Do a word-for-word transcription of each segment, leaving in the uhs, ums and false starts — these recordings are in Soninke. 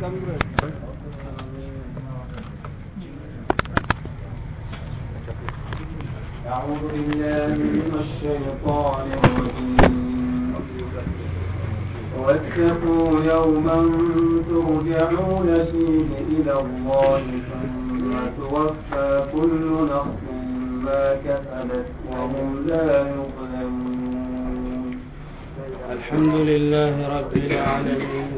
أعوذ بالله من الشيطان الرجيم. واتقوا يوما ترجعون فيه إلى الله ثم توفى كل نفس ما كسبت وهم لا يظلمون. الحمد لله رب العالمين،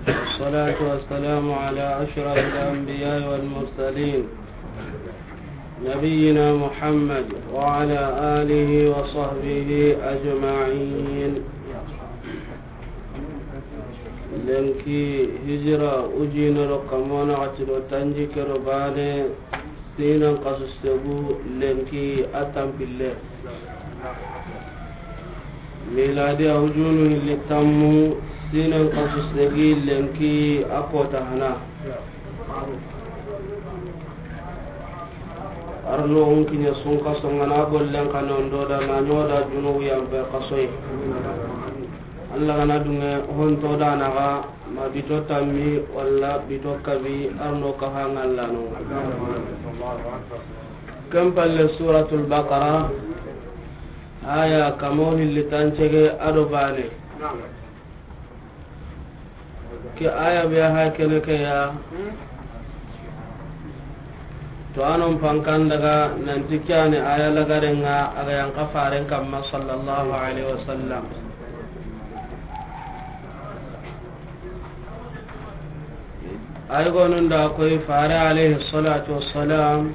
والصلاة والسلام على أشرف الأنبياء والمرسلين، نبينا محمد وعلى آله وصحبه أجمعين. Lenki hijira ujine ro kamona gatiro tanji kero bane, sinan kasu segu lenki a tanpille. Miladi a ujunu hilli tammu, sinan kasu segi lenki a kota hana. Arno unkinya sunka songana gollen kanondo da na nyoda junubu yampe kasoy. Allah gana dunge honto da naga ma bito tammi walla bito kabi arno kaha ngallano. Ken palle Suratul Baqara, aya kamo hilli tancege ado bane. Ke aya be ha kene ke ya. To anon pankan daga nanti kyane aya lagarenga aga yanka faren kamma sallallahu alaihi wasallam. Ay gonun da koy fare alaihi salatu wassalam.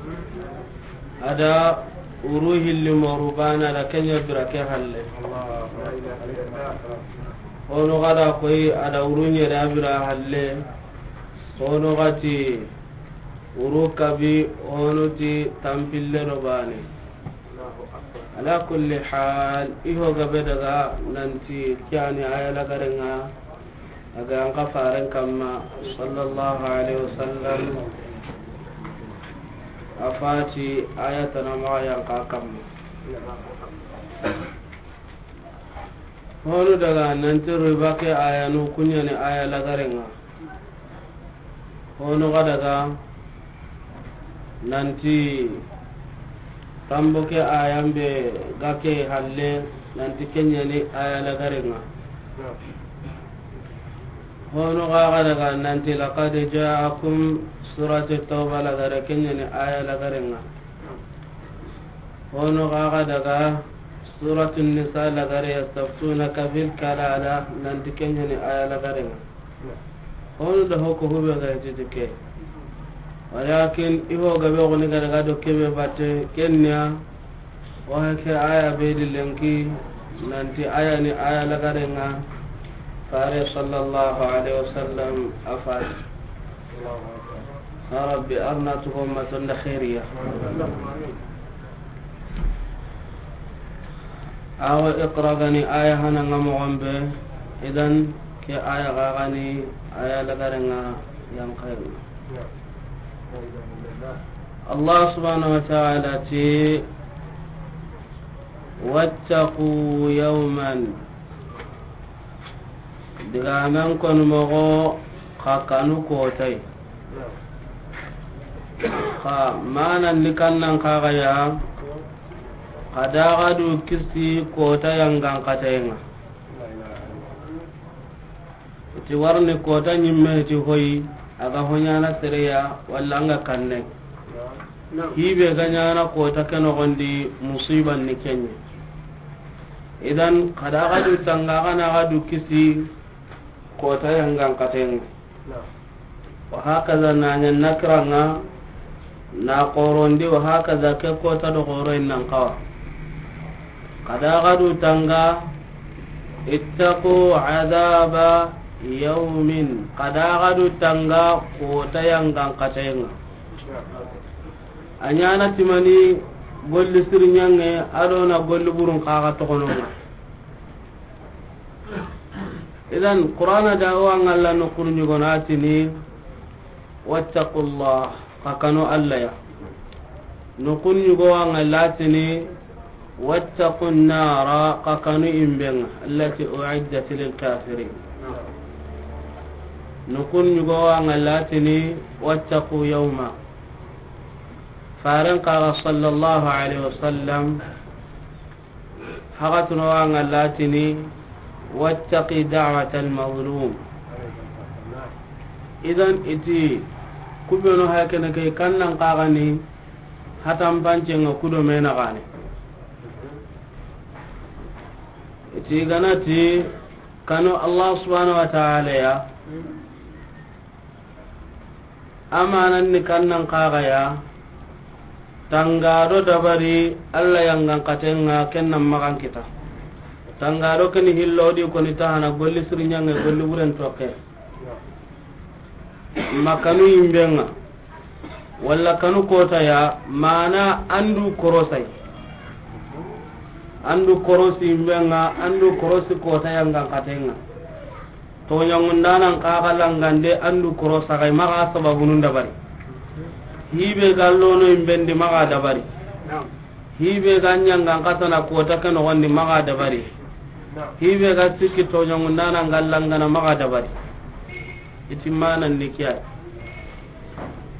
Ada uru hilli moru bana da kenya bira ke halle. Hono gada koy ada uru nyere abira halle. Hono gati uru kabi, hono ti tampille do bane. Ala kulli hal, iho gabe daga nanti kyani aya lagarenga. Aga an ka faren kamma, sallallahu alaihi wasallam, a fati aya tana maxa yan ka kamma. Honu daga nanti riba ke aya nu kunyani aya lagarenga. Honu ga daga nanti tambo ke ayan be ga ke halle, nanti kenyani aya lagarenga. Hono ga ga daga nanti laqad ja'akum, suratu Tawba lagare kenyani aya lagarenga. Hono ga ga daga suratu Nisa lagare yastaftunaka fil kalala, nanti kenyani aya lagarenga. Honu da hoko hube ga titi ke. Walakin iho gabe goni ga daga do kebe batte kenya. Wa ke aya be di lenki nanti aya ni aya lagarenga. Fare sallallahu alaihi wasallam a fati. Ya Rabbi, arna tugo matonda khairiya. Awa iqra gani aya hana nga moxon be, idan ke aya ga gani aya lagarenga yan khairi. Allah subhanahu wa ta'ala ti, wattaqu yawman. Digamen konu moxo xa kanu kotay. Xa manan ni kannan kaxaya, xa daga du kisi kota yangan katayenga. Iti warni kota nyimme ti hoyi, aga honyana sereya walla anga kanne. Hibe ga nyana kota ke noxondi musiban ni kenye. Idan kada ga du tanga, kana ga du kisi kota yangan katenga. Wa hakaza na nya nakiranga na korondi, wa hakaza ke kota do koro innan kawa. Kada ga du tanga, ittaqu adhaba yawmin. Kada ga du tanga kota yangan katenga. A nyana timani golli sirnyange, ado na golli burun kaga tokononga. Idan Qur'ana da wa ngalla no kurnyugo na tini, wattaqullah, xa kanu Alla ya. No kurnyugo wa ngalla tini, wattaqun nara, xa kanu imbenga, allati u'iddat lil kafirin. Nukun ɲugo wa ŋalla tini, wattaqu yawma. Faren kaga sallallahu alaihi wasallam, hagatuno wa ŋalla tini, wattaqi da'watal mazlum. Idan iti, kubenu hakene ke kannan kaga ni, hatan pancenga kudo mena gane. Iti ganati, kanu Allah subhanahu wa ta'ala ya. Amanan ni kannan kaga ya. Tangado dabari Allah yangan katenga kennan magan kita. Tangado keni hillo di koni tahana golli sirinyanga golli wuren toke. Makanu imbenga. Walla kanu kota ya, mana andu korosai. Andu korosi imbenga, andu korosi kota yangan katenga. Toɲangundanan kaga langande andu korosa kai maga sababunun dabari. Hibe gallono imbendi maga dabari. Hibe ga ɲangan katana kota ke nogondi maga dabari. Hibe ga sikki toɲangundanan gallangana maga dabari. Iti manan ni kiya.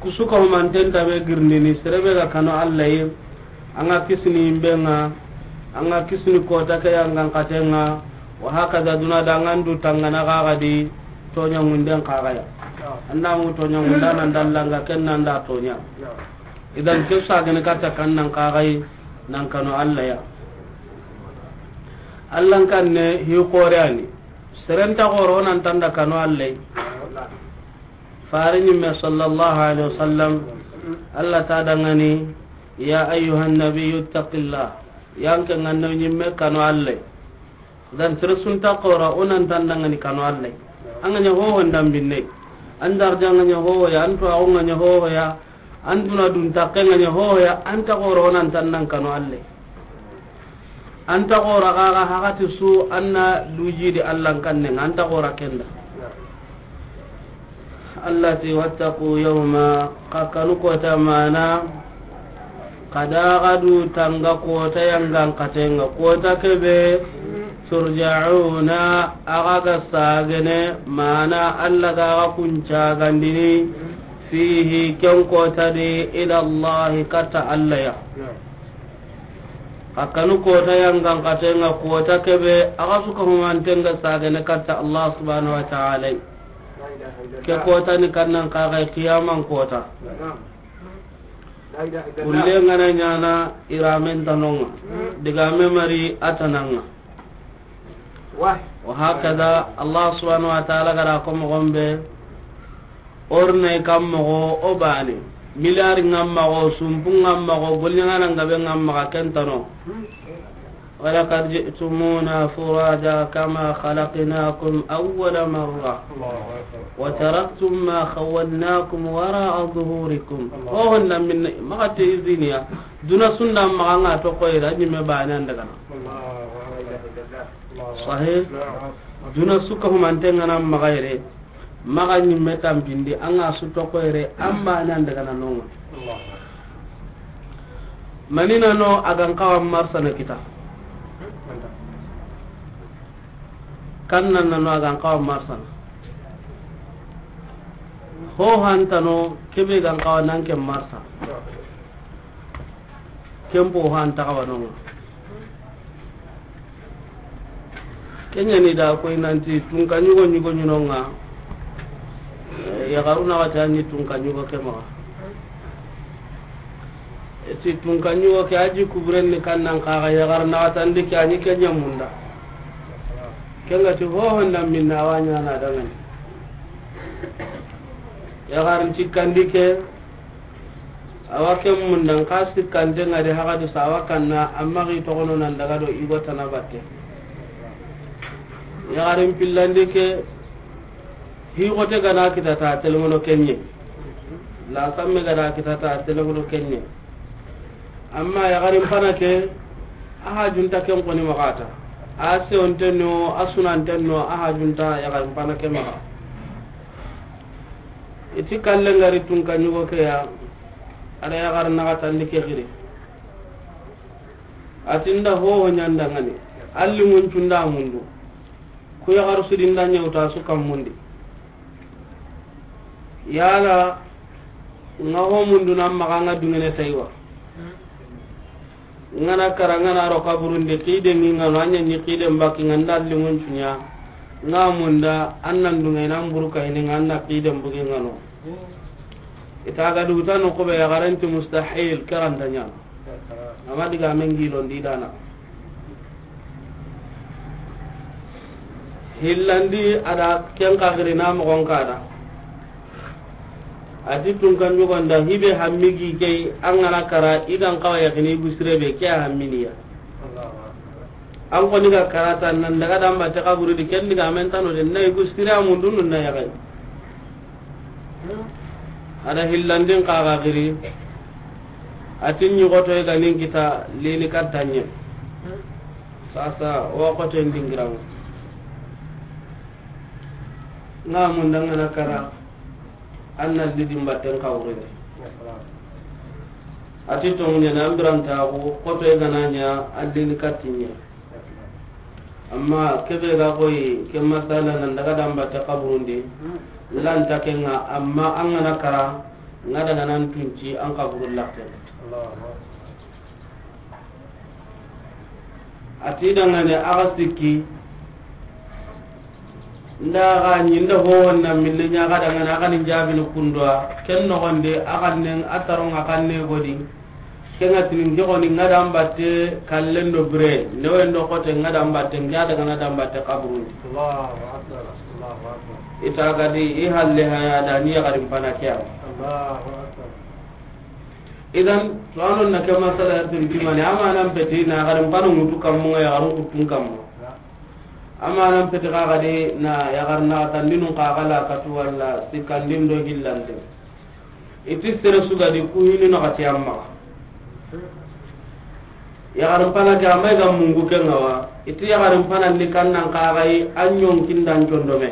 Kusuka humanten tabe girndini, serebe ga kanu Allah yi, anga kisini imbenga, anga kisini kota ke yangan katenga, wa hakaza duna dangandu tangana kaga di, toɲangunden kaga ya. Anda mu toɲangundanan dallanga kennan da toɲa. Idan ke sagene katta kannan kaga yi, nan kanu Allah ya. Allah kanne hi koreani. Serenta goro nan tanda kanu Allah yi. Fare ɲimme sallallahu alaihi wasallam, Allah ta dangani, ya ayyuhan nabiyyu ittaqillah. Yanke nganno ɲimme kanu Allah. Dan sere sunta qora onan tandangani kanu Allah. Anganya hoho ndambinne. Andar janganya hoho ya, antu awnganya hoho ya. An duna dun takke nga ɲa hoya, an ta goro nan tan nan kanu Allah. An ta goro kaga hakati su anna luji di Allah kanne, an ta goro kenda. Allah ti wattaqu yawma, ka kanu kota mana, kada gadu tanga kota yangan katenga, kota kebe turja'una, aga ga sagene mana Allah ga ga kunca gandini. Fihi, ken kota di, ila Allahi, katta Allah ya. Xa kanu kota yangan katenga kota kebe, axa suka humantenga sagene katta Allah subhanahu wa ta'ala. Ke kota ni kannan kaga kiyaman kota. Kulle ngana ɲana iramen tanonga. Digame mari atananga. Wa hakada, Allah subhanahu wa ta'ala gara ko mogon be, orne kam mogo o bane, miliyari ngam mago, sumpu ngam mago, golli ngana ngabe ngam maga kentano. Walaqad ji'tumuna furada kama khalaqnakum awwala marra. Wa taraktum ma khawwalnakum wara'a zuhurikum. Ho honda min magate iziniya. Duna sunda maga nga to koyra ɲimme bane andagana. Sahih. Duna suka humantenga na magayre. Maga ɲimme tampindi anga su to koyre amba nan daga na nonga. Manina no agan kawa marsana kita. Kannan no agan kawa marsana. Ho hantano kebe gan kawa nan ke marsa. Kempo han taxawanonga. Kenyani da koy nanti tunka ɲugo ɲugo ɲunonga. Yaxaru naxati a ɲi tunka ɲugo ke maxa. Eti tunka ɲugo ke a ji kuburen ni kannan kaxa yaxar naxatandi ke a ɲi ke ɲamunda. Kengati hohonda minna awa ɲana dangani. Yaxarin cikkandi ke. Awa ken mundan ka sikkante ngadi hagadu sawa kanna amma gi togono nan daga do igo tana batte. Yaxarin pillandi ke higote gana kitata telengono kenye. La samme gana kitata telengono kenye. Amma yaxarin pana ke aha junta ken koni magata. A sewontenno a sunantenno aha junta yaxarin pana ke maga. Iti kalle ngari tunka ɲugo ke ya. Ada yaxar naxatandi ke xiri. Atinda hoho ɲandangani. Alli ŋuncunda mundu. Ku yaxar sudinda ɲewta su kammundi. Yala nga ho mundu na maxa nga dungene taywa. Nga na kara, nga na ro kaburunde, kide ngi nga no, a ɲa ɲi kide mbaki nga nda lingun cunya. Nga munda, an nan dunga ina mburu ka ini nga na kide mbugi nga no. Ita ga du ta no ko be ya garanti mustahil karanta ɲa. Amma diga men gilo ndi dana. Hillandi a da ken ka giri na mogon ka da. A ti tun kan jogon da hibe hammi gi key an ga na kara i gan kawa yakini i gu sire be ke a hamminiya. An koni ga karata nan daga damba te kaburu di ken diga men tano de na i gu sire a mundu nun na yagai. A da hillandin ka ga giri. A ti ɲogoto i ga nin kita lini kattanye. Sasa o xoten dingiraŋa. Nga munda nga na kara an na lidi mbatten kawrene. A ti tongu ɲana an biranta ko xoto e gana ɲa an lini kattiɲe. Amma kebe ga koyi ke masala nan daga da mbatte kaburundi lanta kenga, amma an ga na kara nga daga nan tunci an kaburu lakke. A ti dangane a ga sikki nda ga ɲi nda ho wonna minne ɲa ga dangane a ga ni jabini kundwa ken nogonde a ga nen a taron a ga ne godi. Kenga tinin ke goni nga da mbatte kallen do bire ne wendo kote nga da mbatte nga daga na da mbatte kaburundi. Allahu akbar, Allahu akbar. Ita gadi i halle haya da ni yagarin pana kiya. Allahu akbar. Idan to anon na ke masala ya tun timani ama nan peti na yagarin panu mutu kammu nga yagarun kutun kammu. Ama nan peti ka gadi na yagar na tandinun ka gala katu walla sikandin do hillande. Iti sere sugadi ku hinu na gati amma. Yagarin pana ke amma ga mungu ke ngawa. Iti yagarin pana ni kannan ka gai an yonkin dan condome.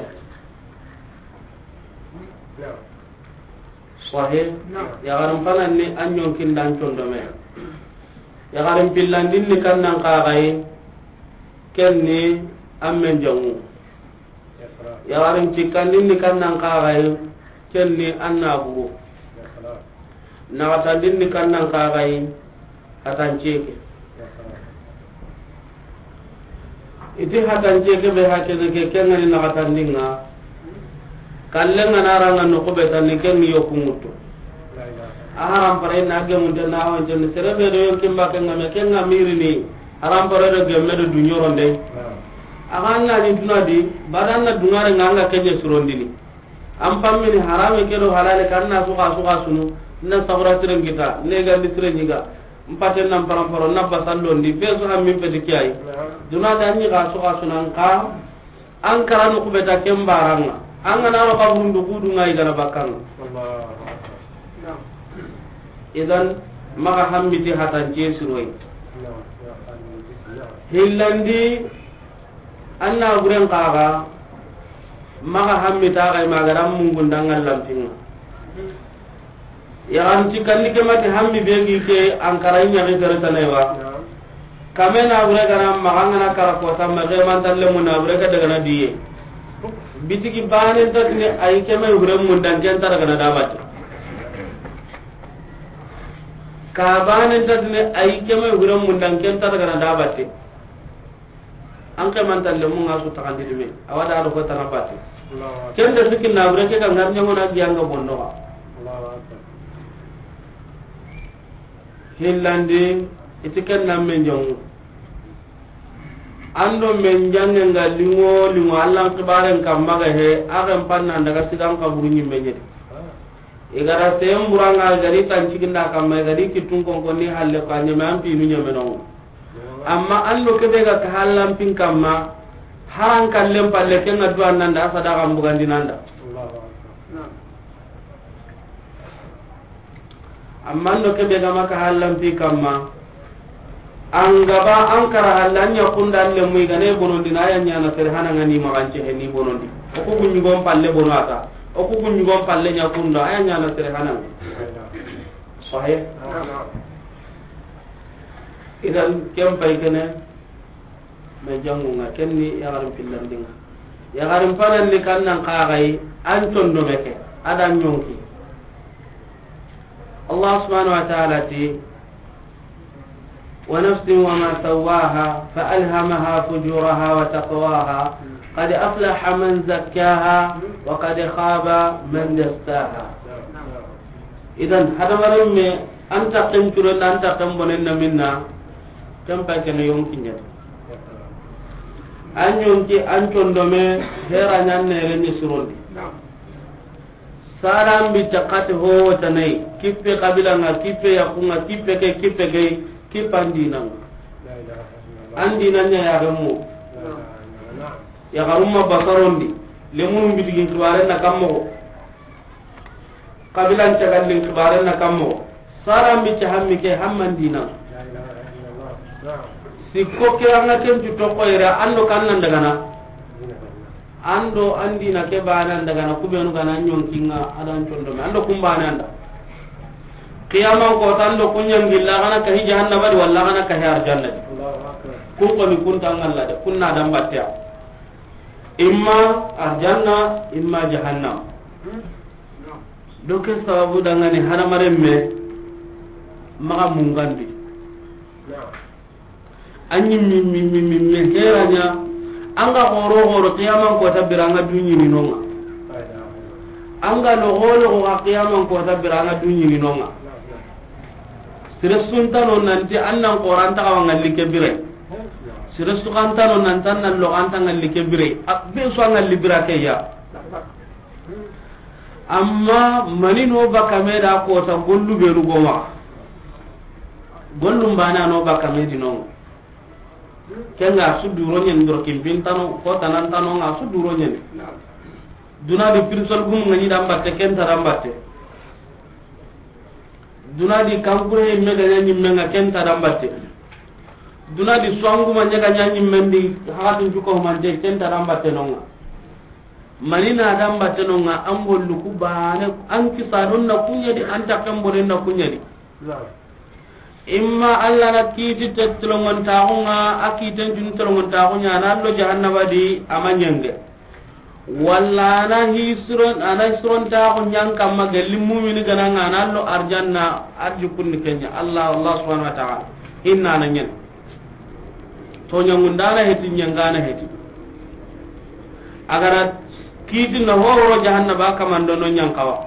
Sahih. Yagarin pana ni an yonkin dan condome. Yagarin pillandin ni kannan ka gai. Kenni an men jangu. Yagarin cikkandin ni kannan ka gai. Kenni an na bugu. Naxatandin ni kannan ka gai. Hatanceke. Iti hatanceke be hakene ke kengani naxatandinga. Kallenga na ranga no ko be tanni kenni yoku mutu. A haram pare na gemunte na wonte ni sere be do yonkin ba kenga me kenga mirini. Haram pare do gemme do dunyoronde. A ga na ni dunadi badan na dungare nga nga kenye surondini. An pammini harame ke do halale kan na suka suka sunu na sabura tiren kita ne gandi tiren nyiga. Mpaten nan paramparo na basallondi be so hammin peti kiyai. Duna da nyiga suka sunan ka an karanu kubeta kembaranga an ga na ro kaburundu kudu ngai gana bakanga. Idan maga hammiti hatan je siroi. Hillandi An na buren kaga maga hammi ta ga ma ga ran mungun dangal lampinga. Ya an ti kandi ke mati hammi be gi ke an kara nya ga tare tanai wa. Kame na bure ga na maga ngana kara ko ta ma ga man talle mun na bure ga daga na diye. Bitiki banen ta ne ay ke mai bure mun dan ken ta daga na dabati. Ka banen ta ne ay ke mai bure mun dan ken ta daga na dabati. An ke man talle mun ga su takandi dime. Awada do ko tana bati. Ken da sikin na bure ke ga ngar nyamo na giya nga bondo ga. Hillandi iti ken na men jangu. Ando men jange nga lingo lingo Allan kibaren kamma ga he agen panna daga sigan kaburu nyimme nyedi. I gara sen buranga i gari tan ciginda kamma i gari kittun konkonni halle ko a ñeme an pinu ñeme nongo. Amma an do kebe ga ka hallan pin kamma haran kallen palle ke nga duwa nanda a sadaka mbugandi nanda. Amma an do kebe ga ma ka hallan pi kamma An gaba an kara halla an ña kunda an lemu i gane bonondi na ya ñana sere hananga ni magance he ni bonondi. O ku guñugon palle bono ata. O ku guñugon palle ña kunda a ya ñana sere hananga. Sahih. Idan ken pay kene me jangunga ken ni yagarin pillandinga. Yagarin panan ni kannan kaxay an tondo meke. A da ɲonki. Allah subhanahu wa ta'ala ti, ونفس وما سواها فألهمها فجورها وتقواها قد أفلح من زكاها وقد خاب من دساها. Idan, hadamarenme, an ta ken curen da, an ta ken bonen na minna, ken pa ken yonki ɲa. An yonki, an condome, hera ɲan ne ren ni surondi. Saran bi takati ho tanai, kippe kabila nga, kippe yaku nga, kippe ke, kippe ke, kippe an dina nga. An dina ɲa ya gemu. Ya garumma basarondi, lemunum bitigin kibaren na kammo. Kabilan cagallin kibaren na kammo. Saran bi ta hammi ke hamman dina. Sikko ke an ga ken tu to ko ira, an do kan nan daga na. An do an dina ke bana daga na, kubenu ga na ɲonkinga, a da an condome. An do kumbana an da. Qiyaman ko tan do kunyan gilla, gana ka hi jahannaba di, walla gana ka hi arjanna di. Kun ko ni kun tangalla de, kunna dan battiya. Imma arjanna, imma jahannam. Do ke sababu dangani hadamarenme maxa mungandi. A ɲi mi, mi, mi, mi, mi hera ɲa. An ga xoro, xoro, qiyaman kota bire an ga du ɲini nonga. An ga loxo, loxo xa qiyaman kota bire an ga du ɲini nonga. Sere su nta no nanti an nan xora an taxa wa ŋalli ke bire. Sere su xa nta no nanti an nan loxo an ta ŋalli ke bire. A be su a ŋalli bire ke ya. Amma mani no bakame da kota gollu benu goma. Gollum bana no bakame di no. Kenga su duro ɲen doro kimpin tano, ko tanan tano nga su duro ɲen. Duna di pirsol gum nga ɲi dan batte, ken ta dan batte. Duna di kankure me ga ɲa ɲimme nga, ken ta dan batte. Duna di suwangu ma ɲa ga ɲa ɲimme ndi, hatin juko mante, ken ta dan batte nonga. Mani na dan batte nonga, an gollu ku bane, an kisa don na kuɲa di, an takken bonen na kuɲa di. Imma Allah na kiti te telongontaxu nga, a kiten tun telongontaxu ɲa, na lo jahannaba di, ama ɲenge. Walla ana hisiron, ana hisiron taxu ɲan kamma gelli mumini gana nga, na lo arjanna, arju kunni kenya. Allah, Allah subhanahu wa ta'ala. Inna na ɲen. To ɲangundana heti, ɲangana heti. Agara kiti na horo jahannaba kamando no ɲan kawa.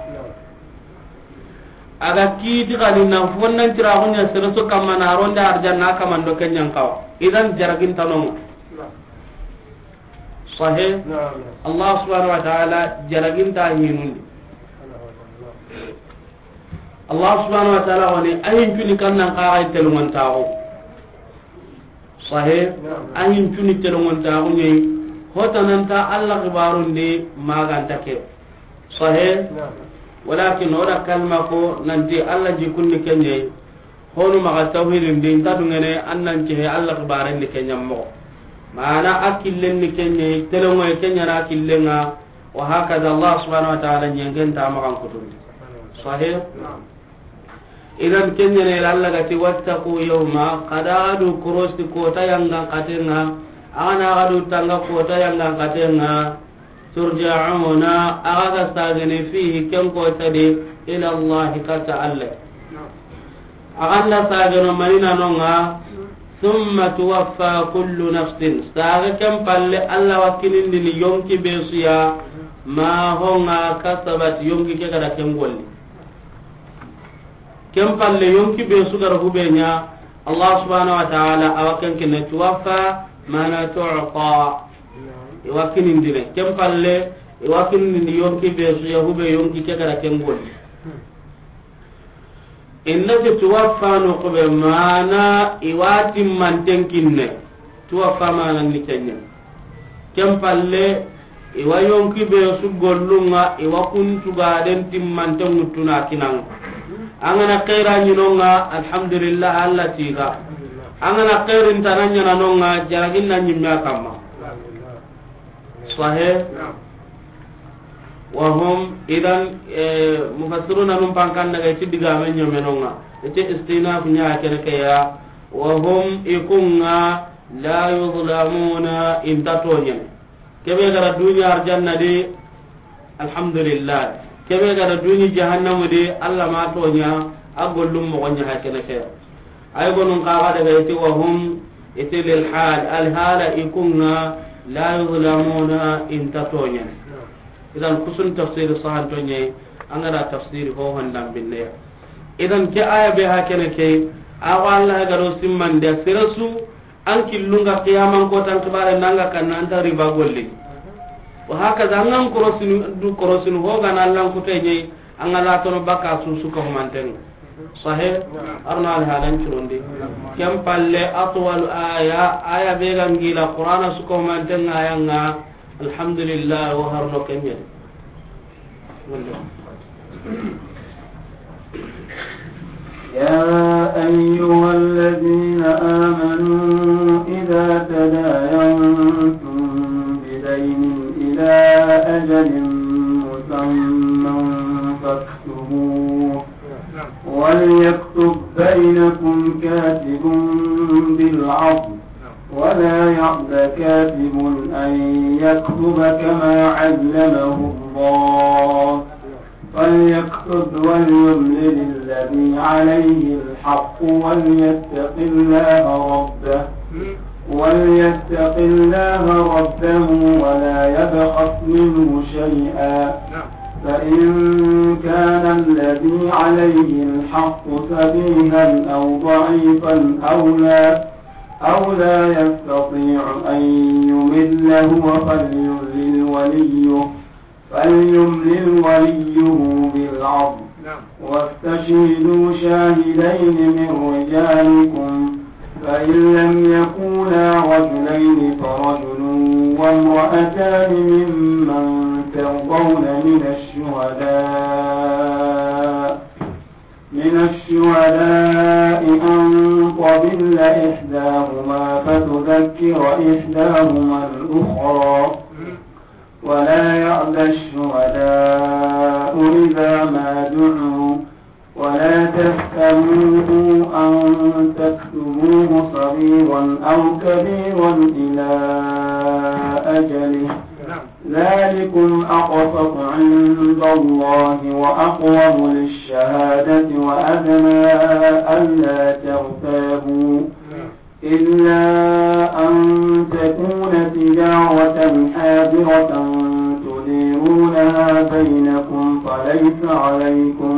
Aga kiti kadi na fonnan tiraxu ɲa sere su kamma na ronde arjanna kamando kenyan kawa. Idan jaragin tanonga. Sahe? Naam. Allah subhanahu wa ta'ala jaragin ta hinundi. Allah subhanahu wa ta'ala wani ayin tuni kannan kaxay telungontaxu. Sahe, a hin cuni telongontaxu ɲeyi, hotananta Allah xibarundi maganta ke. Sahe, walakin o da kalma ko nanti Allah jikundi ke ɲeyi, honu maxa tawhidindi, nta dungene an nan cehe Allah xibarendi ke ɲammoxo. Mana a killenni ke ɲeyi, telongoye ke ɲana killenga, wa hakada Allah subhanahu wa ta'ala ɲengenta maxan kutundi. Sahe? Idan kenyene ila Allah gati, wattaqu yawma, kada adu korosi kota yangan katenga, agana agadu tanga kota yangan katenga, turja'una, aga ga sagene fihi ken kota di, ila Allah kata Allah. Aganda sageno manina nonga, thumma tuwaffa kullu nafsin, saga ken palle Allah wakinindini yonki besuya, ma honga kasabat, yonki ke gada ken golli. Ken palle yonki be su gara hube ɲa, Allah subhanahu wa ta'ala awa ken kene tuwaffa mana tu'ta. Iwa kinindine. Ken palle iwa kinindi yonki be su ya hube yonki ke gara ken golli. Inna ti tuwaffa no kube mana iwa timmanten kinne. Tuwaffa mana ni kenya. Ken palle, iwa yonki be su gollunga, iwa kuntuga den timmante ŋuttuna kinanga. Angana xeera ɲinonga, alhamdulillah, Allah tiga. Angana xeerin tana ɲananonga, jaragin na ɲimme a kamma. Sahe? Wa hum, idan, eh, mufassiruna num pankan daga iti digame ɲomenonga. Iti istinaf ɲa kene ke ya. Wa hum ikunga la yuzlamuna, inta toɲene. Kebe gara dunya arjanna de, alhamdulillah. Kebe ga da duni jahannamu di, Alla ma toɲa, a gollum moxo ɲa ha kene ke. Ay gonun kaga daga iti wa hum, iti lil hal, al hala i kunga, la yuzlamuna, inta toɲa. Idan kusun tafsiri sahan toɲe, an ga da tafsiri ho hondan binne. Idan ke aya be ha kene ke, awa Alla ga do simmande sirasu, an killunga qiyaman ko tan kibare nanga kan anta riba golle. Wa hakaza an ga korosinu, du korosinu ho ga na Alla kuteɲe, an ga la tono baka su su ka humanten. Sahih? Arna al halan curondi. Kem palle atwal aya, aya be ga ngila Qur'ana su ka humanten aya nga, alhamdulillah, wa harno kenye. Wallah. يا أيها الذين آمنوا إذا تداينتم بدين إلى أجل مسمى فاكتبوه، وليكتب بينكم كاتب بالعدل، ولا يأب كاتب أن يكتب كما علمه الله، فليكتب وليملل الذي عليه الحق وليتق الله ربه، وليتق الله ربه ولا يبخس منه شيئا، فإن كان الذي عليه الحق سفيها أو ضعيفا أو لا، أو لا يستطيع أن يمل هو فليملل وليه، فليملل وليه بالعدل، واستشهدوا شاهدين من رجالكم، فإن لم يكونا رجلين فرجل وامرأتان ممن ترضون من الشهداء، من الشهداء أن تضل إحداهما فتذكر إحداهما الأخرى، ولا يأب الشهداء إذا ما دعوا، ولا تسأموا أن تكتبوه صغيرا أو كبيرا إلى أجله، ذلكم أقسط عند الله وأقوم للشهادة وأدنى ألا ترتابوا، إلا أن تكون تجارة حاضرة تديرونها بينكم فليس عليكم،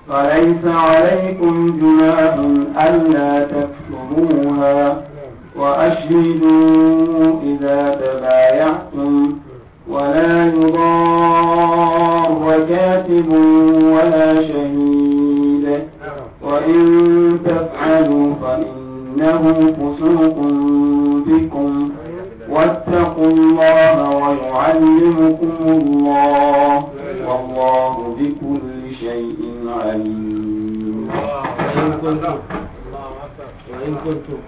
فليس عليكم جناح ألا تكتبوها، وأشهدوا إذا تبايعتم، ولا يضار كاتب ولا شهيد، وإن تفعلوا فإنه فسوق بكم، واتقوا الله ويعلمكم الله، والله بكل شيء عليم. وإن كنتم، وإن كنتم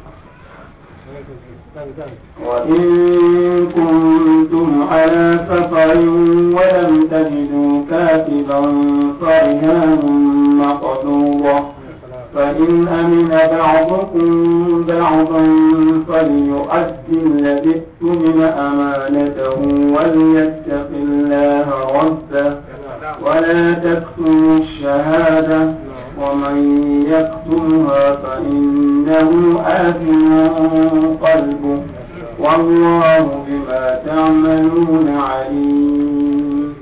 وإن كنتم على سفر ولم تجدوا كاتبا فرهان مقبوضة، فإن أمن بعضكم بعضا فليؤد الذي اؤتمن أمانته وليتق الله ربه، ولا تكتموا الشهادة، ومن يكتمها فإنه آثم قلبه، والله بما تعملون عليم.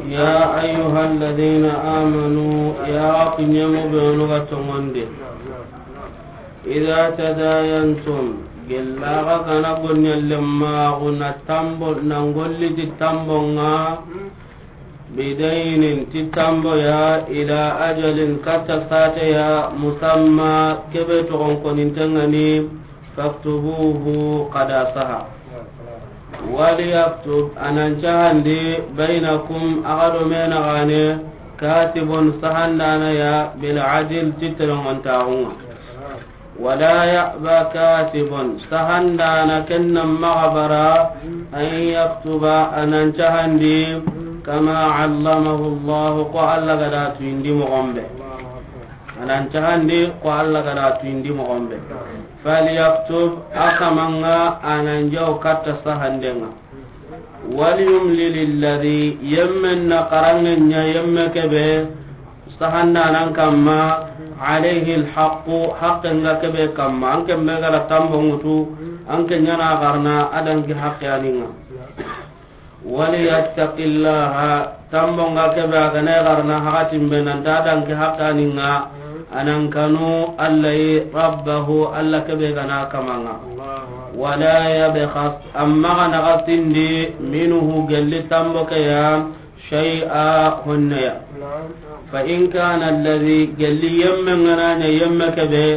يا أيها الذين آمنوا، يا كنيم بنوغا تموندي. إذا تداينتم، gella xa ga na gonɲalle maxu na tambo, na golli ti tambo ŋa, بدين ti tambo ya, إلى أجل katta sate ya, مسمى kebe toxon koninte ŋa ni, فاكتبوه xa da saha. وليكتب a nan cahandi, بينكم a ga do me naxane, كاتب sahandana ya, بالعدل ti telengontaxu ŋa. ولا يأب كاتب sahandana ken na maxa bara, أن يكتب a nan cahandi, كما علمه الله ko Alla ga da tuyindi moxon be. A nan cahandi ko Alla ga da tuyindi moxon be. فليكتب a kama ŋa a nan jaw katta sahande ŋa. وليملل الذي, yemmen na xaranŋe ɲa yemme ke be, sahandanan kamma, عليه الحق, haqqen ga ke be kamma, an ke me ga ra tambo ŋutu, an ke ɲa na xarana, a dangi haqqe a ni ŋa. وليتق الله, tambo nga ke be a ga na xarana hakatin be nan ta dangi haqqe a ni ŋa, a nan kanu Alla yi, ربه, Alla ke be ga na kama ŋa. ولا يبخس, amma ga na ga sindi, منه, gelli tambo ke ya, شيئا, honne ya. فإن كان الذي, gelli yemme nga na ɲa yemme ke be,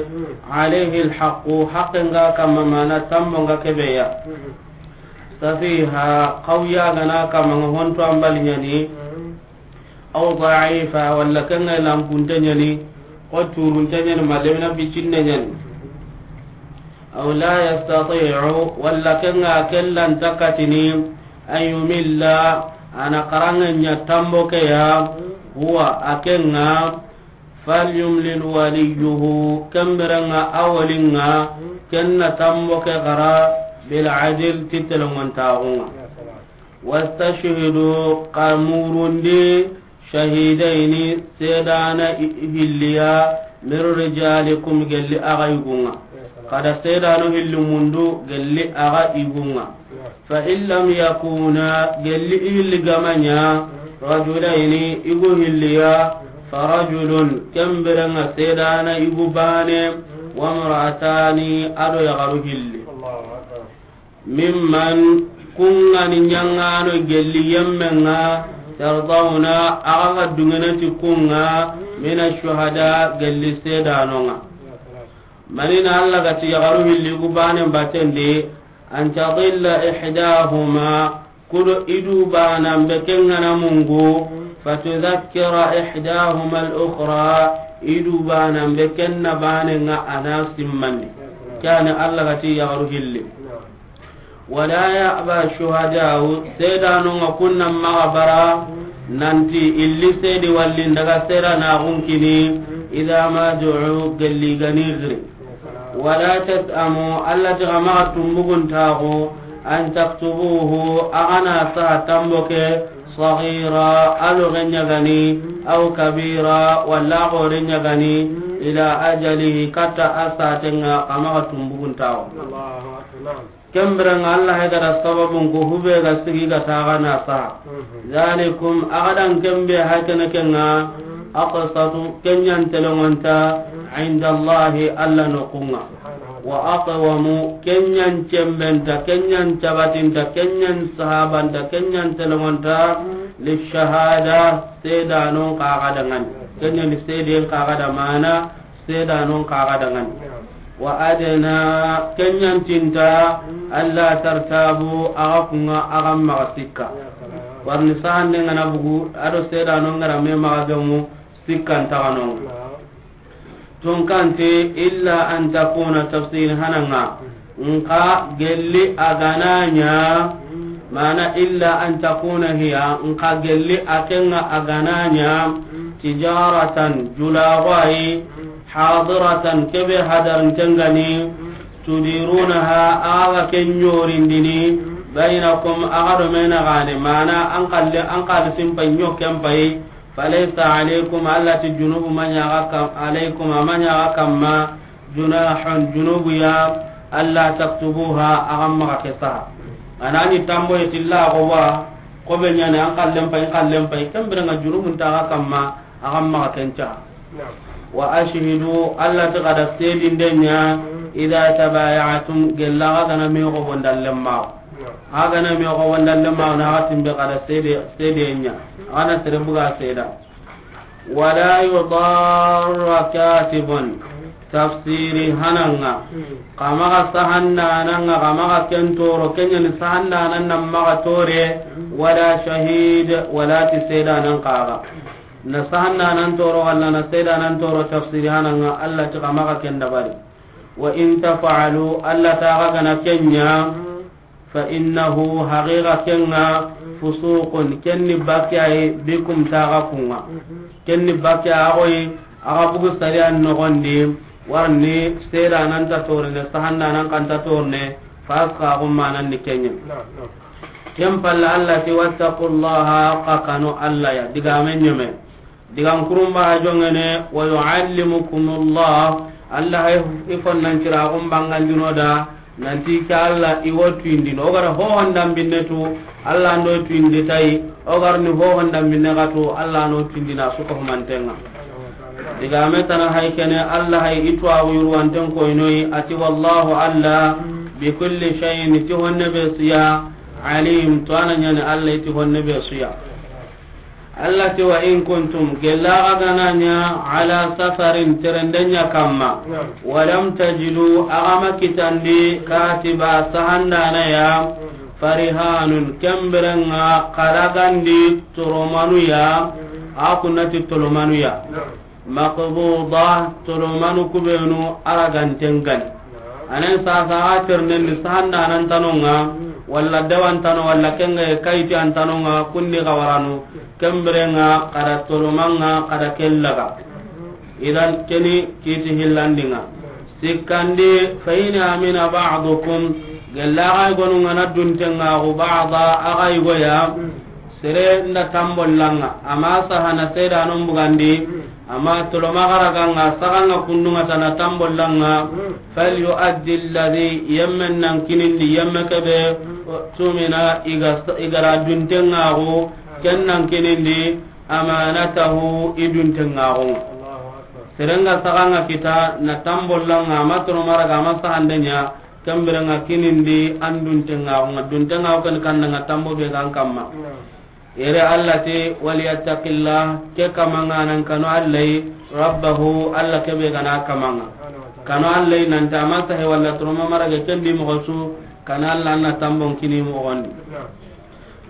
عليه الحق, haqqen ga kamma, mana tambo nga ke be ya. سفيها, xawya ga na kamma, nga honto an bali ɲa ni. أو ضعيفا, walla ke nga lankunte ɲa ni, xo turunte ɲa ni, ma lemina bicinne ɲa ni. أو لا يستطيع, walla ke nga ke lan ta katini, أن يمل, a na xaranŋe ɲa tambo ke ya, هو, a ke nga, فليملل وليه, ken bire nga a wali nga, ken na tambo ke xara, بالعدل, ti telongontaxu nga. واستشهدوا, xa murundi, شهيدين, seedana i-, hilli ya, من رجالكم, gelli axa yugu nga. Xa da seedano hilli mundu, gelli axa yugu nga. فإن لم يكونا, gelli i hilli ga ma ɲa, رجلين, yugu hilli ya, فرجل, ken bire nga seedana yugu baane, وامرأتان, a do yaxaru hilli. ممن, ku nga ni ɲaŋano gelli yemme nga, ترضون, axa ga duŋene ti ku nga, من الشهداء, gelli seedano nga. Mani na Alla ga ti yaxaru hilli ku baane batten di, أن تضل إحداهما, ku do i du baanan be ke nga na mungu, فتذكر إحداهما الأخرى, i du baanan be ke na baane nga a na simmandi. Ke ya ni Alla ga ti yaxaru hilli. ولا يأبى الشهداء, seedano nga ku na maxa bara, nanti i li seedi walli n daga seedanaxun kini, إذا ما دعوا, gelli ga ni xiri. ولا تسأموا, Alla ti xa maxa tumbuguntaxu, أن تكتبوه, axa na saha tambo ke, صغيرا, a loxe ɲa ga ni, أو كبيرا, walla a xoore ɲa ga ni, إلى أجله, katta a saate nga, xa maxa tumbuguntaxu. Ken bire nga Alla hay ga da sababun ko hube ga sigi ga taxa na saha. ذلكم, axa dan ken be hay kene ke nga, أقسط, ke ɲa n telongonta, عند الله, Alla noxun nga. وأقوم, ke ɲa n cembenta, ke ɲa n cabatinta, ke ɲa n sahabanta, ke ɲa n telongonta, للشهادة, seedanon xa ga da ŋa ni. Ke ɲa ni seeden xa ga da, mana seedanon xa ga da ŋa ni. وأدنى, ke ɲa n tinta, ألا ترتابوا, axa ku nga axa maxa sikka. Warni sahande nga na bugu, a do seedanon ga ra me maxa gemu, sikkan taxanon. Tunkanti, إلا أن تكون, tafsiri hana nga. Nxa gelli a ga na ɲa, mana إلا أن تكون هي, nxa gelli a ke nga a ga na ɲa, تجارة, julaxu yi, حاضرة, ke be hadarinten ga ni, تديرونها, axa ga ke ɲorindini, بينكم, axa do me na ga ni, mana an xalle, an xalle simpay ɲo ken pay, فليس عليكم, Alla ti junubu ma ɲa axa kam, عليكم, a ma ɲa axa kamma, جناح, junubu ya, ألا تكتبوها, axa maxa ke saha. A na ni tambo yi ti la ko wa, ko be ɲa ni an xallen pay, an xallen pay, ken bire nga junubun ta axa kamma, axa maxa ken saha. وأشهدوا, Alla ti xa da seedinde ɲa, إذا تبايعتم, gella xa ga na me xo bonda lemma. Xa ga na me xo bonda lemma, na xa timbe xa da seede, seede ɲa. Xa na sere buga seeda. ولا يضار كاتب, tafsiri hana nga. Xa maxa sahandanan nga, xa maxa ken toro, ke ɲa ni sahandanan na maxa tore, ولا شهيد, wala ti seedanan xa ga. Na sahandanan toro, wala na seedanan toro, tafsiri hana nga, Alla ti xa maxa ken dabari. وإن تفعلوا, Alla ti xa ga na ke ɲa, فإنه, haqiqa ke nga, فسوق, ken ni bakke yi, بكم, ti xa ku nga. Ken ni bakke yi, axa yi, axa bugu sariyan noxon di, warni seedanan ta torene, sahandanan xa nta torene, فاسقاكم, manan ni ke ɲa. Ken palle Alla ti, "Wattaqullaha", xa kanu Alla ya. Digaame ɲeme. Digan kurumba ha jongene, "Wa yuallimukumullah", Alla hay i fonnan cira xun bangan juno da, nanti ke Alla i wo tuindini. O gara ho hondan binne tu, Alla ndo tuindi tayi. O gar ni ho hondan binne xa tu, Alla no tuindi na su ko humantenga. Digaame tana hay kene, Alla hay i tuwaxu yurwanten koynoyi, a ti, "Wallahu Alla, bi kulli shay'in", ti honne be su ya, "alim", to a na ɲani Alla i ti honne be su ya. Alla ti, "Wa in kuntum", gella xa ga na ɲa, "ala safarin", terendenya kamma, "wa lam tajidu", a ga ma kitandi, "katiba", sahandana ya, "farihanun", kemberenga xa ragandi toromanu ya, a kunnati tolomanu ya. Maqbuda, tolomanu kubenu a raganten gani. Anen sasa a ternen ni sahandanan tanonga, walla dawantano, walla kenga kayti antanonga, kundi gawaranu, kemberenga, kada tolomanga, kada kellaga. Idan keni kiti hillandinga. Sikkandi, "Fa in amina ba'dukum", gella aga igonunga na duntenga, gu ba'da, aga igoya, sere nda tambollanga, ama sahana sedanon bugandi, ama toloma garaganga, saganga kundunga tana tambollanga, "falyu'addi alladhi", yemmen nan kinindi, yemme kebe, "tumina", iga, igara duntengaxu, ken nan kinindi, "amanatahu", i duntengaxunga. Serenga saganga kita, na tambollanga, ama toloma raga, ama sahandenya, Kembirenga kinindi an duntengaxunga, duntengaxu ken kannanga tambo be gan kamma. Yere Allah ti, "Waliyattaqillah", ke kamanga nan kanu Allah yi, "rabbahu", Allah kebe gana kamanga. Kanu Allah yi nanta masa he walla turoma marage kendi moxo su, kana Allah anna tambon kini moxondi.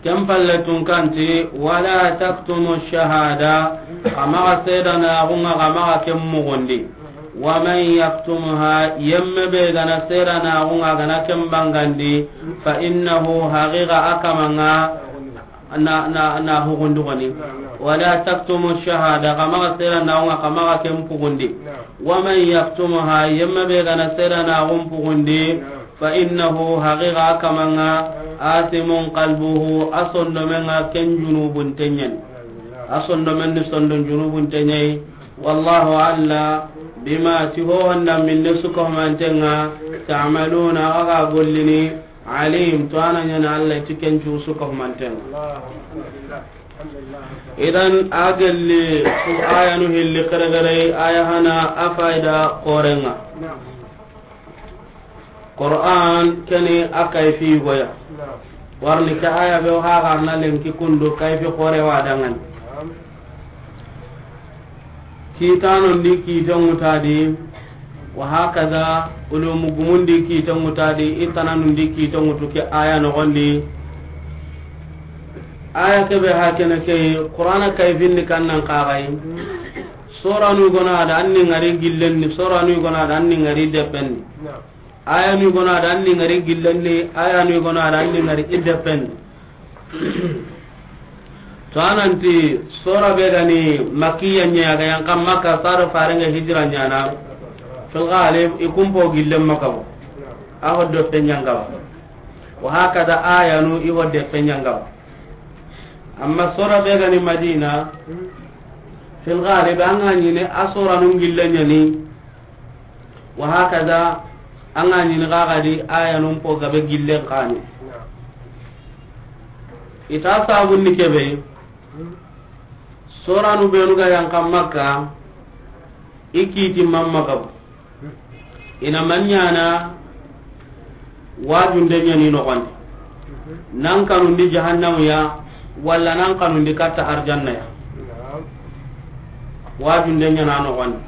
Ken palle tun kanti, "Wala taktumu shahada", xa maxa sedanaxunga, xa maxa ken muxundi. "Wa man yaktumha", yemme be gana sedanaxunga, gana ken bangandi, "fa innahu", haqiqa a kamanga, na, na, na hugundi goni. "Wala taktumu shahada", xa maxa sedanaxunga, xa maxa ken pugundi. "Wa man yaktumha", yemme be gana sedanaxun pugundi, "fa innahu", haqiqa a kamanga, "athimun qalbuhu", a sondomenga ken junubun tenyani. A sondomen ni sondon junubun tenyayi. "Wallahu", Allah, "bima", ti ho honda minne suka humantenga, "ta'maluna", aga gollini, "alim", to ana nyana Allah ti ken cu suka humantenga. Idan a gelli su ayanu hilli keregerei, aya hana a fayda korenga. Qur'an keni a kayfi goya. Warni ke aya be o hagarna lenki kundu kayfi kore wa dangani. Kitano ndi kite ngutadi, wa hakaza ulumu gumundi kite ngutadi, itananu ndi kite ngutu ke aya nogondi. Aya kebe hakene ke Qur'ana kayfindi kannan kagai. Soranu gona da anni ngari gillenni, soranu gona da anni ngari deppenni. Ayanu gona da anni ngari gillenni, ayanu gona da anni ngari ideppenni. To ananti sora be gani Makkiya nya ga yan kam Makka saro farenge hijra nyana. Fil ghalib ikumpo gillen makabo. Aho do penyangaba. Wa hakada ayanu iho de penyangaba. Amma sora be gani Madina, fil ghalib anga nyine a sora nun gillen nyani. Wa hakaza, anga nyini gagadi aya nun po gabe gillen kani. Ita sabun ni kebe, soranu benu ga yan kam Makka, ikiti mamma gabu. Ina manyana, wajunde nyani nogondi. Nan kanundi jahannamu ya, walla nan kanundi katta arjanna ya. Wajunde nyana nogondi.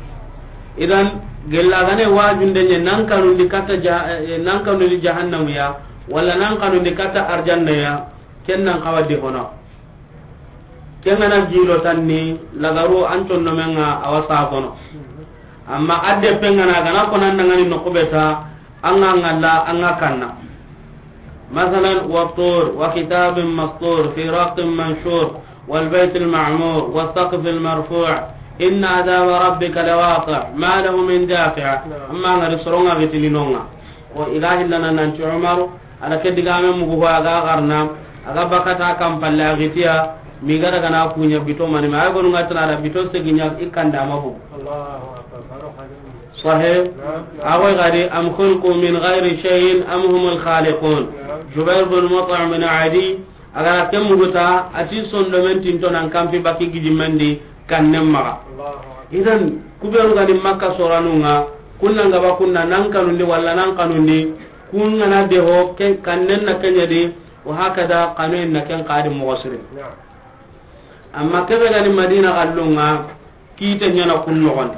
Idan, gella gane wajunde nya nan kanundi katta ja-, eh, nan kanundi jahannamu ya, walla nan kanundi katta arjanna ya, ken nan kawadi hono. Kengana jilo tanni lagaru an condomenga awa sagono. Amma adde pengana gana konan dangani nokubeta anga ngalla anga kanna. Masalan, "Wa tur, wa kitabin mastur, fi raqin manshur, wal baytil ma'mur, wa saqfil marfu', inna adhaba rabbika lawaqi', ma lahu min dafi'." Amma ngari soronga gitini nonga. Ko ilahi lana nanti Umaru, ala ke digame mugu ho aga garna. A ga bakata kan palle a gitiya, mi ga daga na kunya bito mani, ma ay gonu nga tana da bito segi nya i kanda ma bu. Allahu akbar. Sahe. Naam, naam. A go gadi, am khuliqu min ghairi shay'in am humul khaliqun. Naam. Jubair bin Mut'im bin Adi, a ga ra ken muguta, a ti sondomen tinto nan kampi baki gidi mendi kannen maga. Allahu akbar. Idan, kubenu gani Makka soranunga, kunna ngaba kunna nan kanundi walla nan kanundi, kun ngana de ho, ken, kannen na kenya di, wa hakada, kanu en na ken kadi mogo siri. Naam. Amma kebe gani Madina gallunga, kite nyana kun nogondi.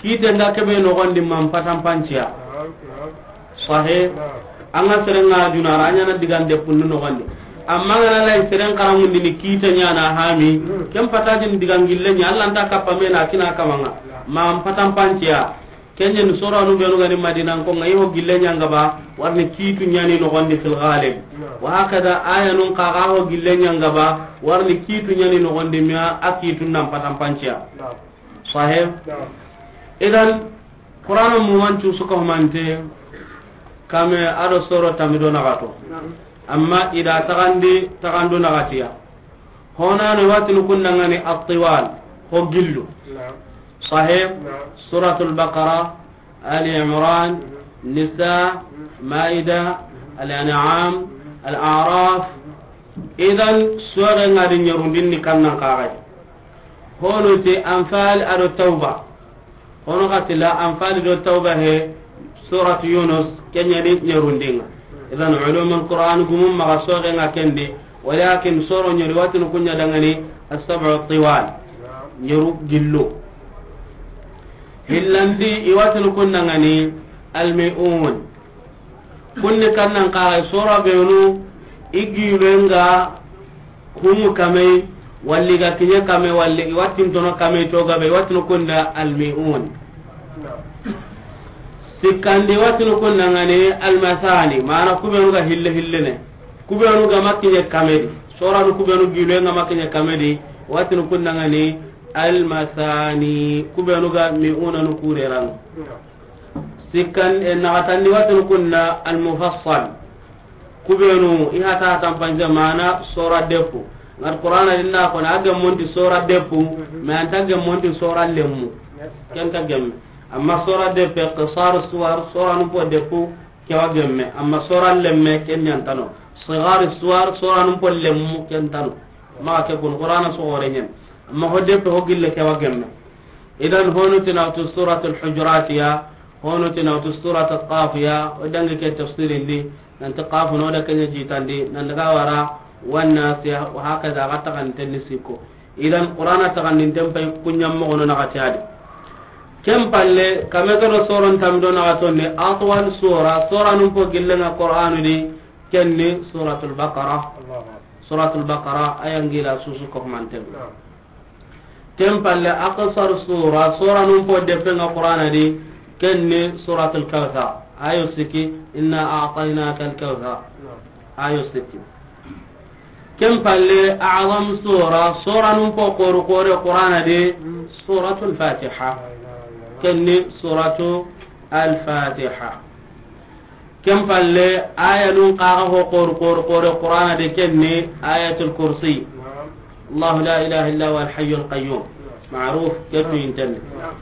Kite nga kebe nogondi man patan panciya. Naam, naam. Sahe. Naam. Anga serenga junara, a nyana digande punnu nogondi. Amma ngana lay seren karamundini kite nyana hami, hmm, ken patadin digangille nya, Allah nta kappa mena kina kamanga. Naam. Man patan panciya. Kenyen soranu benu gani Madina ko nga i ho gille nyanga ba, warni kitu nyani nogondi fil ghalib. Naam. Wa hakada ayanun kaga ho gille nyanga ba, warni kitu nyani nogondi miya a kitu nan patan panciya. Naam. Sahib. Naam. Idan, Qur'ana mu wancu suka humante, kame ado soro tamido nagato. Naam. Amma ida tagandi, tagando nagatiya. Hona no watinu kundangani at-tiwal, ho gillu. Naam. Sahib, naam. Suratul Baqara, Ali Imran, mhm, Nisa, mhm, Maida, mhm, Al-An'am, mhm, Al-A'raf. Mhm. Idan, sore ngadi nyarundin ni kannan kagai. Hono te Anfal ado Tauba. Hono xati la Anfali do Tauba he, Suratu Yunus, kenyani nyarundinga. Idan ulumul Qur'an gumum maga soge nga kendi, walakin soro nyari watinu kunya dangani as-sab'u tiwal. Nyaru gillo. Hillandi i watinu kun dangani al-mi'un. Kunni kannan kaga sora benu i gilenga humu kamei, walli ga kinya kame, walli i wattin tono kame to gabe, i wattin kunda al-mi'un. Sikkandi wattin kunda ngani al-masani, mana kubenu ga hille hille ne. Kubenu ga makinya kamedi. Sora nu kubenu gilenga makinya kamedi, wattin kunda ngani al-masani. Kubenu ga mi'una nu kureran. Sikkan, e, naxatandi watinu kunna al-mufassal. Kubenu, i hata hatan panja mana sora depu. Ngat Qur'ana dinna kono, a gemmonti sora depu, mhm, mais anta gemmonti sora lemmu. Yes. Ken ta gemme. Amma sora depe, qisar suwar, sora numpo depu, kewa gemme. Amma sora lemme, ken nyantano. Sigar suwar, sora numpo lemmu, ken tano. Maxa ke kun Qur'ana so gore nyen. Amma ho depe ho gille kewa gemme. Idan honu tinawtu Suratul Hujurat ya, honu tinawtu Suratul Qaf ya, o dangi ke tafsirin di, nanti Qaf no da kenya jitandi, nan daga wara wan Nas ya, wa hakaza ga taxandinten ni sikko. Idan Qur'ana taxandinten pay kunyam mo gono na gatiyadi. Ken palle, kame gado soron tamdo na gatonde, atwal sura, sora numpo gillenga Qur'anu di, kenni Suratul Baqara. Allahu Akbar. Suratul Baqara, ayangila susu ko manten. Naam. Ken palle aqsar sura, sora numpo depenga Qur'ana di, kenni Suratul Kawthar. Ayo siki, inna a'tainaka al-kawthar. Naam. Ayo siki. Ken palle a'zam sura, sora numpo koru kore Qur'ana di, Suratul Fatiha. Kenni Suratul Fatiha. Ken palle, aya nun kaga ho kor, kor, kor, Qur'ana de kenni, Ayatul Kursi. Naam. Allahu la ilaha illa huwa al-hayyul qayyum. Naam. Ma'ruf, ketu intenne. Naam.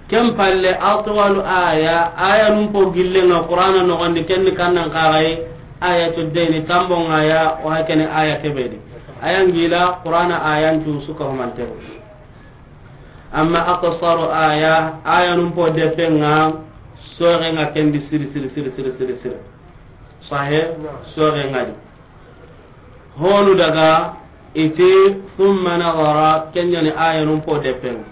Ken palle, atwalu aya, aya nun po gillenga Qur'ana nogondi kenni kannan kagai, Ayatul Dayni, tambon aya, o hakene aya kebedi. Aya ngila, Qur'ana aya ntu suka humantero. Amma aqsaru aya, aya num po depenga, sogenga kendi siri, siri, siri, siri, siri, siri. Sahe, sogenga di. Honu daga, iti, thumma nadhara, kenyani aya num po depenga.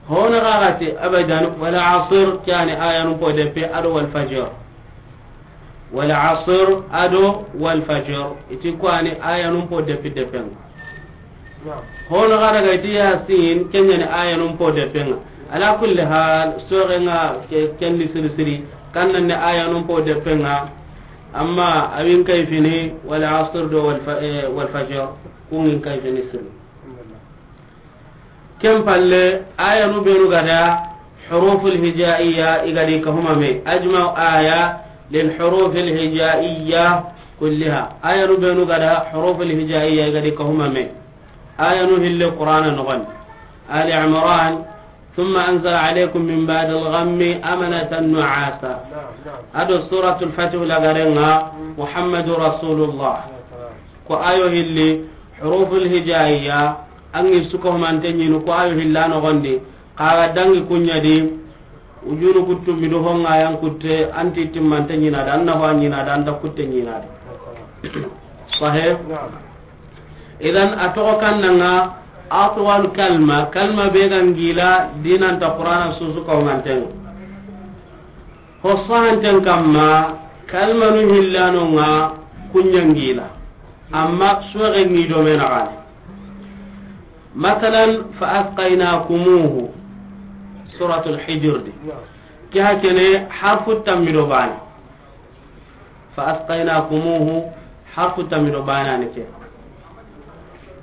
Honu gagati, abadan, wal asr, kyani aya num po depe, ado wal fajr. Wal asr ado wal fajr. Iti kwani aya num po depi depenga. Naam. Hono gara ga iti Yasin, kenyani aya num po depenga. Ala kulli hal, sogenga ke-, kendi siri siri, kannan ne aya num po depenga. Amma awin kayfini, wal asr do wal fa-, eh, wal fajr, kungin kayfini siri. Ken palle, ayanu benu gada, huruful hijaiya, i gadi kahuma me. Ajma'u aya lil hurufil hijaiya, كلها. Ayanu benu ga da huruful hijaiya ga di kahuma me. Ayanu hilli Qur'ana noxon. Ali Imran, ثم أنزل عليكم من بعد الغم أمنة نعاسا. Ado Suratul Fatih lagarenga, محمد رسول الله. Ko ayo hilli huruful hijaiya, an gi su kahumante ɲini ko ayo hilla noxon di. Xa ga dangi kuɲa di, ujunu kuttu midu honga yan kutte, anti timmante ɲina da, an na ho ɲina da, anta kutte ɲina da. Sahih? Idan a toxo kannanga atwal kalma, kalma be ga ngila dinanta Qur'ana su su kahumantenga. Ho sahanten kamma, kalmanu hillanonga kuɲa ngila. Amma suwaxe ngi do me naxani. Masalan, فأسقيناكموه. Suratul Hijr di. Ke ha kene harfu tammi do bane. فأسقيناكموه, harfu tammi do bane ni ke.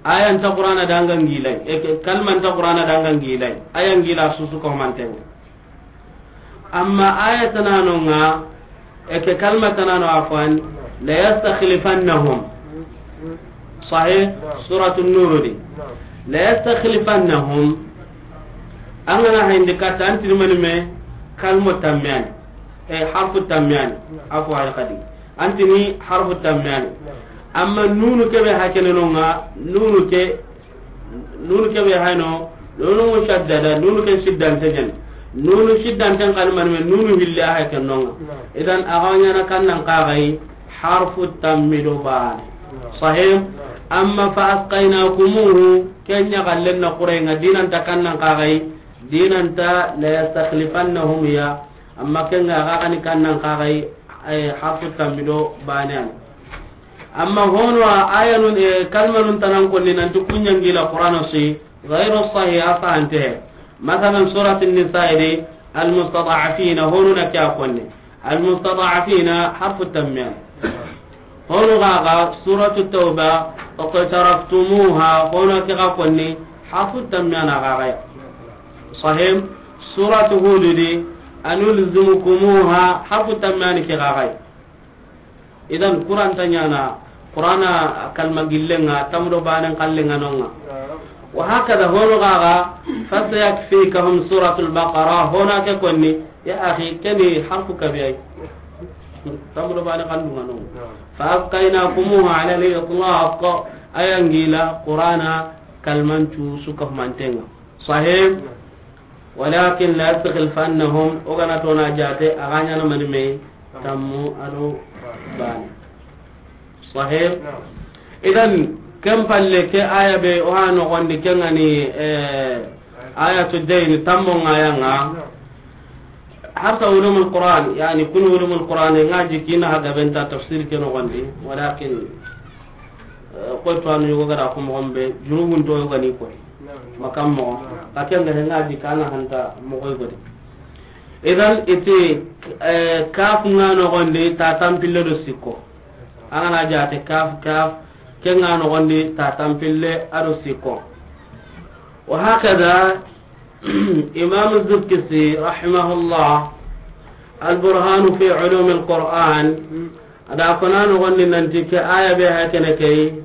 Aya nta Qur'ana danga ngilai. E ke, kalma nta Qur'ana danga ngilai. Aya ngila su su kahumantenga. Amma aya tananonga, e ke kalma tanano afwan, ليستخلفنهم. Sahih? Suratul Nur di. ليستخلفنهم. An ga na hayindi katta, antini mani me, kalmo tammiyani. E, harfu tammiyani. Afwan kadi. Antini harfu tammiyani. Amma nunu kebe hakene nonga, nunu ke Nunu kebe hayno, nunu mushaddada, nunu ke siddante ɲan. Nunu siddanten kalmani me, nunu hille a hay ken nonga. Idan a ga ɲana kannan kaxay harfu tammi do bane. Sahih? Amma فأسقيناكموه, ken ɲa gallen na Qur'an nga dinanta kannan kaxay, dinanta ليستخلفنهم ya. Amma ken ga ga ni kannan kaxay, ay harfu tammi do bane an. Amma hono a ayanun, e, kalmanun tanan konni nanti kuɲa ngila Qur'ana si, ghayru sahih, a sahante. Masalan, Surat An-Nisa di, المستضعفين, hono na kya konni. المستضعفين, harfu tammiyan. Hono gaga, Surat Tawba, اقترفتموها, hono ke ga konni, harfu tammiyan a gaga. Sahih, Surat Hud di, أنلزمكموها, harfu tammiyan ke gaga. Idan Qur'an ta ɲana, Qur'ana kalma gillenga, tamdo banen kallenga nonga. Wa hakada hono gaga, فسيكفيكهم سورة البقرة, hona ke konni, ya akhi, keni harfu kabiyai. Tamdo banen kallunga nonga. فأسقيناكموها على الإطلاق, ayangila, Qur'ana kalmancu suka mantenga. Sahih? ولكن ليستخلفنهم, o gana tona jate, a ga ɲana mani me, tammu ado bane. Sahih? Idan, ken palle ke aya be, o ha nogondi, ken gani, eh, ayatu dayn, tammo ngayanga. Harta ulumul Qur'an, yani kun ulumul Qur'an, nga jikina ha gabenta tafsir ke nogondi, walakin, eh, ko to anu yogo gara ko mo gombe, junubun to yogo ni koy. Makam mo, ka ken ga nga di kana hanta mo koy godi. Idan iti, eh, kaf nga nogondi ta tampille do sikko. Angana jate kaf, kaf, ken nga nogondi ta tampille ado sikko. Wa hakada, Imam Zurkisi, rahimahullah, Al-Burhanu fi Ulumil Quran, ada kona nogondi nanti ke aya be ha kene kay,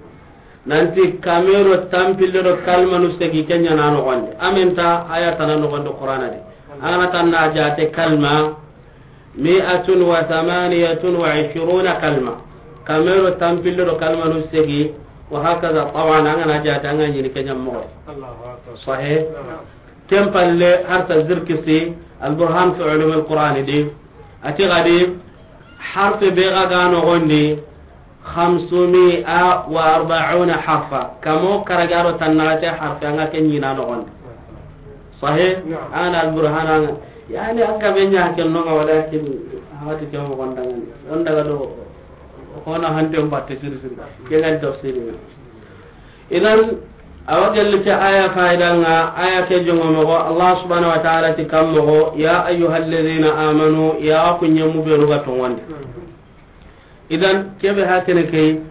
nanti kamero tampille do kalmanu segi kenya na nogondi. Amenta aya tana nogondi Qur'ana di. Angana tanna jate kalma, مائة وثمانية وعشرون كلمة. Kamero tampille do kalmanu segi, wa hakaza, taban, angana jate, anga ɲini kenya mo. Allahu akbar. Sahih? Naam. Ken palle harta Zirkisi, Al-Burhan fi Ulum al-Quran di, ati gadi, harfe be ga ga nogondi, خمسمائة وأربعون حرفا. Kamo karagaro tannagate harfe anga ke ɲina nogondi. Sahih? Naam. Ana Al-Burhan anga. Yani anga be ɲa ke nonga walakin hawati ke mo gonda ngani. Onda ga do hona hante mbatte siri siri. Ke ngan tafsiri. Idan, awa gelli ke aya faida nga, aya ke jongo mogo, Allah subhanahu wa ta'ala ti kam mogo, يا أيها الذين آمنوا, ya ku ɲemu be ruga tongonde. Idan, kebe ha kene ke,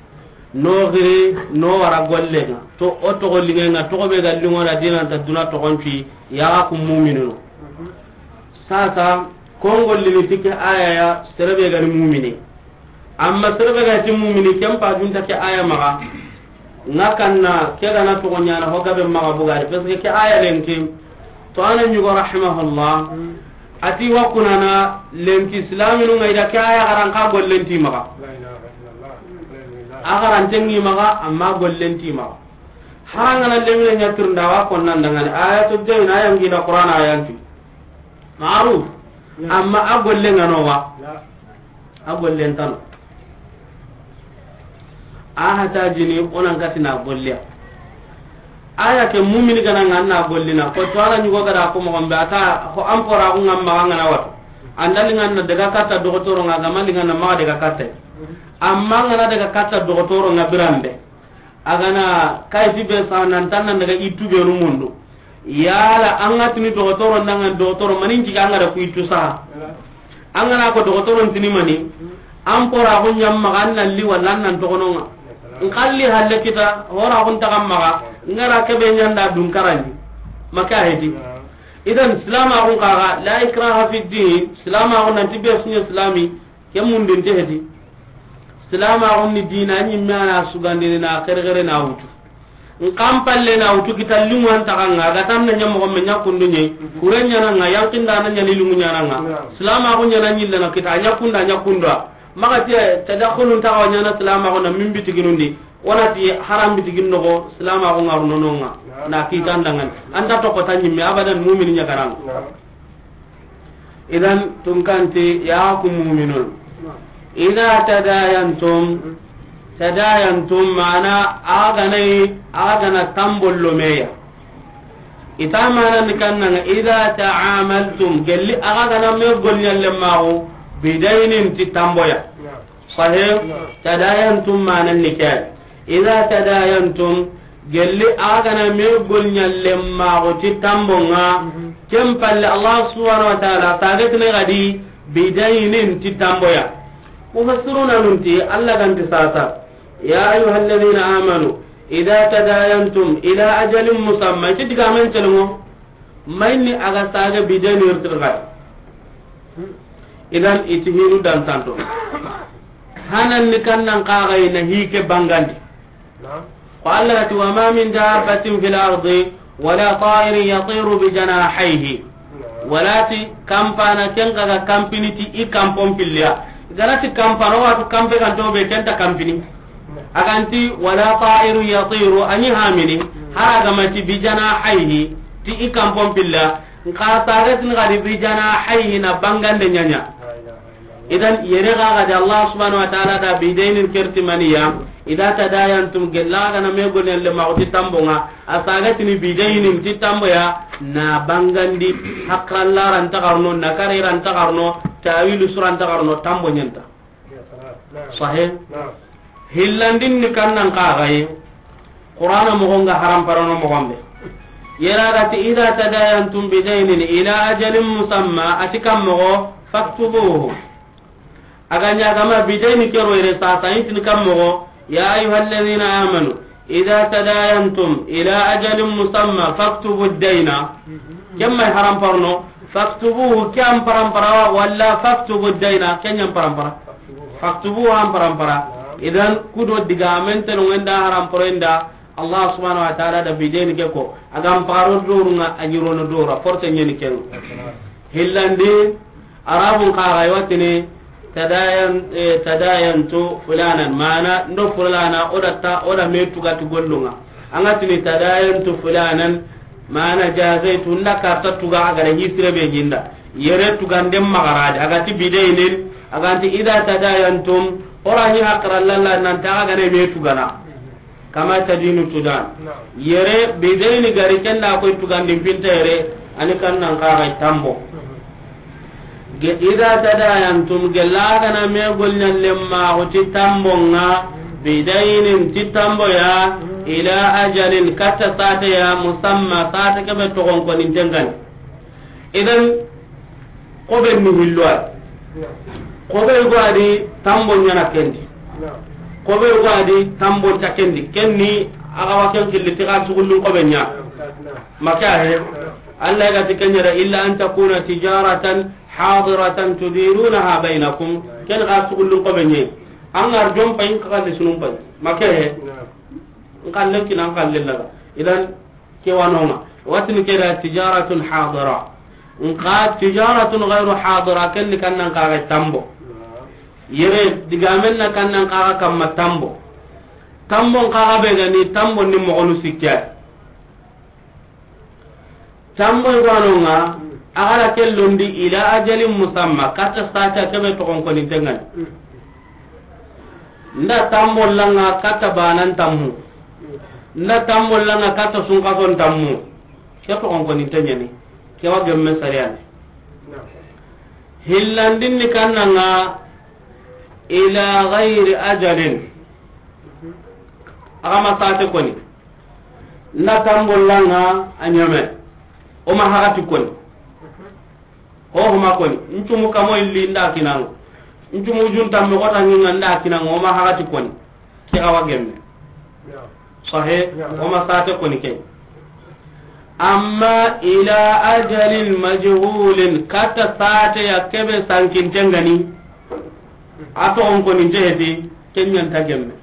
no giri, no wara golle nga. To, o togo linge nga, togo be ga lingo na dina ta duna togon fi, ya ku mu'minunu. Sasa, kon gollini ti ke aya ya, sere be ga ni mu'mini. Amma sere be ga ti mumini, ken pa junta ke aya maxa. Nga kanna, ke ga na toxo ɲaana, ho gabe maxa bugari. Parce que ke aya lenki, to ana ɲugo rahimahullah, ati wa kunana lenki islaminu nga ida ke aya xaran ka gollenti maxa. A xarantengi maxa, amma gollenti maxa. Harangana lemine ɲatirnda wa konnan dangani. Ayatu dayn, ayangi na Qur'an ayanti. Ma'ruf. Amma a golle nga no wa. A gollen tano. A hata jini onan katina golliya. Aya ke mumini gana nga na gollina. Ko to ala ɲugo gara ko mo gombe ata ko ampora ko ngamma nga na wato. Andali nga na daga katta dogotoro nga, gamali nga na ma daga katta. Amma nga na daga katta dogotoro nga birambe. A ga na kayiti be sa nan tan nan daga ittu be ru mundu. Yala an ga tini dogotoro, nan ga dogotoro manin jiga an ga da ku ittu sa. An ga na ko dogotoro tini mani, an pora ko ɲam maxa an nalli wala an nan toxononga. N xalli halle kita, hora kun taxam maxa, n gara kebe ɲanda dun karandi. Maka hedi. Idan silama kun kaga, la ikraha fi din, silama kun nan ti be sunye silami, ke mundin te hedi. Silamaxun ni dina ɲimme a na sugandini na xerexere na wutu. N kan palle na wutu kita liŋu an taxanga, a ga tan na ɲa moxo me ɲa kundu ɲe, kure ɲananga, yankinda na ɲani liŋu ɲananga. Silamaxu ɲana ɲillana kita, a ɲa kunda, a ɲa kunda. Maxa tiye, tadaxulun taxawa ɲana silamaxu na min bitiginundi, wona ti haram bitigin noxo, silamaxu ŋaru nononga, na kitan dangan. Anta toxo ta ɲimme, abadan mumini ɲakaranga. Idan tunkanti ya ku muminun. Ida tadayantum, tadayantum mana a ganai, a gana tambollo meya. Ita mana ni kannanga ida ta'amaltum, gelli a gana me golnyalle mawo, bidainin ti tamboya. Sahih? Tadayantum mana ni kay. Ida tadayantum, gelli a gana me golnyalle mago ti tambonga, ken palle Allah subhanahu wa ta'ala tagetne gadi bidainin ti tamboya. Mufassiruna nunti Allah ganti sasa, ya ayyuhalladhina amanu, ida tadayantum ila ajalin musamma, ti digamen telmo. Mayni a ga saga bideni irtir gay. Idan iti hinu dan tanto. Hanan ni kannan kaga ina hike bangandi. Ko Allah ti, wa ma min dabbatin fil ardi wala ta'irin yatiru bi janahihi. Wala ti kampana ken kaga kampini ti i kampon pilliya. Garati kampano watu kampe kan tobe kenta kampini. Aganti wala ta'iru yatiru, ani hamini, hara gamati bi janahihi, ti i kampon pilla, nka saret ni gadi bi janahihi na bangande ɲaɲa. Idan yere ga gadi Allah subhanahu wa ta'ala da bidainin kerti maniya, ida tadayantum gella gana me gonen le mawti tambonga, a saret ni bidainin ti tamboya, na bangandi hakran laran tagarno, na kariran tagarno, tawilu suran tagarno, tambo ɲenta. Sahih. Hillandin ni kannan kaxaye. Qur'ana moxonga haram parano moxonbe. Yera gati ida tadayantum bidaynin ila ajalin musamma, ati kam moxo faktubuhu. Aga ɲagama bidayni kero yere sasa intini kam moxo, ya ayyuhalladhina amanu, ida tadayantum ila ajalin musamma faktubu dayna. Kemma haram parno, faktubuhu ke an parampara wala faktubu dayna ke ɲan parampara. Faktubuhu an parampara. Idan kudo digamen teno wenda haram paro inda Allah subhanahu wa ta'ala da bideni ke ko. Agam paro dorunga a ɲirono dora porte ɲeni ken. Hillandi Arabun kaga watini tadayan, eh, tadayantu fulanan, mana ndo fulana oda ta, oda me tuga tu gollunga. Anga tini tadayantu fulanan, mana jazaitu nda karta tuga agara hisire be ginda. Yere tuga ndem magarade, agati bidaynin, aganti ida tadayantum, orani hakra lalla nan ta agane me tugana. Kama tadinu tudan. Yere bidayni gari kenda koy tugandi pinta yere, ani kannan kaga tambo. Ge-, ida tadayantum, gella gana me golnyalle maxu ti tambonga, bidaynin ti tamboya, ila ajalin katta sate ya, musamma sate kebe togon konin tengani. Idan kobe ni hillo ay. Kobe go adi tambo ɲana kendi. Kobe go adi tambo ta kendi. Kenni aga wa ken killi ti ga sugullun kobe ɲa. Maka he. Allah ga ti kenyara illa an takuna tijaratan hadiratan tudirunaha bainakum. Ken ga sugullun kobe ɲe. An ga ri jom pay, n xalle sunun pay. Make he. Naam. N xalle kina, n xalle laga. Idan, ke wa no ŋa. Watini ke da tijaratun hadira. Nka tijaratun ghairu hadira, ken ni kannan kaga tambo. Naam. Yere, digamen na kannan kaga kamma tambo. Tambo n kaga be ga ni tambo ni moxonu sikke. Tamboy gwanonga, a gara ke londi ila ajalin musamma, katta sata kebe toxon koninten ŋa ni. Nda tambo langa katta banan tammu. Nda tambo langa katta sunkason tammu. Ke toxon koninten ŋa ni. Ke wa gemme sariyani. Hillandin ni kannanga ila ghairi ajalin. Aga ma sate koni. Nda tambollanga a ɲame. O ma hagati koni. Ho huma koni. Ncumu kamo illi nda kinanga. Ncumu junta me kota nginga nda kinanga. O ma hagati koni. Ke awa gemme. Sahe. O ma sate koni ke. Amma ila ajalin majhulin, kata sate ya kebe sankinten ŋa ni. A toxon koni nte heti. Kenyanta gemme.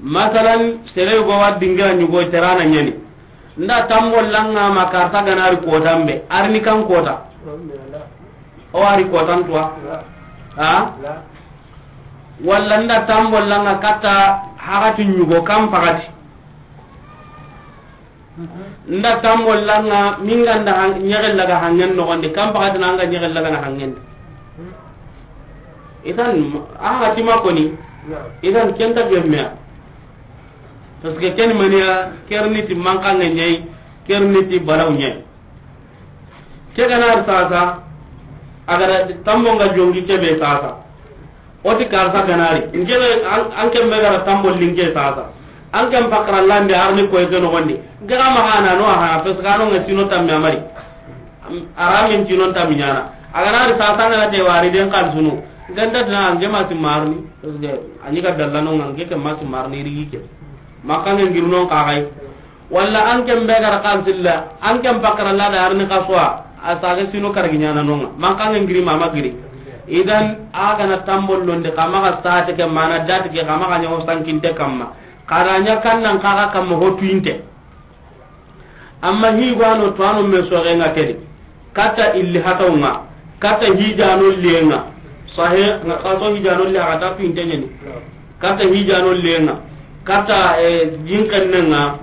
Masalan, sere go wa dingira ɲugo terana ɲani. Nda tambollanga ma karta ganari kotambe, arni kan kota. O ari kotan tuwa. Ha? Walla nda tambollanga kata hagati ɲugo kan pagati. Nda tambollanga minganda ɲegellaga hangen nogondi, kan pagatina anga ɲegellaga na hangendi. Idan, a hatima koni. Idan, kenta gemmeya. Parce que ken maniya, kerniti mankange ɲayi, kerniti balaw ɲayi. Ke gana sasa, agara tambonga jongi kebe sasa. Oti karsa ganari. Nke an, an ken be gara tambo linke sasa. An ken pakara lande arni koy ke nogondi. Nke ga ma hana no hana, parce que ano nga sino tammi amari. Aramin sino tammi ɲana. Aganari sasa ngana te wari den kan sunu. Ganda dina ange ma simarni. Parce que ani ga dalla no ngange ke ma simarni rigi ke. Makange ngirno ka gai. Walla an ken be gara kan silla, an ken pakara la da arni kaswa, a saga sino kargi ɲana nonga. Mankange ngiri mama giri. Idan, a gana tambollonde, kama ga sate ke mana dati ke, kama ga ɲawo sankinte kamma. Kada ɲa kannan kaga kamma ho tuinte. Amma hi gwano to ano me soge nga kedi. Kata illi hatawnga, kata hijano lenga. Sahe, nga kaso hijano le hata tuinte ɲani. Kata hijano lenga, kata, eh, jinkennenga,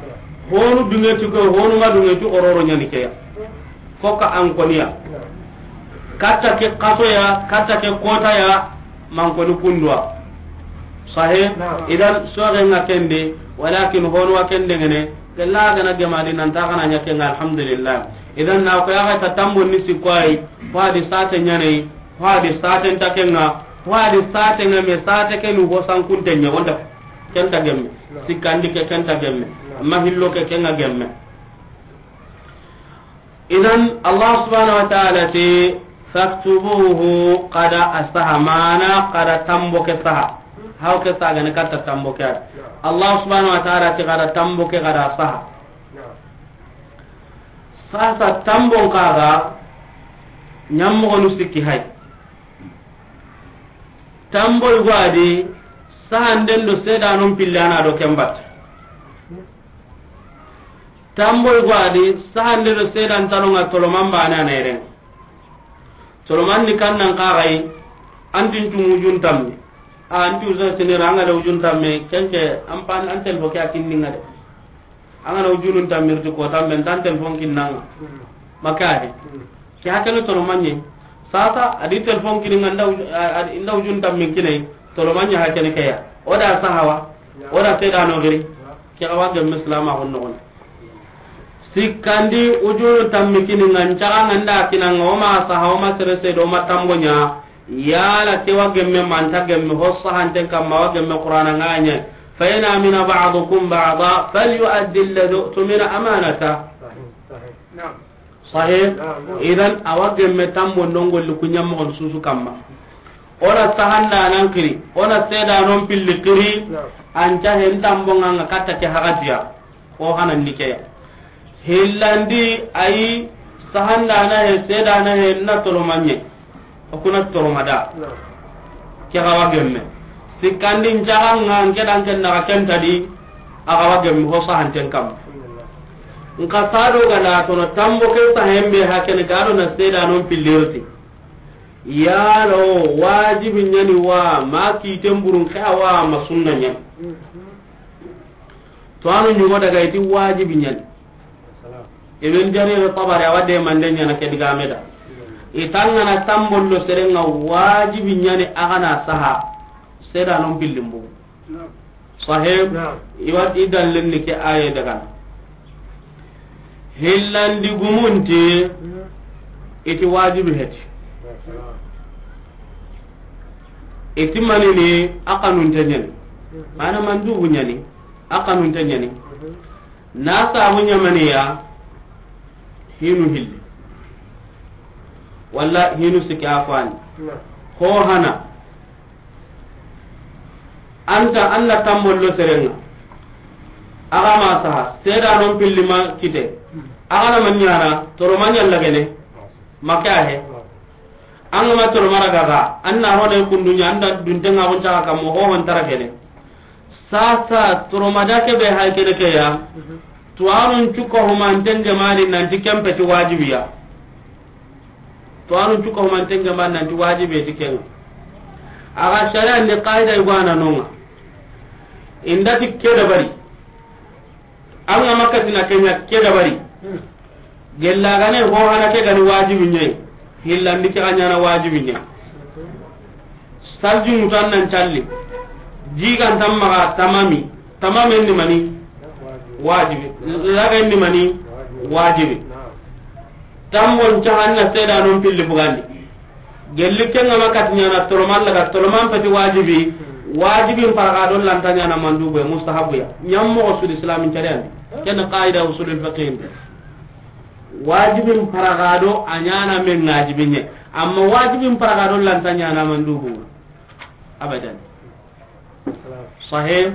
honu dungeti ko, honu ma dungeti ororo ɲani keya. Foka an koniya. Kata ke kasoya, kata ke kotaya, man koni kundwa. Sahe, idan soge nga kende, walakin honu wa kende ngene, gella gana gemadi nan ta kana ɲa kenga, alhamdulillah. Idan na ko ya ta tambo ni sikwai, wadi sate ɲane, Hadi saten ta kenga, hadi saten nga me sate kenu ho sankunte nya wonda kenta gemme. Sikandi ke kenta gemme. Amma hillo ke kenga gemme. Idan Allah subhanahu wa ta'ala ti, "Faktubuhu," kada asaha mana kada tambo ke saha. Haw ke saga ne kata tambo ke. Allah subhanahu wa ta'ala ti kada tambo ke kada saha. Sasa tambon kaga ɲammogonu sikki hay. Tamboy go adi, sahanden do sedanon pille ana do kembat. Tamboy go adi, sahande do sedan tanonga toloman bane ana eren. Toloman ni kannan kagai, antin tumu jun tammi. A anti usa sinira anga da ujun tamme, kenke ampan an telfo ke akinninga de. Anga na ujunun tammirti ko tambe, ntan telfon kinnanga. Maka he. Ke hakene toloman ɲe. Sasa, adi telefon kini nga nda uj-, a-, a-, inda ujun tammin kine, toloman ɲe hakene ke ya. O da sahawa, o da seda no giri. Ke awa gemme silama honno gon. Sikkandi ujunu tammi kini nga ncaga nga nda kina nga o ma sahawa ma sere sedo ma tambo ɲa. Yala ke wa gemme manta gemme ho sahanten kamma wa gemme Qur'ana nga ɲa. Fa in amina ba'dukum ba'da falyu'addi alladhi u'tumina amanata. Sahih? Naam. Sahih? Naam, naam. Idan, awa gemme tambo ndongolli kuɲammogon susu kamma. Ona sahanda nan kiri, ona seda non pilli kiri, naam, anta hen tambo nga nga katta ke hagatiya. Ko hanan ni ke ya. Hillandi ayi sahanda na he, seda na he, na toloman ɲe. O kuna tolomada. Naam. Ke xa wa gemme. Sikkandi n caxa ŋa n ke dan ken naxa ken ta di, a xa wa gemme ho sahanten kamma. Nxa sado ga na tono tambo ke sahen be ha kene ga do na seedanon pilli ri ti. Yalo wajibi ɲa ni wa ma kiiten burun xa wa ma sunna ɲa ni. To anu ɲugo daga i ti wajibi ɲa ni. Ibn Jarir Tabari a wa de mande ɲaana ke digame da. I ti an ga na tambo lo sere ŋa wajibi ɲa ni a ga na saha. Seedanon pillin bu. Sahih. Naam. I wa ti i dallen ni ke aye daga. Hillandi gumun ti i ti wajibi heti. I ti manini a xanunte ɲa ni. Mana mandubu ɲa ni a xanunte ɲa ni. Na sabu ɲamaniya hinu hilli. Walla hinu sikki a fani. Ho hana. Anta an na tambo lo sere ŋa. A ga ma saha, seedanon pilli ma kite. A ga na ma ɲaana, toro ma ɲa lagene. Ma ke a he. An ga ma toro mara gaga, an na ro ne kundu ɲa, an da dunte ŋa gon caxa kamma ho hon tara kene. Sasa toro ma da ke be hay kene ke ya. Tuwanun cuka humanten gemani nanti kempe ti wajibiya. Tuwanun cuka humanten gemani nanti wajibe ti kenga. A ga sharia ni qaida igwana nonga. Inda ti ke dabari. An ga makka tina kenya ke dabari. Gella gane ho hana ke gani wajibi ɲe. Hillandi ke ga ɲaana wajibi ɲe. Salji mutan nan calli. Jigan tammaga tamami. Tamamen ni mani? Wajibi. Lagen ni mani? Wajibi. Tambon cahanna seedanon pilli bugandi. Gelli kenga ma kati ɲaana toloman laga toloman peti wajibi. Wajibin paraga do lanta ɲaana mandubu ya, mustahabu ya. Ɲammoxo sudi islamin cariyandi. Ken qaida usulul fiqhin. Wajibin paraga do a ɲaana men wajibi ɲe. Amma wajibin paraga do lanta ɲaana mandubu. Abadan. Sahih.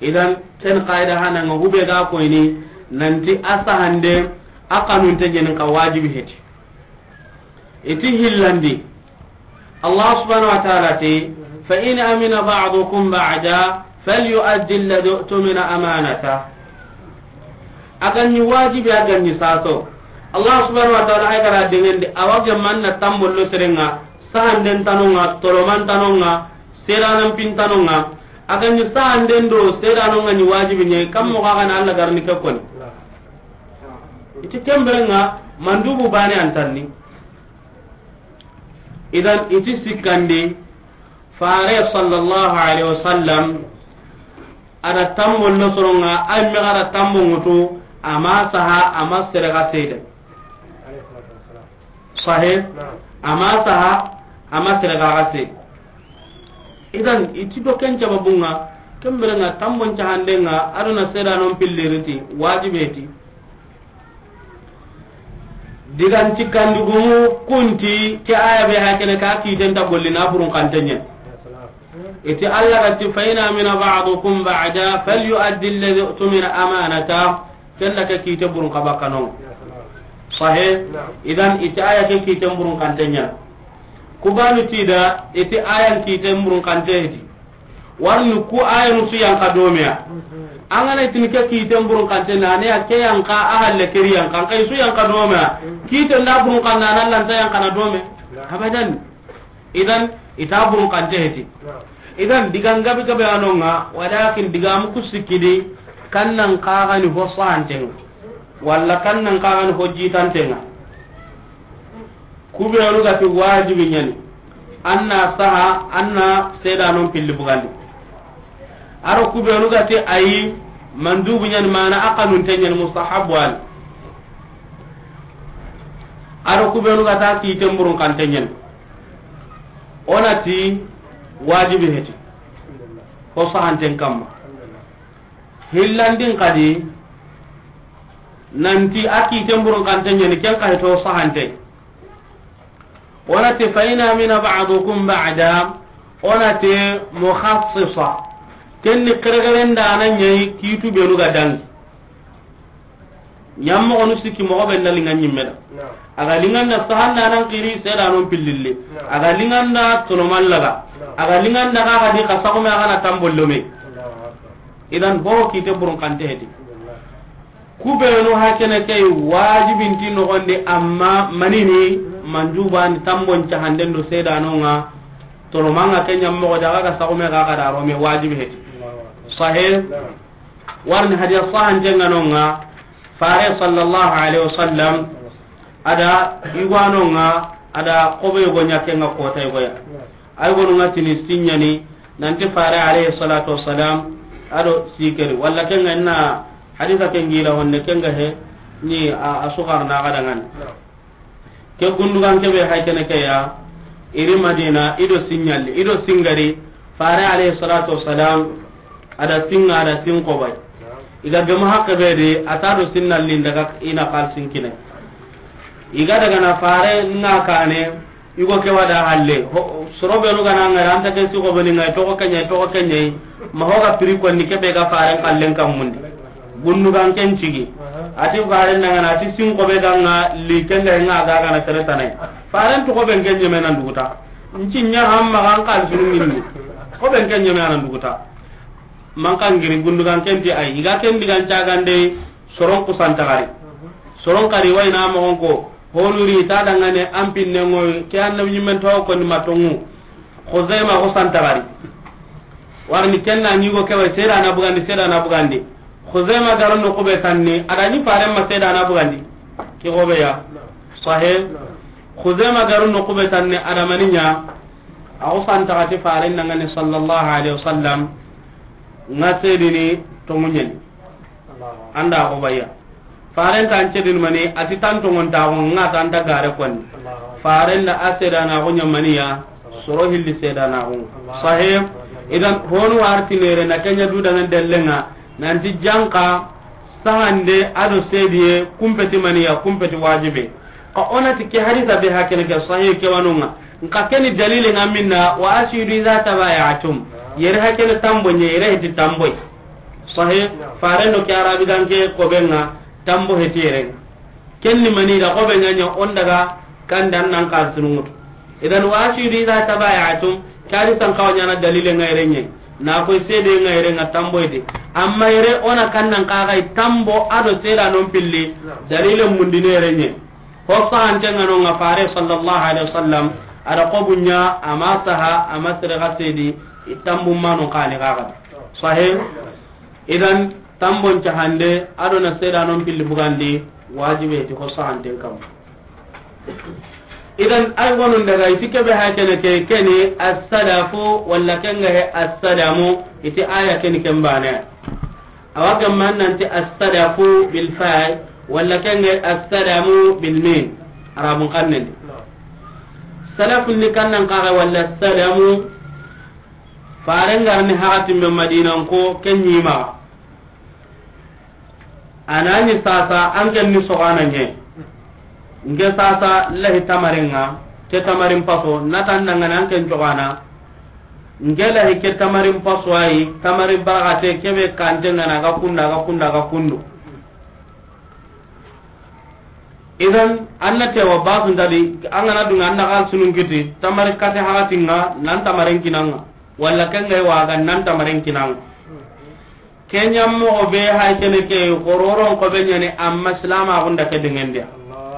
Idan ken qaida hana nga hube ga koyni nanti a sahande a xanunte ɲeni ka wajibi heti. I ti hillandi. Allah subhanahu wa ta'ala ti, "Fa in amina ba'dukum ba'da, falyu'addi alladhi u'tumina amanata." A ga ɲi wajibi, a ga ɲi saso. Allah subhanahu wa ta'ala ay gara dengendi, a wa ga manna tambollo serenga, sahanden tanonga, toloman tanonga, seedanan pin tanonga. A ga ɲi sahanden do seedanonga ɲi wajibi ɲe, kam mo ga na Allah garni ke koni. I ti kemberenga mandubu bane antanni. Idan i ti sikkandi, Fare sallallahu alaihi wasallam, a da tambo lo soronga, ay me ga da tambo ŋutu, a ma saha, a ma sere ga seede. Sahih? A ma saha, a ma sere ga seede. Idan, i ti do ken sababunga, kemberenga, tambon cahandenga, a do na seedanon pilliriti, wajibe ti. Digan cikkandigumu kunti ke aya be hakene ka kiten ta golli na burun kantenyen. Iti Allah ga ti, "Fa in amina ba'dukum ba'da falyu'addi alladhi u'tumina amanata." Kella ke kite burun kaba kanon. Sahih? Idan iti aya ke kiten burun kantenyen. Kubanu tida iti ayan kiten burun kantedi. Warni ku ayanu su yanka domeya. An ga na itini ke kiten burun kante na ne ya ke yanka a halle keri yanka. An kai su yanka domeya. Kiten da burun kan na lanta yanka na dome. Abadan. Idan ita burun kante heti. Idan digan gabi gabe anonga, walakin digamu kusikidi kannan kagani ho sahantenga. Walla kannan kagani ho jitantenga. Kubenu ga ti wajibi ɲani, an na saha, an na seedanon pilli bugandi. Aro kubenu ga ti ayi, mandubu ɲani, mana a kanunte ɲani, mustahabu ani. Aro kubenu ga ta kiten burun kante ɲani. O na ti wajibi heti. Ko sahanten kamma. Hillandin kadi nanti a kiten burun kante ɲani, ken ka heto sahante. O na ti, "Fa in amina ba'dukum ba'da", o na ti mukhassisa. Ken ni kerekeren da na ɲayi kitu benu ga dangi. Ɲammoxonu sikki moxo be na linga ɲimme da. A ga linganda sahanda nan kiri seedanon pillille. A ga linganda tolomallaga. A ga liŋan daga ga di xa saxume a ga na tambo lome. Idan ho kite burun kante heti. Ku benu hakene ke wajibinti noxondi, amma manini manjubani tambon cahanden do sedanonga. Toro manga ke ñammoxo daga ga saxume ga ga da rome wajibi heti. Sahih. Warni hadiya sahantenga nonga, fare sallallahu alaihi wasallam, ada igwanonga, ada kobe yogo ñakenga kota yogoya. Ay gonu nga tini sinyani, nanti fare alayhi salatu wassalam, ado sikeri. Walla kenga inna haditha kengila honne kenga he, ni a, a sugar na gada ngani. Ke gundugan kebe hay kene ke ya, iri Madina, ido sinyali, ido singari, fare alayhi salatu wassalam, ada singa, ada sin kobay. Iga gemu hakke be de, ata do sinnalin daga ina kal sinkine. Iga daga na fare nga kane, igo ke wada halle. Ho, soro benu gana ngara anta ke si ko beni ngai to ko kenya, to ko kenya. Ma hoga piri ko ni kebe ga fare kallen kam mundi. Gundugan ken cigi. Ati fare nanga na ati sin ko be ganga li kenga nga ga gana sere tanai. Fare to ko ben kenye menan duguta. Nci nya hamma kan kal sunu minni. Ko ben kenye menan duguta. Manka ngiri gundugan kenti ay, iga ken digan cagande soron kusanta gari. Soron kari wayna mogon ko, honuri ta dangane an pinne ngoy, ke annabi ñimmen to ko ni matongu. Khuzaima kusanta gari. Warni kenna ñigo kewa seda na bugandi, seda na bugandi. Khuzaima garon no kube tanni, adani faren ma seda na bugandi. Ki gobe ya. Sahih. Khuzaima garon no kube tanni, adamaninya. Aw santa gati faren dangane sallallahu alaihi wasallam. Nga sedini tonguñeni. Anda ko baya. Faren tan cedin mani ati tan tongon ta ko nga tan ta gare konni. Faren da a sedana ko ñamaniya soro hilli sedana ko. Sahih. Idan honu warti nere na kenya du dangan dellenga nanti janka sahande ado sediye kumpeti maniya kumpeti wajibe. Ka ona ti ke hadisa be hakene ke sahih ke wanunga. Nka keni dalile nga minna wa ashidu iza tabayatum. Yere hakene tambo nye yere hiti tamboy. Sahih. Faren do ke arabi ganke ko benga tambo heti yere. Kenni mani da ko benga nya on daga kandan nan kal sunungut. Idan wa ashidu iza tabayatum kadi san kawanya na dalile nga yere nye. Na ko sede nga yere nga tamboy de. Amma yere ona kannan kagai tambo ado seda non pilli dalile mundine yere nye. Ho sahantenga no nga fare sallallahu alaihi wasallam, ada ko bunya ama saha ama sere ga sedi itambu mano kani gaga. Sahih. Idan tambon cahande ado na seda non pilli bugandi wajibe ti ho sahanten kam. Idan ay gonun daga itike be hakene ke keni as-sadafu walla kenga he as-sadamu iti aya keni kembane. Awa gamman nanti as-sadafu bil fa'i walla kenge as-sadamu bil mim. Arabun kannen di. Salafun ni kannan kaga walla sadamu. Farengar ni hakatin be Madinan ko kenyi ma. Anani sasa an ken ni sogana nye. Nge sasa lahi tamaringa ke tamarin paso natan dangana an ken jogana. Ngela hike tamarin paswayi, tamarin baragate kebe kante ngana ga kunda, ga kunda, ga kundu. Idan anna tewa basu ndadi angana dunga anna kal sunun kiti tamari kate hakatinga nan tamaren kinanga walla kenga waga nan tamaren kinanga. Kenya mo be hay kene ke kororon ko be nyane amma islama gunda ke dengendia.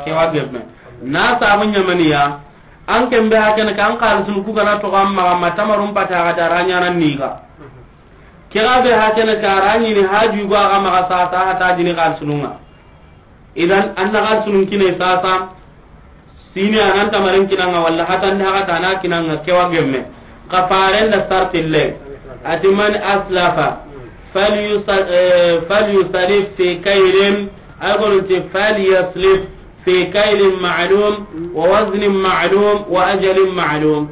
Ke wa gemme na sabu nyamaniya. An ken be hakene kan kal sun ku gana to amma ma tamarum pata ga daranya nan niga. Kira be hakene ka rani ni haju go ga ma sa sa hata jini kal sununga. Idan anna kal sunun kine sasa. Sini anan tamaren kinanga walla hatan da hata na kinanga kewa gemme. Ka faren da sartille. Ati man aslafa falyusa-, eh, falyusalif fi kaylin, ay gonun ti falyaslif fi kaylin ma'lum wa waznin ma'lum wa ajalin ma'lum.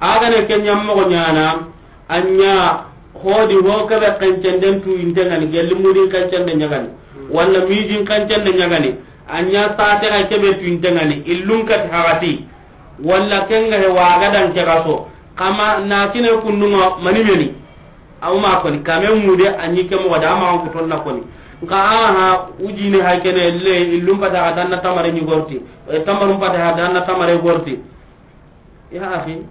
Agane ke nyammo nyana anya hodi ho kebe kancenden tu intengani gelli mudin kancende nyagani walla mijin kancende nyagani anya sate ga kebe tu intengani illun kat hagati walla kenga he waga dan ke gaso kama na kine kunnuma mani meni. Aw ma koni kame mude anyi ke mo da ma ko tonna koni. Nka aha ujine hay kene le illum pata ga danna tamare ni gorti. E tamarum pata ga danna tamare gorti. Ya akhi.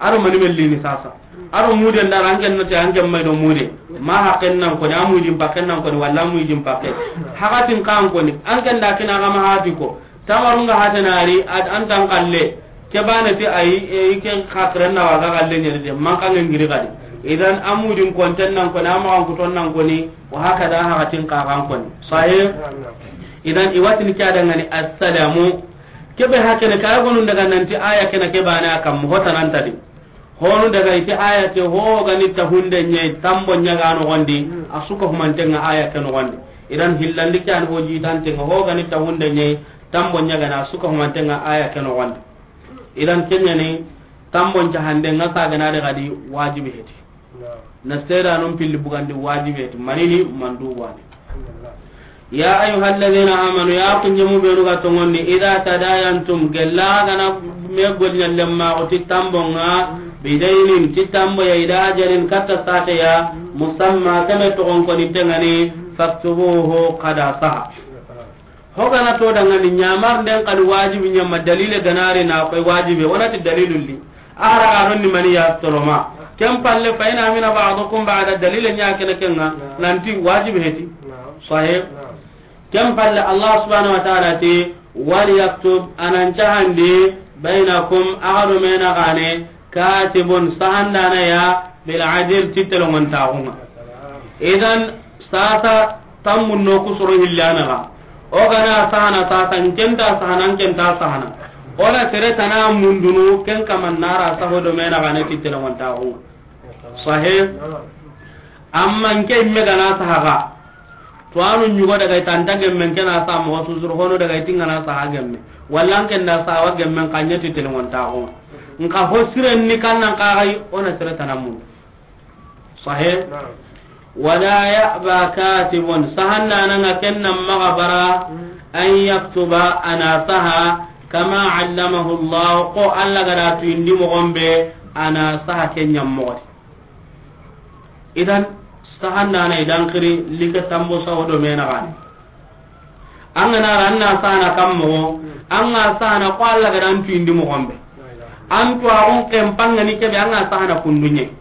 A do mani mellini sasa. A do mude ndara an ken nati an ken may do mude. Ma haqqen nan koni, a mujin pakken nan koni, walla a mujin pakke. Hakatin kan koni, an ken da kina ga ma hati ko. Tamarun ga hatenari, ad an tan kalle. Ke bane ti ayi, e, ke hakren na waga kalle nyeri de. Man kan ngiri kadi. Idan a mujin konten nan koni, a ma kan kuton nan koni, wa hakada hakatin ka kan koni. Sahih? Idan iwatin kya dangani assalamu. Kebe hakene kaya gonun daga nanti aya kena ke bane akam mo hota nan tadi. Honu daga iti aya ke ho gani ta hunde nye tambo nyaga no gondi, asuka humantenga aya ke no gondi. Idan hillandi kyan ho jitantenga ho gani ta hunde nye tambo nyaga na asuka humantenga aya ke no gondi. Idan kenyani tambo nja hande nga sa gana daga di wajibi heti. Na seedanun pilli bugandi wajibe ti manini mandu wani. Ya ayyuha alladhina amanu, ya kunjemu benu ga tongondi, idha tadayantum, gella gana me gol nyalle ma oti tambonga, bidaynin, ti tambo ya, ila ajalin, katta sate ya, musamma, kame togon koni tengani, faktubuhu, kada saha. Hogana to dangani nyamar nden kadi wajibi nyamma dalile ganari na koy wajibi wonati dalilul li. Ahara ganon ni mani ya toloma. Ken palle fa ina mina ba'dukum ba'da dalile nya kene kenga nanti wajibi heti. Sahih. Ken palle Allah subhanahu wa ta'ala ti wal yaktub anan cahandi bainakum agado mena gane katibun sahandana ya bil adil titelongon taxunga. Idan sasa tammun no kusoro hillana ga. O gana sahana sasa nkenta sahana nkenta sahana. Ona sere tana mundunu ken kaman nara saho do mena gane titelongon taxunga. Sahih. Amma nke imme gana sahaga. To anu nyugo daga itanta gemmen kena sa mo susur hono daga itingana saha gemme. Wallan ken da sawa gemmen kanyati telongon taxunga. Nka ho siren ni kannan kaxay ona sere tanamun. Sahih. Wala ya'ba katibun, sahanna nanga kenna maga bara, an yaktuba, ana saha, kama allamahu Allah, ko Allah gada tuyindi mogon be, ana saha kenya mogodi. Idan sahanna na idan kiri like tambo saho do mena gani. An gana ra an na sahana kam mogo, an ga sahana ko Allah gada an tuyindi mogon be. An tuwaxun ken pangani kebe an ga sahana kundunye.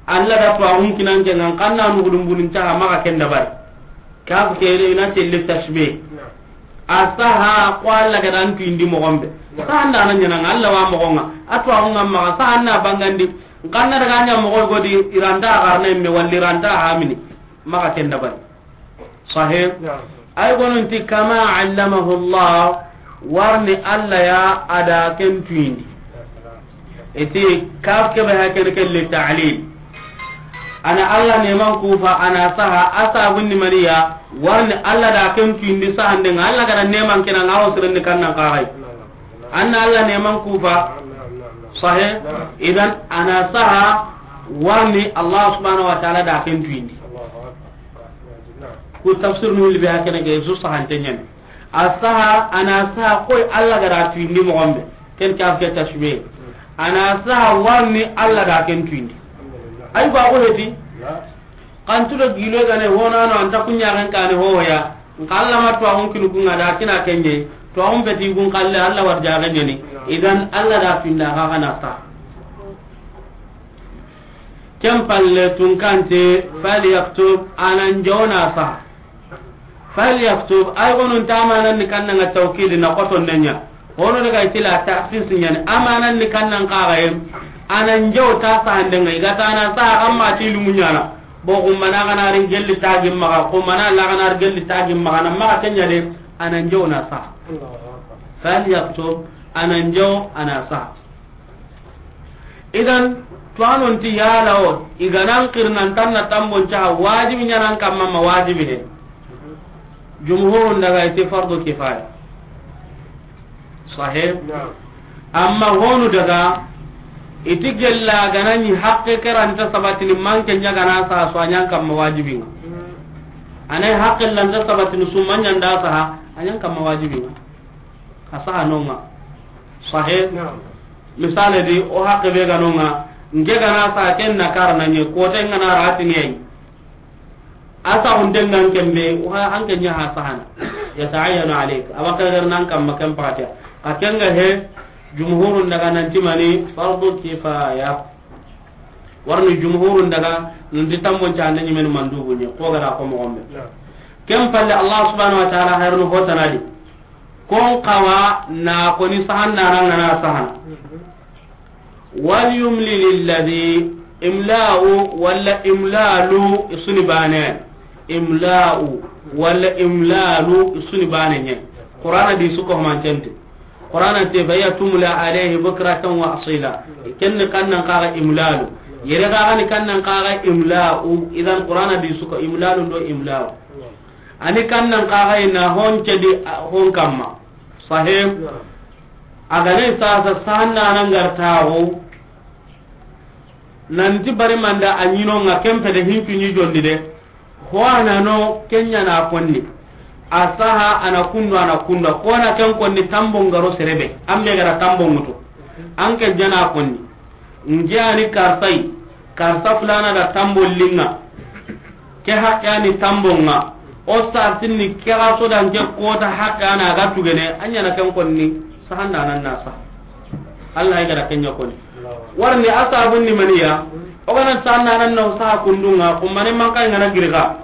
Allah da tuwaxun kinan ke ngan kanna nugudun bunin caha maxa ken dabari. Kaf ke ina telle tashbih. A saha ko Allah gada an tuyindi mogon be. Sahanda na nyana Allah wa mogonga. A tuwaxun ngam maxa sahanna bangandi. Kanna daga nya mogo godi iranta garna imme walli iranta hamini. Maxa ken dabari. Sahih. Ay gonunti kama allamahu Allah, warni Allah ya ada ken tuyindi. Iti kaf kebe ha ken kelle ta'lil. Ana Allah neman kufa ana saha, asa bunni maniya, warni Allah da ken tuyindi sahande nga Allah gada neman kena nga ho sirenni kannan kaxay. Anna Allah neman kufa. Sahih. Idan ana saha, warni Allah subhanahu wa ta'ala da ken tuyindi. Ku tafsir nu hilbe hakene ke su sahante nyani. A saha, ana saha koy Allah gada tuyindi mogon be. Ken kaf ke tashbih. Ana saha warni Allah da ken tuyindi. Ay ba ko heti. Kan tudo gilo gane honano anta kunya kan kane hoya. Nka Allah ma tuwaxun kinu kunga da kina kenye. Tuwaxun beti kun kalle Allah war jaga nyani. Idan Allah da tuyinda ga kana saha. Ken palle tunkante, falyaktub, anan jona saha. Falyaktub, ay gonun ta amanan ni kannan ga tawkidi na qoton nenya. Hono daga itila ta'sis nyani, amanan ni kannan kaxayem. Anan jaw ta sahande nga, igata ana saha amma ti lumu nyana. Bo kummana gana rin gelli tagim maxa, kummana la gana rin gelli tagim maxa, na maxa kenya de, anan jaw na saha. Falyaktub, anan jaw ana saha. Idan, tuwanon ti yala o, iganan kirnan tanna tambon caha wajibi nyanan kamma ma wajibi he. Jumhurun daga iti fardu kifaya. Sahih? Amma honu daga, iti gella ganani haqqe keranta sabatini manke nya gana saha so anyan kamma wajibi nga. Anay haqqe lanta sabatini sumanya nda saha, anyan kamma wajibi nga. A saha nonga. Sahih? Misale di, o haqqe be ga nonga, nge gana saha ken na kara na nye, kote ngana ratini yayi. A sahunte ngan kembe, o ha, an ken nya ha sahana. Yata'ayyanu alayk. Abakar gar nan kamma ken pakatia. Ka kenga he, Jumhurun daga nanti mani fardu kifaya. Warni jumhurun daga nanti tambon cande ñimeni mandubu ñe, ko gada ko moxo be. Ken palle, Allah subhanahu wa ta'ala hayrunu hotanadi. Kon kawa na koni sahanna rangana sahana. Wal yumli lilladhi, imla'u walla imlalu isuni bane. Imla'u walla imlalu isuni bane ñe. Qur'ana di suko mantente. Qur'ana te fa ya tumla alayhi bukratan wa asila. Kenni kannan kaga imlalu. Yere kaga ni kannan kaga imla'u. Idan Qur'ana di suko imlalu do imla'u. Ani kannan kaga ina hon cedi hon kamma. Sahih. Agane sasa sanna nan gartawo. Nanti bari manda a ñinonga kempe de hincu ñi jondi de. Ho anano kenya na konni. A saha ana kundu ana kunda. Kona ken konni tambo ngaro serebe. Ambe gara tambo ngutu. Anke jana konni. Nge ani karsai. Karsa fulana da tambo linga. Ke haqqe ani tambo nga. O sartinni ke ga sodan ke kota haqqe ana ga tugene. Anya na ken konni. Sahanda nan nasa. Allah ya gara kenya konni. Warni asabun ni maniya. O gana sanna nan no sa kundunga, kummane manka ngana girga.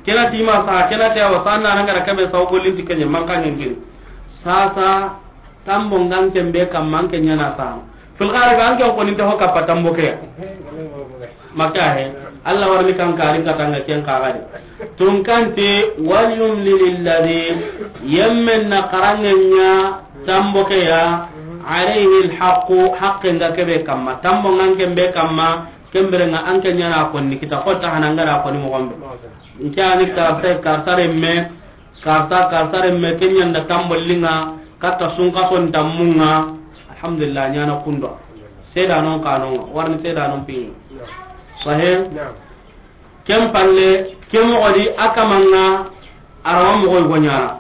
Kena tima sa, kena te awa sanna nan gara kabe sa o gollin ti kenya manka ngin giri. Sasa tambo ngan kembe kam manke ñana sa. Fil gharib an ke ko ni to ka pa tambo ke. Maka he. Allah warni kan karin katanga ken kagadi. Tunkante, wal yumli lilladhi, yemmen na karangenya tambo ke ya, alayhi alhaqu, haqqe nga kebe kamma, tambo ngan kembe kamma, kembere nga anke ñana konni kita kota hanangara konni mo gombe. Nke ani karsa, karsa remme, karsa, karsa remme, kenyanda tambo linga, kata sunka son tammunga, alhamdulillah, ñana kundo. Seda non kanonga, warni seda non pingi. Sahih? Ken palle, ke moxo di a kamanga, a rawa moxo yi go ñana.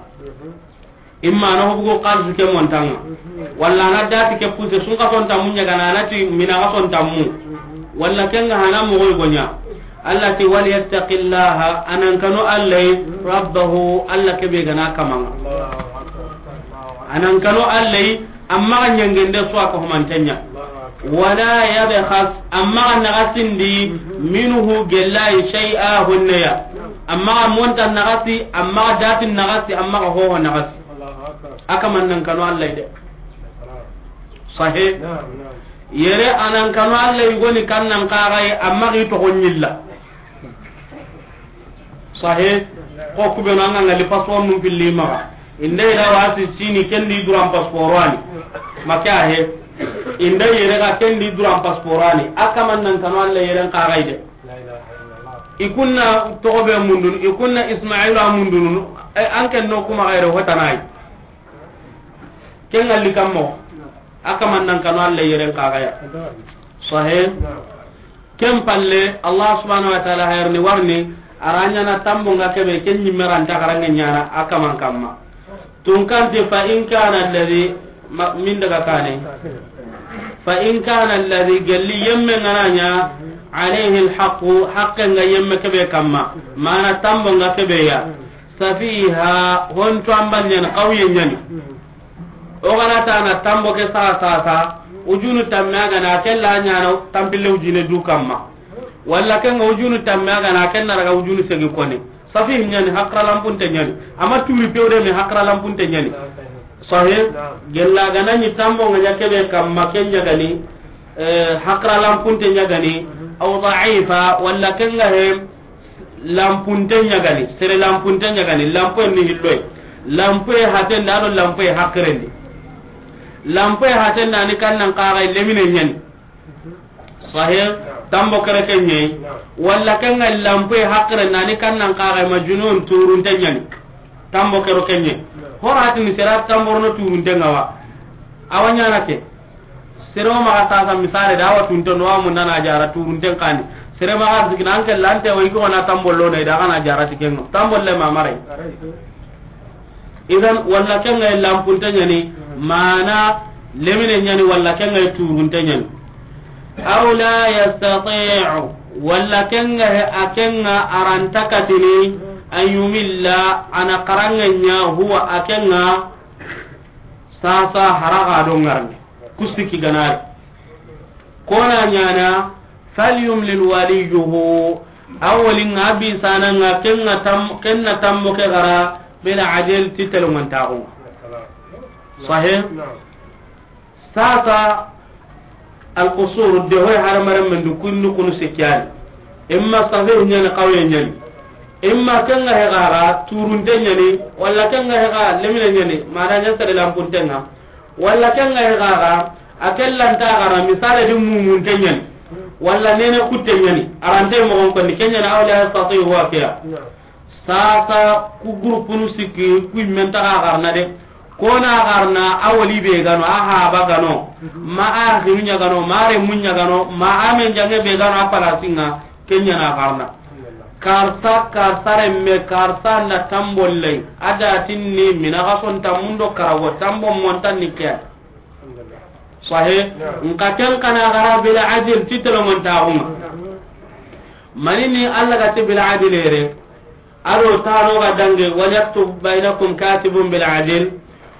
Imma na hobugo xalisu ke montanga. Walla na dati ke puse sun ka son tammu ñagana, na ti mina ka son tammu. Walla ken ga hana moxo yi go ña. Allah ti, "Wal yattaqillaha," anan kanu Allah, "rabbahu," Allah ke be gana kamanga. Anan kanu Allah, amma ga ñangende su a ko humantenya. Wala yabkhas, amma ga nagasindi, minhu, gellayi, shay'a, honneya. Amma ga monta nagasi, amma ga dati nagasi, amma ga hoho nagasi. A kaman nan kanu Allah de. Sahih. Yere anan kanu Allah goni kan nan kagai, amma gi to honyilla. Sahih. Ko kubenu an ga ngali passeport num pilli maxa. Inda ila wasi sini kendi duran passeport ani. Maka he. Inda yere ga kendi duran passeport ani. A kaman nan kanu Allah yeren kagai de. I kunna toxo be mundun, i kunna Ismailu a mundun. E, an ken no kuma gaire hotanayi. Ken ngalli kammo. A kaman nan kanu Allah yeren kagaya. Sahih. Ken palle, Allah subhanahu wa ta'ala hayarni warni, a ra ñana tambo nga kebe, ken ñimme ra nta xaranŋe ñana, a kaman kamma. Tunkanti, fa in kana alladhi, ma, min daga kane. Fa in kana alladhi, gelli yemme nga na ña, alayhi alhaqu, haqqe nga yemme kebe kamma. Mana tambo nga kebe ya. Safiha, honto ambal ñani, qawye ñani. O gana ta na tambo ke sa, sa, sa, ujunu tamme a gana, a kella ñana tampille ujine du kamma. Walla ken ga ujunu tamme a gana, a kenna daga ujunu segi kone. Safi ñani, hakra lampunte ñani. Ama turi pewde me hakra lampunte ñani. Sahih, gella gana ñi tambo nga ña kebe kamma ken ñagani, eh, hakra lampunte ñagani, aw da'ifa, walla ken ga he, lampunte ñagani, sere lampunte ñagani, lampoye ni hilloy. Lampoye hatenda ado lampoye hakirendi. Lampoye hatenda ni kannan kagai lemine ñani. Sahih, tambo kere ke ñayi. Walla kenga lampoye hakirenda ni kannan kagai majunun turunte ñani. Tambo kero ke ñayi. Hora hatini sera tamborono turunte ngawa. Awa ñana ke. Sere o maxa sasa misale da wa tunte no wa mundana jara turunten kani. Sere maxa sikina anke lante wa iko na tambollo na ida kana jara tikenga. Tambolle ma marai. Idan walla kenga lampunte ñani mana lemine ñani walla kenga turunte ñani. Aw la yastati'u walla kenga he akenga arantakatini an yumilla ana karangenya huwa akenga Sasa haraga do ŋarni. Ku sikki ga na ri. Kona ɲana, falyumlil waliyuhu. A wali ŋa bi sana ŋa ken ŋa tam-, ken na tammo ke gara, bil adl ti telengontaxu. Sahih? Sasa, alqusur, de hoy haramaren men du kunnu kunu sikki yani. Imma sahih ɲani, qawiye ɲani. Imma ken ŋa he gara, turunte ɲani, walla ken ŋa he ga lemine ɲani, mana ɲa sere lampunte ŋa. Walla ken ŋa he gara, a ken lanta gara, misale di mumunte ɲani. Walla nene kutte ɲani, arante mogon konni, ken ɲani aw la yastati huwa kiya. Sasa ku gurupunu sikki, ku men taga garna de. Kona garna a wali be gano, a haba gano, ma a xinu ɲa gano, ma a remu ɲa gano, ma a men jange be gano, a palasi ŋa, ken ɲana garna. Karsa, karsa remme, karsa na tambollay. A da tinni mina ga son tammundo karago, tambo montan ni ke. Sahih? Nka ken kana gara bil adl ti telengontaxu ŋa. Manini Allah ga ti bil adl ere? Ado tano ga dange, wal yaktub bainakum katibun bil adl.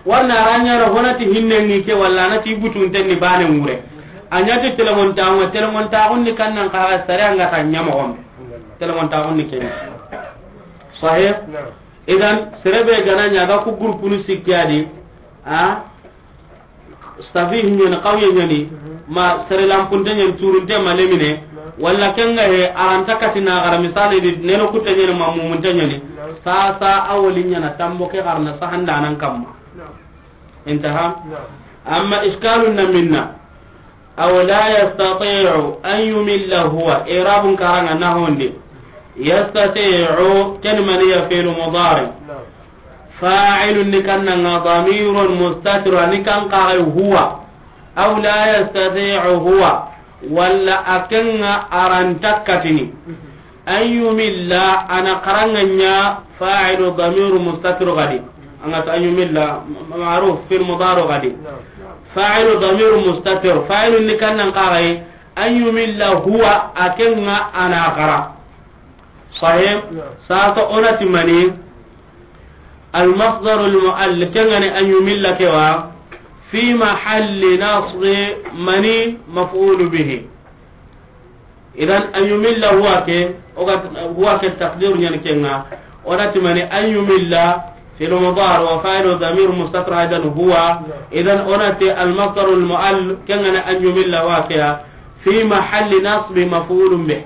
Warna aranya na honati hinne ni ke walla na ti butun tenni bane mure. Anya ti telengontaxu ŋa, telengontaxu ni kannan ka sare anga ta ɲa mogon. Telengontaxu ni ken. Sahih? Idan, serebe gana ɲa ga ku gurupunu sikki ya di, a, sahih ɲani, qawiye ɲani, ma sere lampunte ɲani, turunte ma lemine, walla ken ŋa he, aranta katina gara, misali di, neno kutte ɲani, ma mumunte ɲani, sasa a wali ɲana tambo ke garna sahandanan kamma. Intaha? Amma iskalun na minna. Aw la yastati'u an yumilla huwa. I'rabun karanga na honde. Yastati'u ken maniya fi'lu mudari. Fa'ilun ni kanna nga damirun mustatir ni kan kaga huwa. Aw la yastati'u huwa. Walla a ken ŋa aranta katini. An yumilla, ana karanga ɲa fa'ilu damiru mustatir gadi. Anga ta an yumilla, ma-, ma'ruf fil mudari gadi. Fa'ilu damiru mustatir. Fa'ilu ni kannan kaga yi, an yumilla huwa a ken ŋa ana kara. Sahih? Sasa onati mani, al masdarul mu'all, ken ŋa ni an yumilla kewa, fi mahalli nasbi mani maf'ulu bihi. Idan, an yumilla huwa ke, o ga, huwa ke taqdiru ɲani ken ŋa. Onati mani an yumilla, fi'lu mudari wa fa'ilu damir mustatir aidan huwa. Idan, onati al masdarul mu'all, ken ŋa ni an yumilla huwa ke ya, fi mahalli nasbi maf'ulun bih.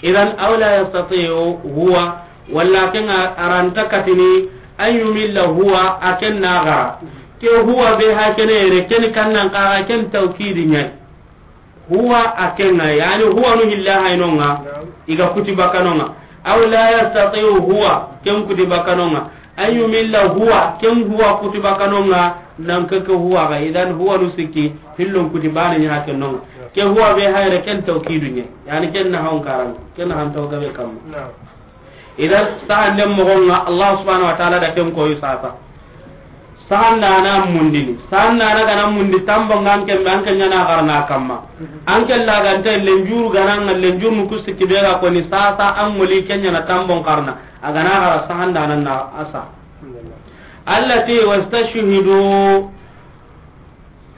Idan, aw la yastati'u huwa, walla ken ŋa aranta katini, an yumilla huwa, a ken na gara. Ke huwa be ha kene yere, ken kannan kaga ken tawkidi ɲani. Huwa a ken ŋa, yani huwa nu hilla hayno ŋa, iga kuti bakano ŋa. Aw la yastati'u huwa, ken kuti bakano ŋa. An yumilla huwa, ken huwa kuti bakano ŋa, nan ke ke huwa ga. Idan huwa nu sikki, hillon kuti bane ɲa ken no ŋa. Ke huwa be hayre ken tawkidu ɲe. Yani ken na hon karan, ken na han tawga be kamma. Idan, sahanden mogon ŋa, Allah subhanahu wa ta'ala da ken koyi sasa. Sahandana mundini. Sahandana gana mundi tambo ŋa an ken be an ken ɲana garna kamma. An ken lagante lenjuru gana ŋa lenjuru nu ku sikki be ga koni sasa an moli ken ɲana tambon karna. A gana gara sahandana na asa. Allati wastashhidu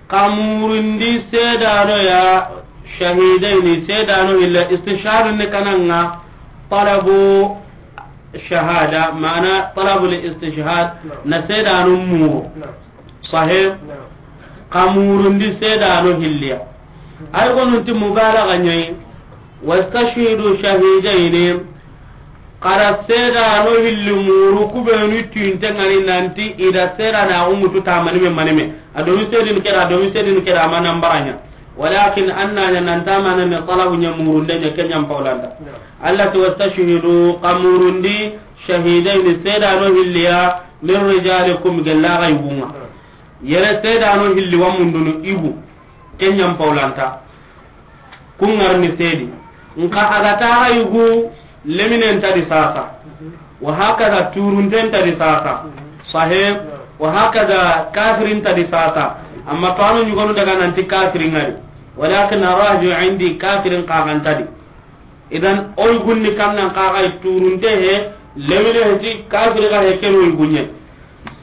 Xa murundi seedano ya, shahidayni, seedano hilli, istishhadu ni kananga, talabu shahada, mana talabu li istishhad, na seedano muru. Sahih? Xa murundi seedano hilliya. Ay gonunti mubalaga ɲayi, wastashhidu shahidayni, Xara seedano hilli muru kubenu tinte ngani nanti ida seedana axu mutu ta manime manime. A domi seedini keda, a domi seedini keda, a ma nan baraɲa. Walakin an na ɲa nan ta manime talabu ɲa murunde ɲa ke ɲa n pawlanta. Allah ti wastashhidu, xa murundi shahidayni seedano hilliya min rijalikum gella xa yugunga. Yere seedano hilli wa mundunu igu ke ɲa n pawlanta. Kun ŋarni seedi. Nka a ga taxa yugu leminen ta di sasa. Wa hakaza turunten ta di sasa. Sahih. Wa hakaza kafirin ta di sasa. Amma to anu ɲugonu daga nanti kafirin ŋari. Walakin arraju indi kafirin kaxan ta di. Idan o yugunni kannan kaxa turunte he lemine he ti kafiri ga he keno yugunye.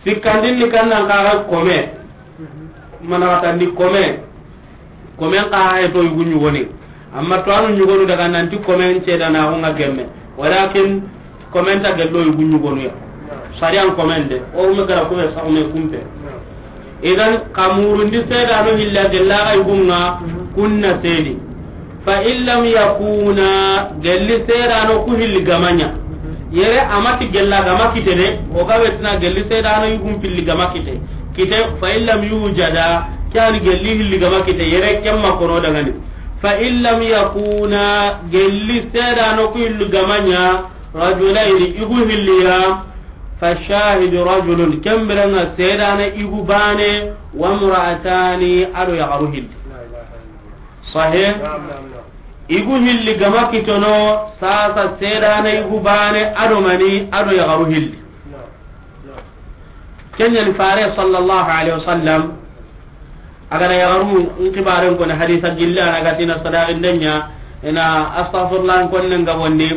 Sikkandin ni kannan kaxa kome. Mana xatandi kome. Komen kaxa he to yugu ɲugoni. Amma to anu ɲugonu daga nanti komen cedanaxu nga gemme. Walakin komen ta gello yugu ɲugonu ya. Sariyan komen de. O me gara kube sa o me kumpe. Idan, xa murundi seedano hilla gella xa yugunga kunna seedi. Fa in lam yakuna, gelli seedano ku hilli gamaɲa. Yere amati gella gama kite de, o ga betina gelli seedano yugun pilli gama kite. Kite, fa in lam yujada, kani gelli hilli gama kite, yere kemma kono dangani. Fa in lam yakuna, gelli seedano ku hilli gamaɲa, rajulayni, igu hilliya, fa shahidu rajulun, kembiranga seedana igu bane, wa mra'atani, ado yaxaru hilli. Sahe? Igu hilli gama kitono, sasa seedana igu bane, ado mani, ado yaxaru hilli. Kenyani fare sallallahu alaihi wasallam, a ga da yaxaru n xibaren koni hadisa gilla, a na ga ti na sadaqindenya, ina astaghfirullah n konne nga bondi,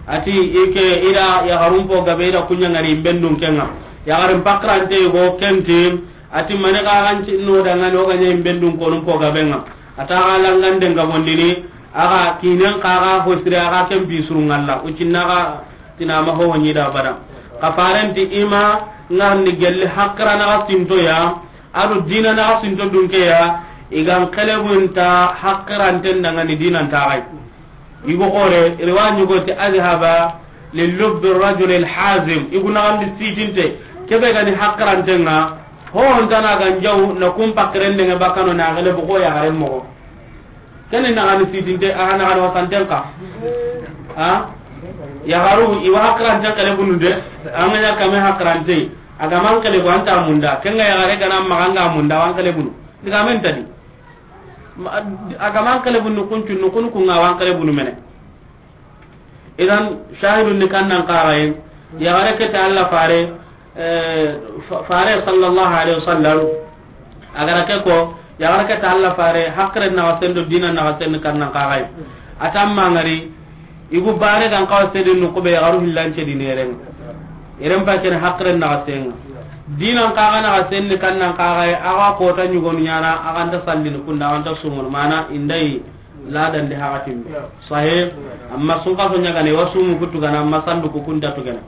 ati ike ida yaxarun po gabe ida kunya ngari bendun kenga. Yaxarin pakrante go kenti, ati mane ga ganci no dangani o ganya bendun konun po gabe nga. Ata ga langande nga bondini, a ga kinen kaga hosire a ga ken bisuru ngalla, ucinna ga tina ma ho ni da bada. Ka farenti ima ngarni gelli hakrana ga sinto ya, ado dina na sinto dunke ya, igan kelebunta hakiranten dangani dinan ta gai. Igo xore, riwa ɲugo ti adhaba li lubbi rajul al hazim. Igu na gandi sitinte, kebe gani hakiranten nga, ho ontana gan jaw na kun pakirende nga bakano na gele bugo ya gare mo. Kene na gani sitinte, a na gani wasanten ka. Ha? Yaxaru, iwa hakiranten kele bunu de, an ga ɲa kame hakirante. A ga man kele bu anta munda, kenga yaxare gana maganga munda, wan kele bunu. Diga men tadi. Ma, a ga man kele bunu kuncu, nukunu kunga wan kele bunu mene. Idan, shahidun ni kannan karayen, yaxare ke ta Allah fare, eh, fa-, fare sallallahu alaihi wasallam, a ga ra ke ko, yaxare ke ta Allah fare, hakre na wasendo dina na wasendo kannan karayen. Atamma ngari, igu bare gan kawa sedin nu kube yaxaru hillance di neren. Iren pa ken hakre na wasenga. Dinan kaga na wasenni kannan karayen, a ga kota ɲugonu ɲana, a ga nta sallini kunda, a ga nta sumunu mana, indai ladan de hakatin be. Sahe, amma sun kaso ɲagane, wa sumu kutu gana, amma sandu ku kunda tu gana.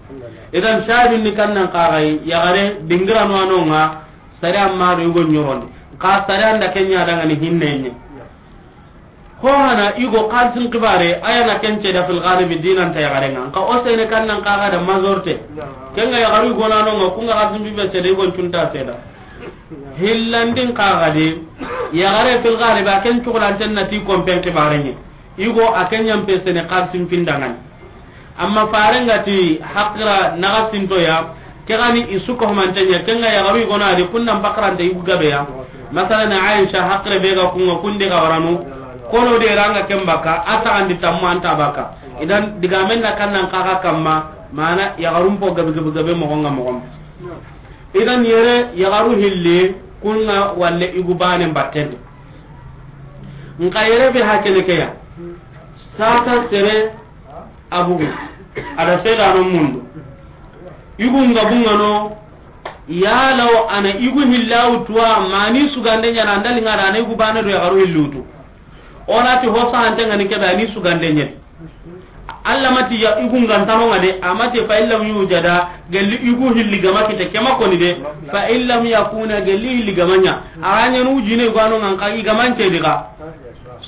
Idan shahidun ni kannan karayen, yaxare, dingira no anonga, sare amma do yugo ɲorondi. Ka sare anda kenya dangani hinne nye. Ho hana igo kalsin kibare, aya na kence da fil ghalibi dinan ta yaxare nga. Ka o sene kannan kaga da mazorte. Kenga yaxaru igo na no nga, kunga kalsin bibe sede igo tunta seda. Hillandin kaga de, yaxare fil ghalibi a ken cukulanten na ti kompen kibare nye. Igo a ken ɲampe sene kalsin pindangani. Amma farenga ti hakira naga sinto ya, ke gani isu ko manten ya, kenga yaxaru igo na di kunnan bakarante igu gabe ya. Masalan, Aisha hakire be ga kunga kunde ga waranu, kono de ranga ken baka, a ta andi tammu anta baka. Idan digamen na kannan kaga kamma, mana yaxarun po gabe gabe gabe mogonga mogon. Idan yere yaxaru hilli kunga walle igu bane batten. Nka yere be hakene ke ya. Sata sere abugu. Ada sedano mundu. Igu nga bungano, yalaw ana igu hillawu tuwa mani sugande ɲana andali nga da ana igu bane do yaxaru hillutu. Onati hosa ante ngani kebe ani sugande ɲet. Allah mati ya igu ngantano nga de, amati fa illam yujada, gelli igu hilli gama kite kema koni de, fa illam yakuna gelli hilli gamaɲa. Aranya nu jine igu ano ngan ka igamance diga.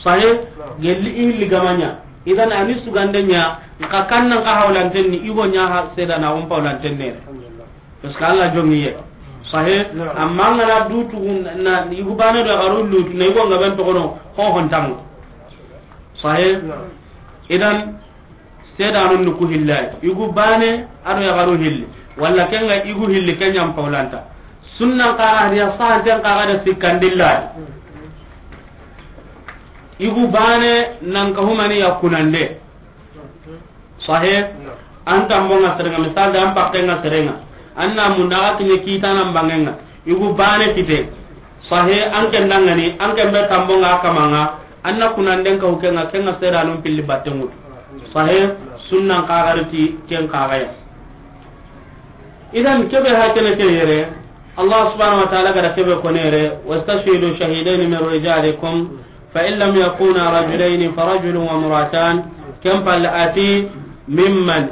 Sahe, gelli hilli gamaɲa. Idan ani sugande ɲa, nka kannan ka hawlanten ni igo ɲa ha sedana on pawlanten ne. Parce que Allah jongi ye. Sahe, amma ngana dutu na igu bane do garu lutu na igo ngaben togono ho hontango. Sahe, idan sedanun ni ku hillay. Igu bane ado ya garu hilli. Walla kenga igu hilli kenyam pawlanta. Sunnan kaga hadiya sahanten kaga da sikkandilla. Igu bane nan ka humani ya kunande. Sahe, an tambonga serenga, misal da an pakkenga serenga. An na munda ga kinye kita nan bangenga. Igu bane kite. Sahe, an ken dangani, an ken be tambonga kamanga. An na kunanden ka hukenga, kenga sedanun pilli battengut. Sahe, sunnan kagariti ken kagaya. Idan kebe hakene ke yere. Allah subhanahu wa ta'ala ga da ke be ko yere, "Wastashhidu shahidaini min rijalikum, fa in lam yakuna rajulayni fa rajulun wa imra'atan." Ken palle a ti, "Mimman."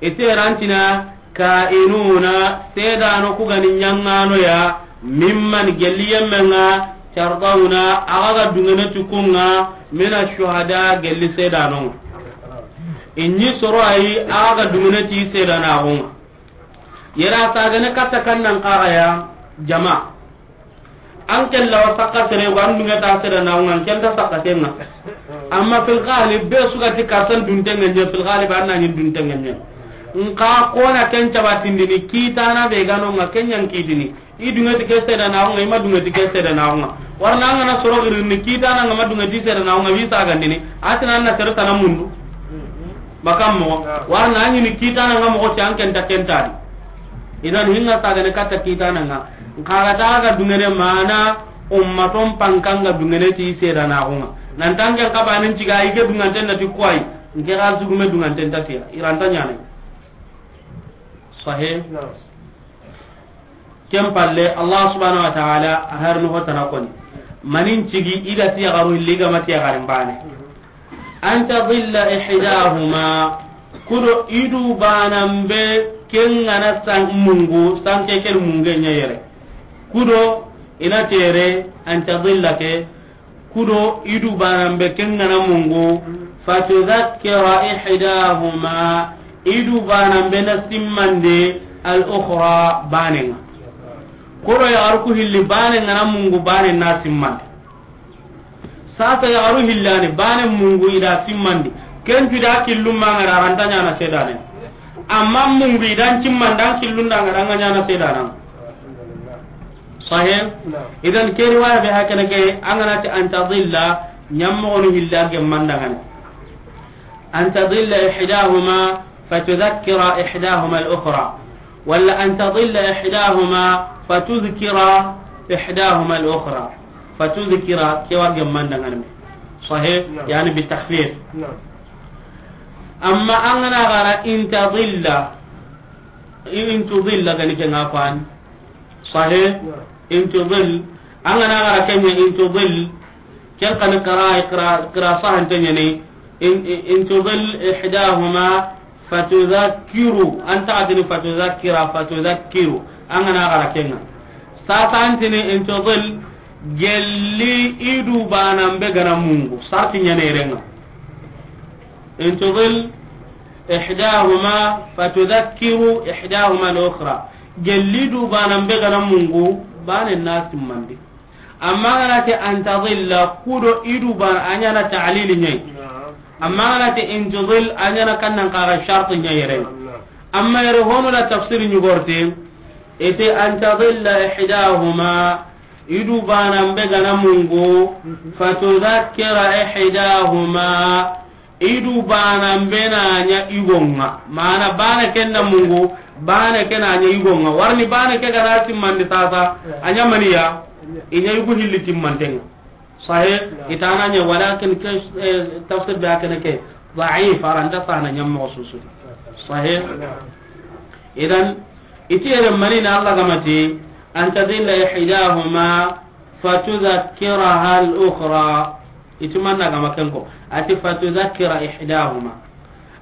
I ti rantina, "Ka'inuna, seedano ku ga ni ɲaŋaano ya, mimman, gelli yemme ŋa, tardawna, a ga ga duŋene ti ku ŋa, mina shuhada, gelli seedano ŋa." I ɲi soro a yi, a ga ga duŋene ti seedanaxu ŋa. Yere a sagane katta kan nan xaxa ya, jama. An ke lawa sakka sere, wa an duŋe ta seedanaxu ŋa, an ke nta sakka ke ŋa. Amma fil ghalib, be su ga ti karsan dunte ŋa ɲa, fil ghalib an na ɲi dunte ŋa ɲa. Nxa ko na ken cabatindini, kitana be ga no ŋa, ken ɲa n kitini. I duŋe ti ke seedanaxu ŋa, i ma duŋe ti ke seedanaxu ŋa. Wara na an ga na soro girini, kitana ŋa ma duŋe ti seedanaxu ŋa, wi sagandini. A ti na an na sere tana mundu. Bakka moxo. Wara na ɲi ni kitana ŋa moxo ti an ke nta ken ta di. Idan hinga sagane katta kitana ŋa. Nxa ga ta ga duŋene mana ummaton panka ŋa duŋene ti seedanaxu ŋa. Nan ta n ke n xabanin ciga i ke duŋanten na ti kuwayi. N ke ga zugume duŋanten ta tiya. I ra nta ɲaana. Sahih. Naam. Ken palle, Allah subhanahu wa ta'ala a har no hotana koni. Manin cigi i ga ti yaxaru hilli ga ma ti yaxarin bane. An tadilla ihdahuma, kudo i du banan be ken ŋa na san mungu, sanke ken munge ɲa yere. Kudo i na tere, an tadilla ke, kudo i du banan be ken ŋa na mungu, fatudhakkira ihdahuma, i du banan be na simmande al ukhra, bane ŋa. Kudo yaxaru ku hilli bane ŋa na mungu, bane na simmande. Sasa yaxaru hillani, bane mungu i da simmandi. Ken tu da killun ma ŋa ra, a ra nta ɲaana seedane. Amma mungu i da n simmandi, an killun da ŋa ra, a ŋa ɲaana seedana. Sahih? Naam. Idan ke riwaya be hakana ke, an ga na ti an tadilla, ɲammoxonu hilla gemmandaŋani. An tadilla ihdahuma fatudhakkira ihdahuma al-ukhra. Walla an tadilla ihdahuma fatudhkira ihdahuma al-ukhra. Fatudhkira, ke wa gemmandaŋani me. Sahih? Naam. Yani bi takhfif. Naam. Amma an ga na xara in tadilla, in tudilla ga ni ke ŋa fan. Sahih? Naam. In tudil. An ga na xara ken ɲa in tudil. Ken xa ni qira, qira, qira sahante ɲa ni. In, in, in tudil ihdahuma fatudhakkiru. An ta tini fatudhakkira, fatudhakkiru. An ga na xara ken ŋa. Sasa an tini in tudil gelli i du banan be ga na mungu. Sarti ɲa ni yere ŋa. In tudil ihdahuma fatudhakkiru ihdahuma al-ukhra. Gelli du banan be ga na mungu, bane na simmandi. Amma ga na ti an tadilla, kudo i du ban, a ɲaana ta'lili ɲa yi. Naam. Amma ga na ti in tudil, a ɲaana kannan xara sharti ɲa yere. Naam. Amma yere honu la tafsir ɲugorte, ite an tadilla ihdahuma, i du banan be ga na mungu, fatudhakkira ihdahuma, i du banan be na ɲa i go ŋa. Mana bane ken na mungu, bane ken na ɲa i go ŋa. Warni bane ke ga na simmandi sasa, a ɲa maniya, i ɲa i gu hilli timmanten ŋa. Sahih? Naam. I ta na ɲa, walakin ke, eh, tafsir be hakana ke, da'if, a ra nta sahana ɲammoxo susu. Sahih? Naam. Idan, i ti yere mani na Allah ga ma ti, an tadilla ihdahuma, fatudhakkiraha al-ukhra. I ti manna ga ma ken ko. A ti fatudhakkira ihdahuma.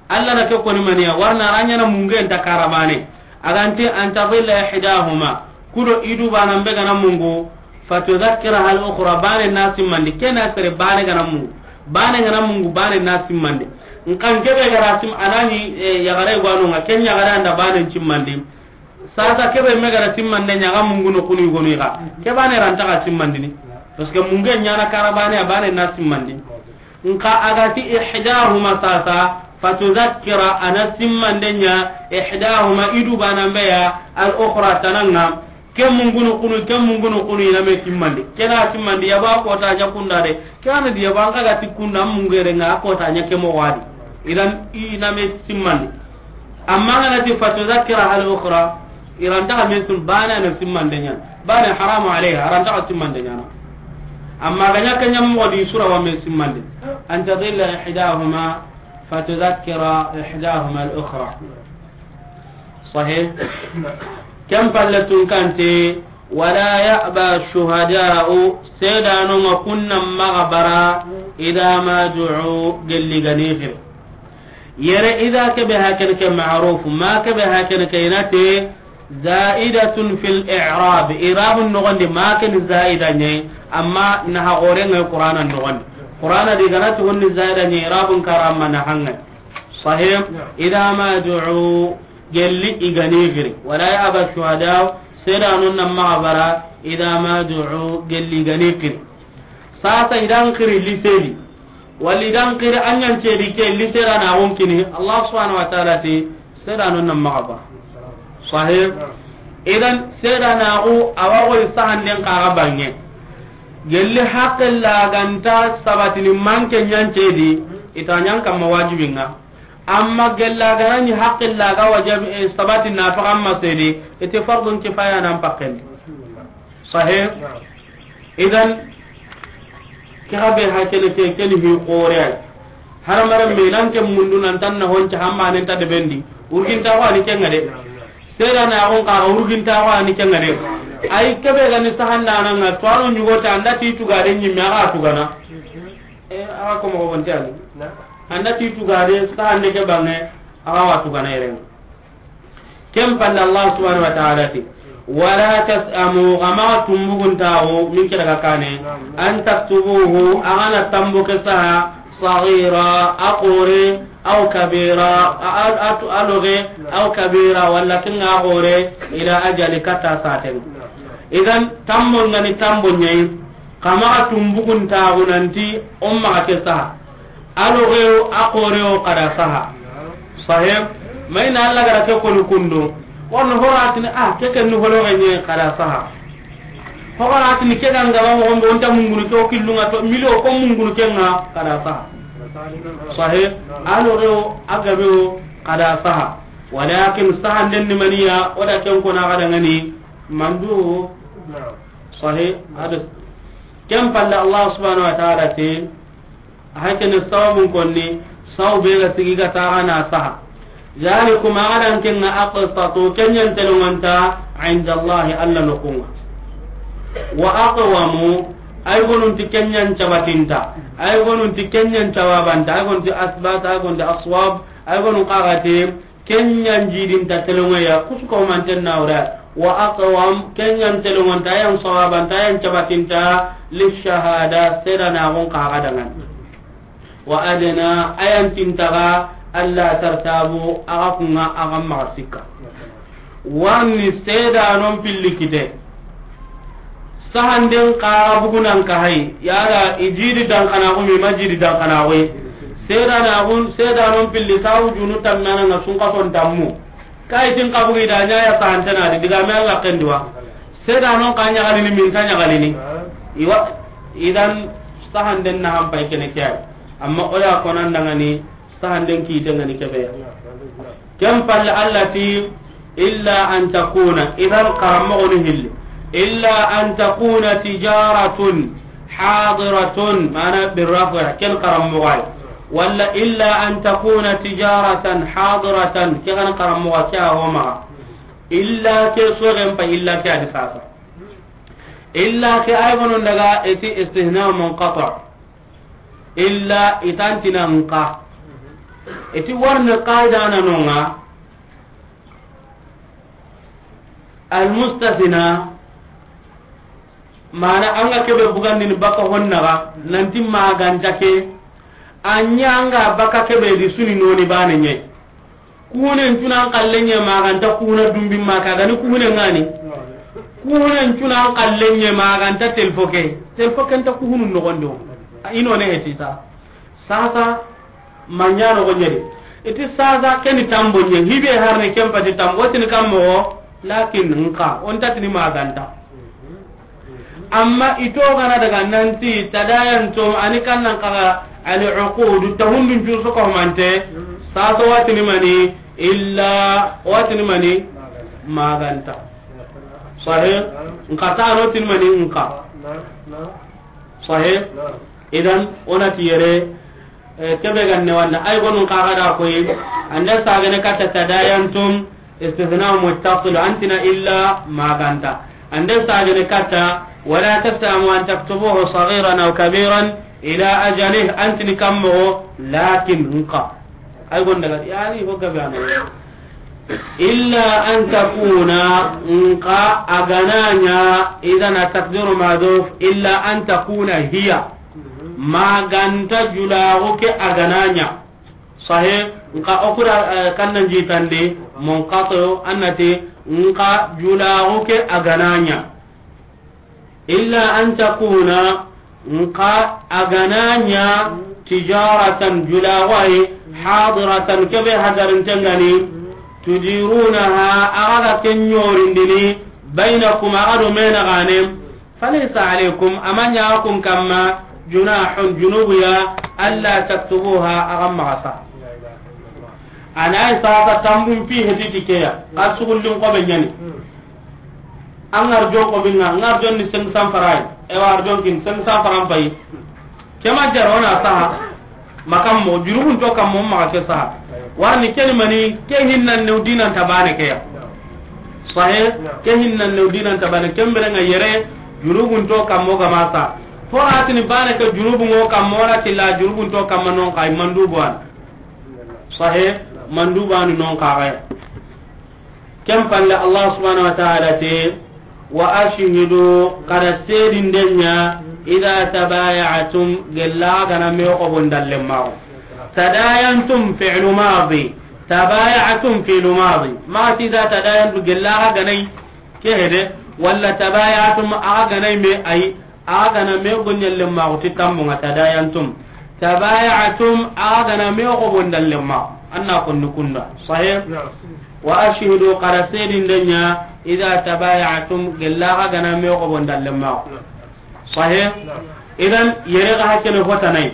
Allah na ke koni maniya, warna a ra ɲaana mungu nta karabane. A ga nti an tadilla ihdahuma. Kudo i du banan be ga na mungu. Fatudhakkiraha al-ukhra. Bane na simmandi. Ken na sere bane ga na mungu. Bane ga na mungu, bane na simmandi. Nkan ke be ga ra sim-, a na ɲi, eh, yaxare go no ŋa. Ken yaxare an da bane simmandi. Sasa ke be me ga ra simmande ɲa ga mungu no kunu go no i ga. Ke bane ra nta ga simmandini. Parce que mungu ɲaana karabane, a bane na simmandi. Nka a ga ti ihdahuma sasa, fatudhakkira, a na simmande ɲa, ihdahuma, i du banan be ya, al-ukhra, tana ŋa. Ke mungu no kunu, ke mungu no kunu, i na me simmandi. Ke na simmandi, ya ba ko ta ɲa kunda de. Ke na di ya ba an ga ti kunda mungu yere ŋa, ko ta ɲa ke mo wadi. Idan i na me simmandi. Amma ga na ti fatudhakkiraha al-ukhra, i ra nta ga me sim-, bane na simmande ɲa. Bane haramu alayha, a ra nta ga simmande ɲa na. Amma ga ɲa ke ɲa mo di sura wa me simmande. An tadilla ihdahuma fatudhakkira ihdahuma al-ukhra. Sahih? Ken palle tun kante, wala ya'ba shuhada'u, seedanon ŋa kunna maxa bara, idha ma du'u, gelli gani xiri. Yere idha kebe hakene ke ma'ruf, ma kebe hakene ke inate, za'idatun fil i'rab, i'rabun noxondi ma ken za'ida ɲe, amma na ha gore ŋa Qur'ana noxondi. Qur'ana di ganati honni za'ida ɲe, i'rabun karama na hanga. Sahih, idha ma du'u, gelli i gani xiri. Wala ya'ba shuhada, seedanon na maxa bara, idha ma du'u, gelli i gani xiri. Sasa i dan xiri liseli. Wala i dan xiri a ɲancedi ke lisera na gon kini. Allah subhanahu wa ta'ala ti, seedanon na maxa bara. Sahih. Idan seedanaxu a wa goy sahanden kaxa bange. Gelli haqqilla ganta sabatini manke ɲancedi, ita ɲan kamma wajibinga. Amma gella gana ni haqqilla ga wajib, eh, sabati na faxa amma sedi, ite fardun kifaya nan pakkendi. Sahih? Idan, ke xa be hakene ke, ke ni hi xore ay. Haramare me nan ke mundu nan tan na honca hamma nen ta de bendi. Urginta ko ani kenga de. Seedanaxun kaxa urginta ko ani kenga de. Ay kebe gani sahandananga, to anu ɲugota, anda ti tugade ɲimme, axa tugana. E, axa ko moxo bonte ani. Anda ti tugade, sahande ke bange, axa wa tugana yerenga. Ken palle Allah subhanahu wa ta'ala ti, wala tas'amu, xa maxa tumbuguntaxu, min ke daga kane, an taktubuhu, axa na tambu ke saha, sagira, a xore, aw kabira, a, a, a tu-, a loge, aw kabira, wala kinga a xore, ila ajali, kata saten. Idan, tambo ngani tambo ɲayi, xa maxa tumbuguntaxu nanti, o maxa ke saha. A logeyo, a xoreyo, xa da saha. Sahih. Mayna Allah gara ke koni kundu. Wonno horatini, ah, ke ken ni hologe ɲe, xa da saha. Horatini ke ganga ba mo gombe, onta mungunu ke o killunga to, milo ko mungunu kenga, xa da saha. Sahih. A logeyo, a gabeyo, xa da saha. Walakin sahanden ni maniya, o da ken kona xa dangani, mandu. Sahih. Hada. Ken palle Allah subhanahu wa ta'ala ti, hakene sababun konni, saw be ga sigi ga taxa na saha. Zalikum, axa dan kenga, aqsatu, kenyan telongonta, inda Allahi, Allah noxunga. Wa aqwamu, ay gonunti kenyan cabatinta, ay gonunti kenyan cawabanta, ay gonunti asbat, ay gonunti aswab, ay gonun kaxati, Kenyan jidinta telongoya, kusuko manten nawra. Wa aqwam, kenyan telongonta, yan sawabanta, yan cabatinta, lishahada, seedanaxun kaxa dangan. Wa adna, ayan tintaga, alla tartabu, axa kunga, axa maxa sikka. Warni seedanon pilli kite. Sahanden kaxa bugunan ka hay, yala i jidi dankanaxu mi, ma jidi dankanaxu. Seedanaxun, seedanon pilli, sawu junu tammananga sunkason tammu. Kayitin kabugi da ɲaya sahantenadi, digame alla kendiwa. Seedanon ka ɲagalini, minta ɲagalini. Iwa, idan sahanden na hampay kene kiyay. Amma oya konan dangani, sahanden kiitengani kebeya. Ken palle, alla ti, illa an takuna, idan karammoxonu hilli, illa an takuna tijaratun hadiratun, mana birrafa, ken karammoxoy. Walla illa an takuna tijaratan hadiratan, ke gana karammoxo ke a homaxa. Illa ke soxen pa, illa ke adi sasa. Illa ke ay gonon daga eti istithna munqati. Illa itantina nka. Iti warni qaida na nonga. Almustasna, mana anga kebe bugandini baka honnaga, nanti maganta ke, anya anga baka kebe di suni noni bane nye. Kunen cunan kallenye maganta kuna dumbi maka gani kune ngani. Kunen cunan kallenye maganta telfo ke. Telfo ke nta kuhunu nogondo. Ino ne hetita. Sasa, manyano go nyedi. Iti sasa keni tambo nye. Hibe harne kempa di tambo. Tini kammo, lakin nka. Onta tini maganta. Amma ito gana daga nanti tadayantum, ani kannan kaga al uqud, tahundun jur soko mante, saso watini mani, illa watini mani, maganta. Sahih? Nka tano tini mani, nka. Sahih? Idan, onati yere, eh, kebe ganne wanda, ay gonun kaga da koyi, anda sagane kata tadayantum, Istithna muttasil, an ti na illa ma ga nta. An da sagene katta, wala tas'amu an taktubuhu saghiran aw kabiran ila ajalih, an ti ni kammo, lakin nka. Ay gonda ga, yani, ho gabe ana. Illa an takuna, nka a ga na ɲa, idan at-taqdiru mahdhuf, illa an takuna hiya. Ma ga nta julaxu ke a ga na ɲa. Sahih, nka o kura, eh, kannan jitandi, munqati, an na ti, nka julaxu ke a ga na ɲa. Illa an takuna, nka a ga na ɲa, tijaratan, julaxu yi, hadiratan, kebe hadarinten ga ni, tudirunaha, a ga ga ken ɲorindini, baynakum, a ga do me na gane, falaysa alaykum, a ma ɲa kun kamma, junahun, junubu ya, alla taktubuha, a ga maxa sa. A na yi sasa tambun fi heti ti ke ya, a sugullin ko be ɲani. An arjon ko binga, an arjon ni cinq cents francs. E wa arjon kin cinq cents francs pay. Ke ma jaro na saha. Makam mo, jurugun to kammo maxa ke saha. Warni keni mani, ke hinnan ne dinan ta bane ke ya. Sahih, ke hinnan ne dinan ta bane, ke mbere nga yere, jurugun to kammo ga ma sa. Fo a ti ni bane ke jurubu ngo kammo la ti la jurugun to kamma non kay mandubu an. Sahih, mandubu an non kay. Ken palle Allah subhanahu wa ta'ala te, wa ashhidu, xa da seedinde ɲa, idha tabaya'tum, gella ga na me xobon dalle maxo. Tadayantum fi'lu madi, tabaya'tum fi'lu madi. Ma ti idha tadayantum gella ga na yi ke hede, wala tabaya'tum a ga na yi me ay, a ga na me goɲalle maxo ti tambo nga tadayantum. Tabaya'tum a ga na me xobon dalle maxo. An na konni kunda. Sahih? Naam. Wa ashhidu, xa da seedinde ɲa, idha tabaya'tum, gella xa ga na me xobon dalle maxo. Naam. Sahih? Naam. Idan, yere ga hakene hotanay.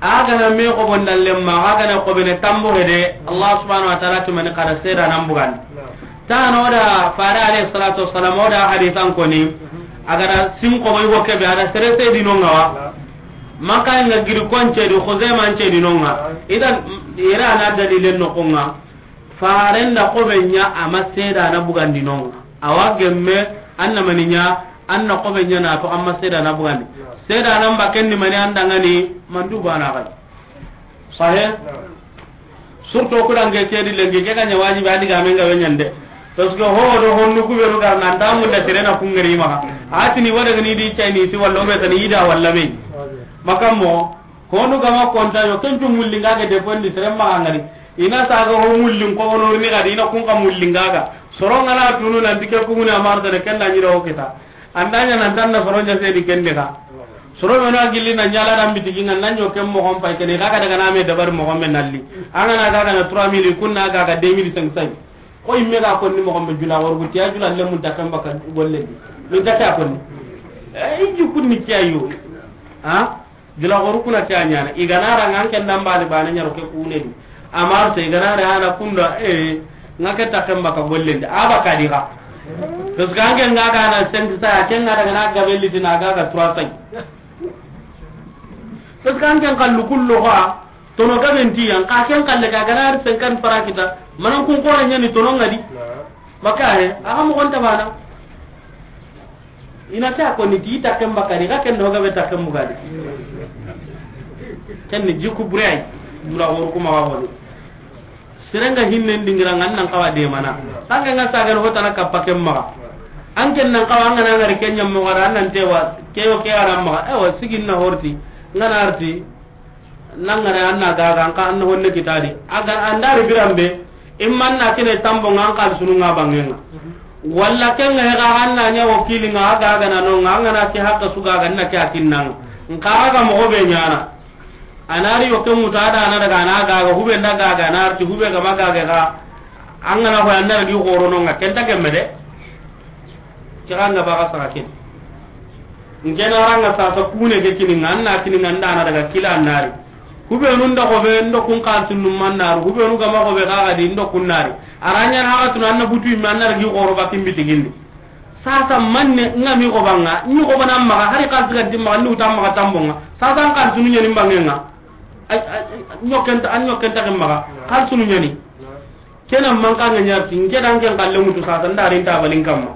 A ga na me xobon dalle maxo, a ga na xobene tambo hede, Allah subhanahu wa ta'ala ti mani xa da seeda nan bugandi. Naam. Tano da fare alayhi salatu wassalam, o da hadisan koni, a ga da sin xobo i go kebe, a da sere seedi no nga wa. Naam. Maka nga giri konce di, Khuzaima nce di no nga. Naam. Idan, yere a na dalilen no ko nga. Faren da xobe ɲa a ma seeda na bugandi no nga. A wa gemme, an na mani ɲa, an na xobe ɲa na to a ma seeda na bugandi. Seeda na mba ken ni mani an da nga ni mandubu an na gay. Sahih? Surtout ku dange ke di lengi ke ga ɲa wajibi a di ga me nga we ɲande. Parce que ho do honnu ku be ru gar nan da mun da tere na ku ngari ma. A ti ni wada ni di cay ni ti walla be tan ida walla be. Makam mo, Honu gama konta yo, ken tu mulli nga ga de bondi sere ma ngari. Ina saga ho mullin ko wono ni ga di, ina kun ka mulli nga ga. Soro nga na tunu nan dike ku na marta de ken na nyiro kita. Andanya nan tan na soro nya se di ken de ga. Soro mena gilli na nyala dan bitigi nga nan yo ken mo kon pay ken ga ga daga na me dabar mo kon me nalli. Anga na ga ga na trois mille kun na ga ga deux mille cinq cents. Ko imme ga kon ni mo kon be jula worgu tiya jula le mun takam baka golle. Min ta ta kon ni. Eh, iju kun ni tiya yo. Ha? Jula goru kuna ke a ɲana. I ga na ra nga an ken dambali bane ɲaro ke kune di. Amar te i ga na ra ana kunda, eh, nga ke ta kemba ka gollen di. Aba ka di ga. Parce que an ken nga ga na cinq cents, ken nga daga na gabelli tina ga ga trois cents. Parce que an ken kallu kullu ga, tono gaben ti yan, ka ken kalle ka ga na cinquante francs kita. Manan kun ko ɲani tono nga di. Maka he, a ga mo kon ta bana. Ina ta ko ni ti ta ken bakari, ga ken do ga be ta ken bugadi. Ken ni jiku buray, bura wor kuma wa woni. Serenga hinnen dingira ngan nan kawa de mana. Sanga nga saga ho tana kappa ken maga. An ken nan kawa ngana ngari ken nyam mo gara nan tewa, ke yo ke ara maga. Ewa sigin na horti, ngana arti. Nangare an na gaga an ka an honne kitadi. Aga an dari birambe, imman na kine tambo nga an ka sunu nga bangenga. Walla kenga he ga an na nya wakili nga aga ga na no nga, nga na ke hakka su gaga na ke akinnanga. Nka aga mo be nyana. Anari yo ke muta da na daga na gaga hube nda gaga na arti hube ga magaga ga. An ga na ho an na di horo no nga kenta kemme de. Kira nga baga saka kin. Ngena ranga sasa kune ke kini nga, an na kini nga ndana daga kila nari. Hube nun da ko be ndo kun kan tunnu man naru. Hube nu gama ko be ga ga di ndo kun nari. Aranya na ga tun an na butu mi an na gi goro bakin bitigindi. Sasa manne nga mi ko banga, ni ko bana maga hari kan tiga di maga ni utam maga tambonga. Sasa an kan tunu nyani bangenga. Ay, ay, ay, nyoken ta, an nyoken ta maga. Kan tunu nyani. Kena manka nga ñarti, nke dan ken kalle mutu sasa, nda rinta balin kamma.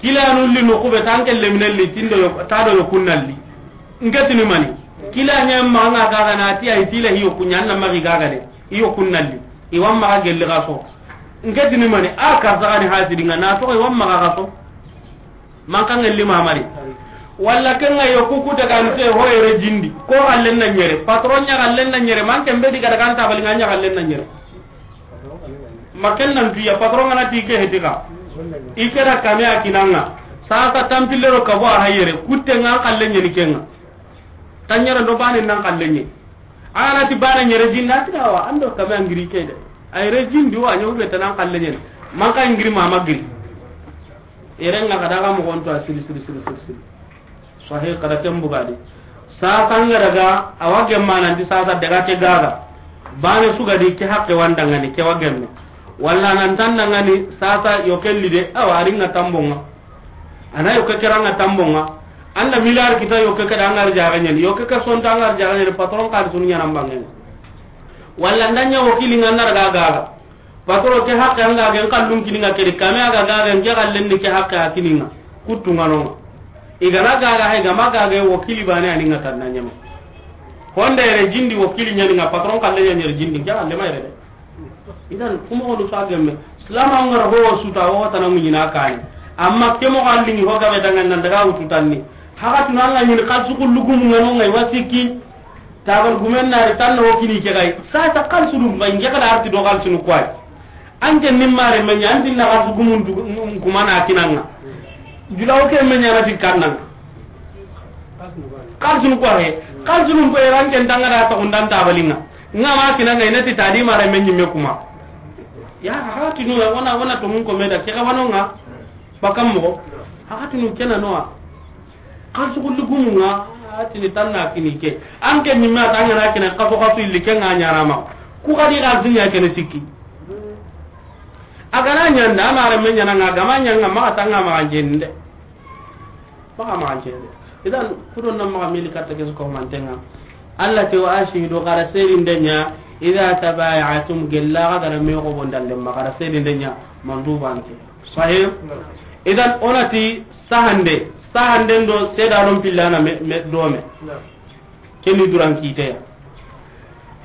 Kila nulli no kube tan ke leminen li, tindo yo, ta do yo kunnalli. Nke tini mani. Kila ña ma nga gaga na ti ay tila hiyo kunya na magi gaga de. Hiyo kunnalli. I wamma ga gelli ga so. Nke tini mani, a karta gani hasidi nga na to i wamma ga so. Manka ngelli mamari. Walla kenga yo kuku daga nte ho yere jindi. Ko xallen na ñere. Patron ña xallen na ñere. Man kembe diga daga nta bali nga ña xallen na ñere. Maken nan tuya patron ngana ti ke hetika. I kera kame a kinanga. Sasa tampillero kabo a hayere. Kutte nga xallen ñeni kenga. Tanyere do bane nan xallen ñe. Ana ti bane ñere jinna ti awa. Ando kame angiri ke de. Ay re jindi wa ño be tanan xallen ñe. Manka ngiri mama giri. Irenga kada ga moxon to a siri siri siri siri siri. Sahi kada ken bugadi. Sasa nga daga awa gemma nanti sasa daga ke gaga. Bane sugadi ke hakke wandangani ke wa gemme. Walla nan tandangani sasa yo kelli de awa aringa tambonga. Ana yo ke keranga tambonga. Anda miliar kita yo ke kada ngar jaga ñen. Yo ke ke sonta ngar jaga ñen patron kadi sunu ñana mbangen. Walla ndanya wakili nga nar gaga. Patron ke hakke anga gen kallun kini nga kedi kame aga gaga nge kallen ni ke hakke a kini nga. Kuttu nga nonga. Igana gaga hay gama gaga wakili bane ani nga tanna ñama. Honda yere jindi wakili ñani nga patron kalle ñani yere jindi ke kalle ma yere de. Idan kuma ko sa gemme. Islam an ngara ho suta ho tana muñina kani. Amma ke mo kallingi ho gabe dangan nan daga wutu tanni. Haka tunanga ñini kalsu kullugumu nga nonga iwasiki. Tabal gumen nari tan no kini ke gay. Sa ta kalsu dum bay nge kala arti do kalsu nu kwai. Anke nimmare menya anti na kalsu gumun du kuma na kinanga. Julawo ke menya na ti kananga. Kalsu nu kwai. Kalsu nu ko ranke tanga da ta undan tabalinga. Nga ma kinanga ina ti tadi mare menyi me kuma. Ya hati no wana wana to mun ko meda ke ga wanonga. Bakam mo. Haka tunu kena noa. Kan sugu lugumu nga, a tini tanna kini ke. An ke ni ma tanga na kina kaso kaso illi ke nga ñana ma. Ku kadi ga zinya kene sikki. Agana ñanda, amare me ñana nga, gama ñanga, ma tanga ma jende. Ma ma jende. Idan, kudon na ma mili katta ke ko mantenga. Allah te wa ashidu qara serin denya, idha tabayatum gella ga gara me ko bondalle ma qara serin denya, mandubante. Sahih. Naam. Idan onati sahande, sahanden do seedanon pillana me, me, dome. Naam. Keni duran kiteya.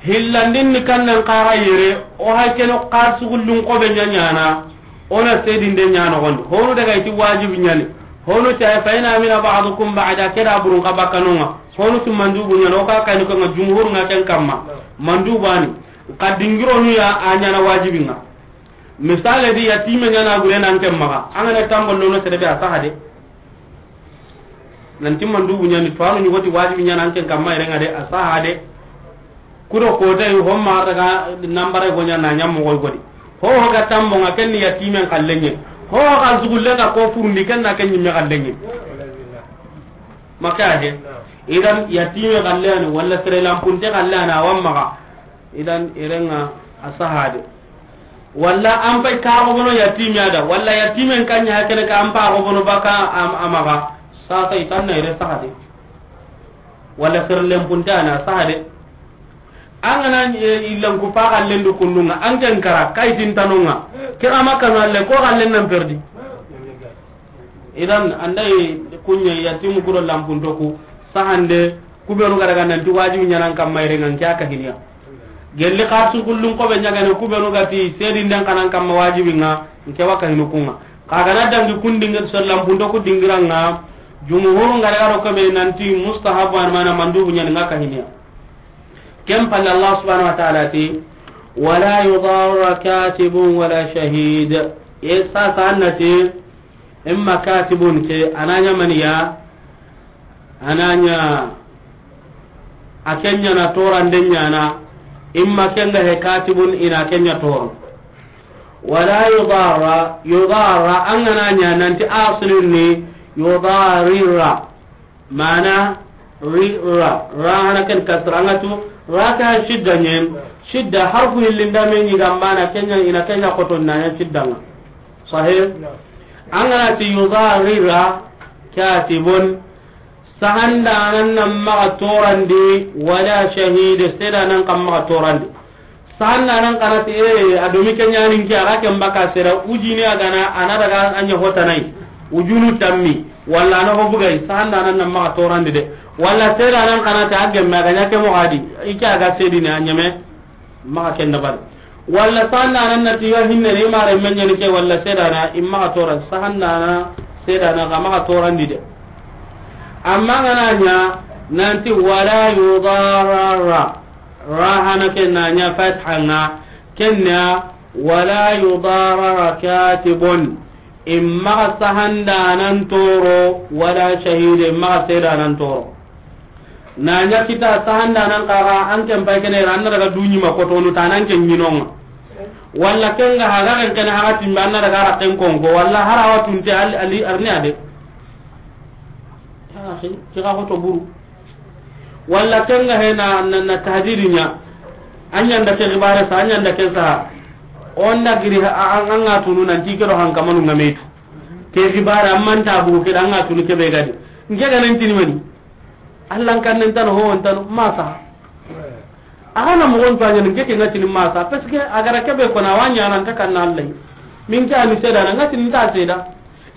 Hillandin ni kannan kaga yere, o hay keno kar sugullun kobe ñañana, ona seedinde ñanogondi. Honu daga iti wajibi ñani. Honu ta fa ina mina ba'dukum ba'da keda burun ka bakkanonga. Honu tu mandubu ñana, o ka kani ko nga jumhur nga ken kamma. Naam. Mandubani. Ka dingironu ya a ñana wajibi nga. Misale di yatime ñana gure nan ken maxa. An ga na tambo lono sere be a saha de. Nan timman dubu ñani to anu ñugoti wajibi ñana an ken kamma irenga de a saha de. Kudo ko tay homma daga nambare go ñana ñam mo godi. Ho ho ga tambo nga ken ni yatimen kallenye. Ho ho ga zugulle ga ko furundi ken na ken ñimme kallenye. Maka he. Idan yatime kallani wala sere lampunte kallana wamma ga. Idan irenga a saha de. Walla an pay ka go bono yatimi ada. Walla yatimen kanya hakene ka an pa go bono baka am, amaga. Sasa itanna ire saha de. Walla serlen puntana saha de. An gana, e, illan ku pa kallen du kundunga. An ken kara kaitin tanonga. Kira makka no alle ko kallen nan perdi. Idan andai kunya yatimu kuro lampunto ku sahande kubenu ga daga nanti wajibi ñanan kamma irenga nke a kahiniya. Gelli xarsu kullun kobe ñagane kubenu ga ti seedinden xanan kamma wajibi nga nke wa kahinu kunga. Xa gana dangi kun dingi so lampunto ku dingiranga jumhur nga daga ro kobe nanti mustahabu an mana mandubu ñani nga kahiniya. Ken palle Allah subhanahu wa ta'ala ti wala yudarra katibun wala shahid. E sasa annati Imma katibun ke, ananya maniya, ananya a kenya na torande ñana, imma kenga he katibun ina kenya toro. Wala yudarra, yudarra, an gana ña nanti aslun ni yudarira. Mana ri ra, ra hana ken kasra, an ga tu ra ka shidda ñen, shidda harfu hillinda me ñi gambana kenya ina kenya koto na ña shidda nga. Sahih? Naam. An gana ti yudarira katibun, sahanda nan nan maga torandi, wala shahid, seda nan kam maga torandi. Sahandanan xa na ti, ee, a do mi ke ɲaani n ke, a ga ken baka sera, wujini a ga na, a na daga a ɲa hotanayi, wujunu tammi, walla a na ho bugay, sahandanan na maxa torandi de. Walla seedanan xa na ti a gemme, a ga ɲa ke moxo a di, i ke a ga seedini a ɲeme, maxa ken dabari. Walla sahandanan na ti yo hinne ni mare meɲani ke, walla seedana, i maxa tora, sahandana, seedana, xa maxa torandi de. Amma n ga na ɲa, nanti wala yudarara. Ra hana ke na ɲa fatha ŋa, ken na wala yudarara katibun. I maxa sahandanan toro, wala shahide, i maxa seedanan toro. Na ɲa kita sahandanan xa ga, an ken pay kene ra, an na daga duɲi ma kotonu ta nan ken ɲinonga. Walla ken ga haga ken kene haga timbe, an na daga ra ken konko, walla hara wa tunte ali, ali arni ade. Ya akhi, kira hoto buru. Walla ken ga he na, na, na tahdidi ɲa. An ɲa nda ke xibare sa, an ɲa nda ken sa. Onda giri ha, an, an ga tunu nan ti ke do hankamanu ŋa me tu. Ke xibare, amman ta bugu ke da an ga tunu ke be gadi. N ke ga nan tini mani. Allan kan nen tano, ho on tano, masa. A ga na moxon to a ɲa n ke ke ŋa tini masa. Parce que a ga ra ke be ko na wa ɲa nan ta kan na Allah. Min ke a ni seedana, ŋa tini n ta seeda.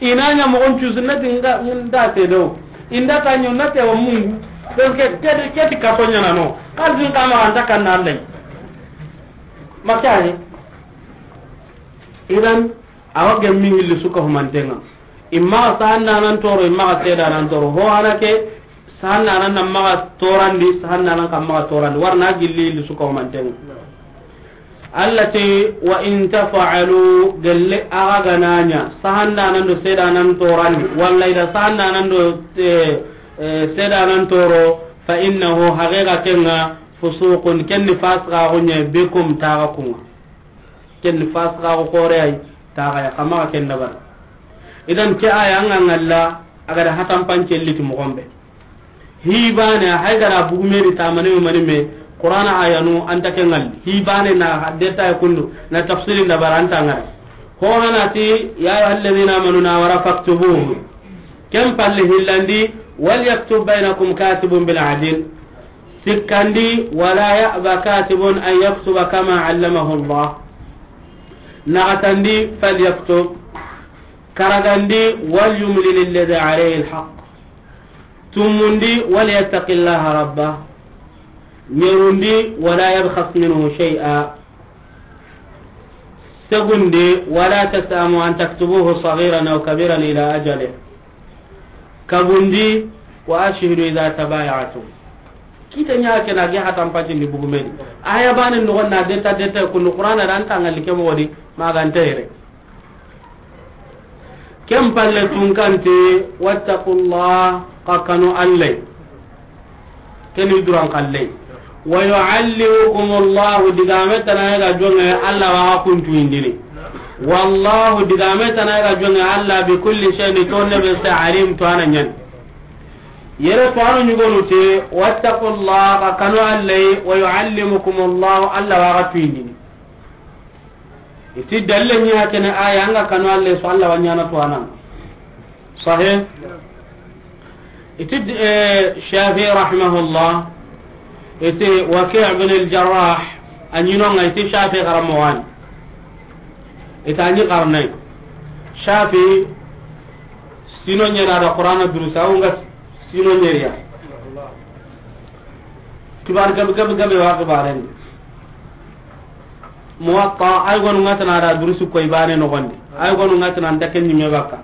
I na ɲa moxon cuusu na ti n ga, n ta seeda o. I nda ta ɲo na te wa mungu. Parce que ke, ke ti kaso ɲaana no. Xalisin xa ma an ta kan na Allah. Ma ke a ni. Idan, a wa gemmi hilli su ka humanten ŋa. I maxa sahandanan toro, i maxa seedanan toro. Ho hana ke, sahandanan na maxa torandi, sahandanan xa maxa torandi. Wara na gilli hilli su ka humanten ŋa. Allah ti, wa in taf'alu, gelle a ga ga na ɲa, sahandanan do seedanan torandi, walla i da sahandanan do, eh, eh, seedanan toro, fa innahu, haqiqa ken ŋa, fusuqun, ken ni fasiqaaxu ɲa, bikum, taxa kun ŋa. Ken ni fasiqaaxu xoore ay, taxa ya, xa maxa ken dabari. Idan ke aya an ga ŋalla, a ga da hatan pance liti moxon be. Hi baane, hay ga ra bugu me di tamane mani me, Qur'ana ayanu an ta ke ŋalli. Hi baane na deta kundu, na tafsirin dabari an ta ŋara. Ho hana ti, ya ayyuhalladhina amanu na wara faktubuhu. Ken palle hillandi, wal yaktub bainakum katibun bil adl. Sikkandi, wala ya'ba katibun an yaktuba kama allamahu Allah. Naxatandi, falyaktub. Karagandi, wal yumlil alladhi alayhi alhaq. Tumundi, wal yattaqillaha rabbah. Ɲerundi, wala yabkhas minhu shay'a. Segundi, wala tas'amu an taktubuhu saghiran aw kabiran ila ajalih. Kabundi, wa ashhidu idha tabaya'tum. Kita ɲa ke na ge hatan pacindi bugu me di. Aya baane noxon na deta deta kundu Qur'ana da an ta ŋalli ke moxo di, ma ga nta yere. Ken palle tunkante, wattaqullah, xa kanu Allah. Ken ni duran kalle. Wa yu'allimukumullahu, digame tana ga jonge, Allah wa xa kuntu indini. Wallahu, digame tana ga jonge, Allah bi kulli shay'in, tonne be se, alim, to a na ɲaani. Yere to a na ɲugonu te, wattaqullah, xa kanu Allah, wa yu'allimukumullahu, Allah wa xa tu indini. Iti dalle ɲa kene aya an ga kanu Allah so Allah wa ɲaana to a na. Sahih. Iti, eh, Shafi'i rahimahullah, iti Waki' ibn al-Jarrah, a ɲi no ŋa iti Shafi'i xaranmoxo ni. Iti a ɲi xarnay. Shafi'i sino ɲeri a da Qur'ana durusi, a wo ŋa sino ɲeri ya. Kibar gabe, gabe, gabe wa kibaren. Muwatta, ay gonu ŋa tana da durusi koy baane noxon di. Ay gonu ŋa tana nta ken ɲi me bakka.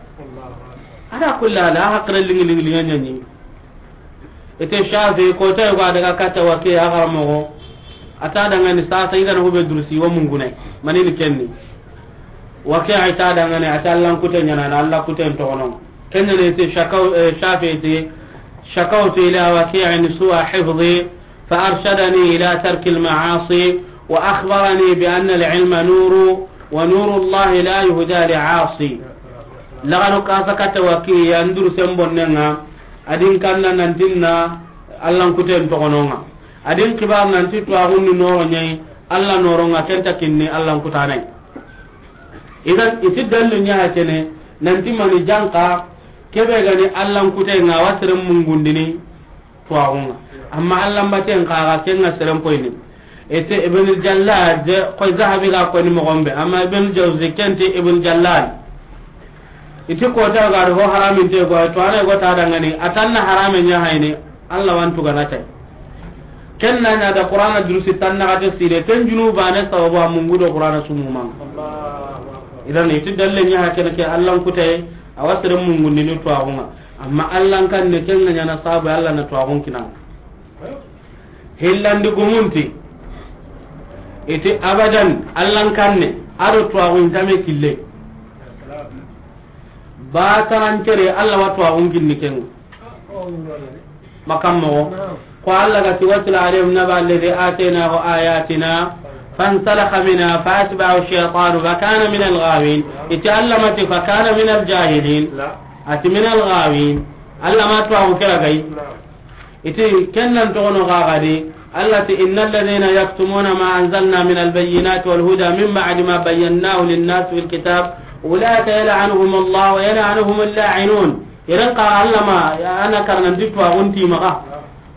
Ala kulli hal, a hakkile lingi, lingi, lingi ɲaani. Ite Shafi, ko ta yugo a daga katta Waki' a xaranmoxo. A ta dangani sasa i ga na hube durusi wa mungunay. Manini kenni. Waki' a ta dangani, a ta Allan kute ɲaana, na Allan kute toxono. Kenni ite shakaw, eh, Shafi ite, shakawtu ila Waki'in su'a hifzi, فأرشدني إلى ترك المعاصي، وأخبرني بأن العلم نور، ونور الله لا يهدى لعاصي. Lagano kasa katta Waki' ya, an durusen bonne ŋa, a di n kanna nanti n na Allan kuten toxono ŋa. A di n kibar nanti tuwaxun ni nooro ɲa yi, Alla nooro ŋa, ken nta kinni Allan kutana yi. Idan, iti dallu ɲa ha kene, nanti mani janka, kebe ga ni Allan kute ŋa, a wa seren mungundini, tuwaxu ŋa. Amma Allan baten xa ga, ken ŋa seren poyini. Iti Ibn Jallad, koy Zahabi ga ko ni moxo be, amma Ibn Jawzi ken ti Ibn Jallad. Iti ko ta ga ho haramin te go, to ana go ta dangani, a tan na harame ɲa hayni, Allah wa n tu ga na tay. Ken na ɲa da Qur'ana durusi tan na ga te sire, ken junuba ne sababu a mungu do Qur'ana sumuma. Idan iti dalle ɲa ha ken ke Allah n kutay, a wa sere mungu ni ni tuwaxu ŋa. Amma Allah n kanne ken ŋa ɲa na sababu Allah na tuwaxu n kina. Hillandi gumunti. Iti abadan, Allah n kanne, a do tuwaxu n tame kille. Ba tarankere, Allah wa tuwaxu n kinni ken ŋa. Makan moxo. Ko Allah ga ti, واتل عليهم نبأ الذي آتيناه آياتنا فانسلخ منها فأتبعه الشيطان فكان من الغاوين. Iti Allah ma ti فكان من الجاهلين. La. A ti من الغاوين. Allah ma tuwaxu kira gay. Iti ken nan toxono xaxadi, Allah ti, إن الذين يكتمون ما أنزلنا من البينات والهدى من بعد ما بيناه للناس في الكتاب أولئك يلعنهم الله ويلعنهم اللاعنون. Iran ka Allah ma, ana karnan di tuwaxu n ti maxa.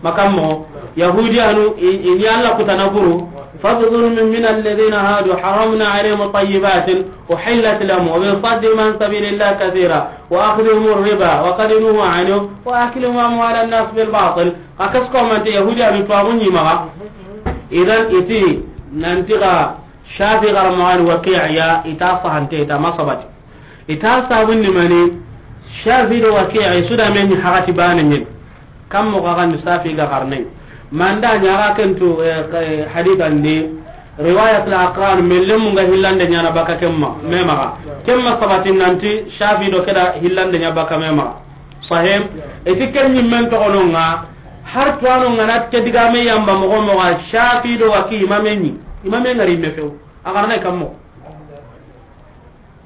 Makan moxo, Yahudiyanu, i, i ni Allah kutana buru, فبظلم من الذين هادوا حرمنا عليهم طيبات أحلت لهم وبصدهم عن سبيل الله كثيرا وأخذهم الربا وقد نهوا عنه وأكلهم أموال الناس بالباطل. Xa kas ko mante Yahudiyanu tuwaxu ɲi maxa. Idan iti nanti ga Shafi garamaxani Waqi'a ya, ita sahante, ita masabati. Ita sabun ni mani, Shafi do Waqi'a, i su da me ɲi haxati bane ɲen. Kam moxo ga ni Shafi ga xarne. Manda ɲa ga ken tu, eh, eh, hadithan di, riwayat al-aqran, me lemu nga hillande ɲana baka kemma, me maxa. Kemma sabatin nanti, Shafi do keda hillande ɲa baka me maxa. Sahih? Iti ken ɲimmen toxono ŋa, har tuwano ŋa na ke digame yamba moxo moxo, Shafi do Waqi imame ɲi, imame ŋari me few. A xarne kam moxo.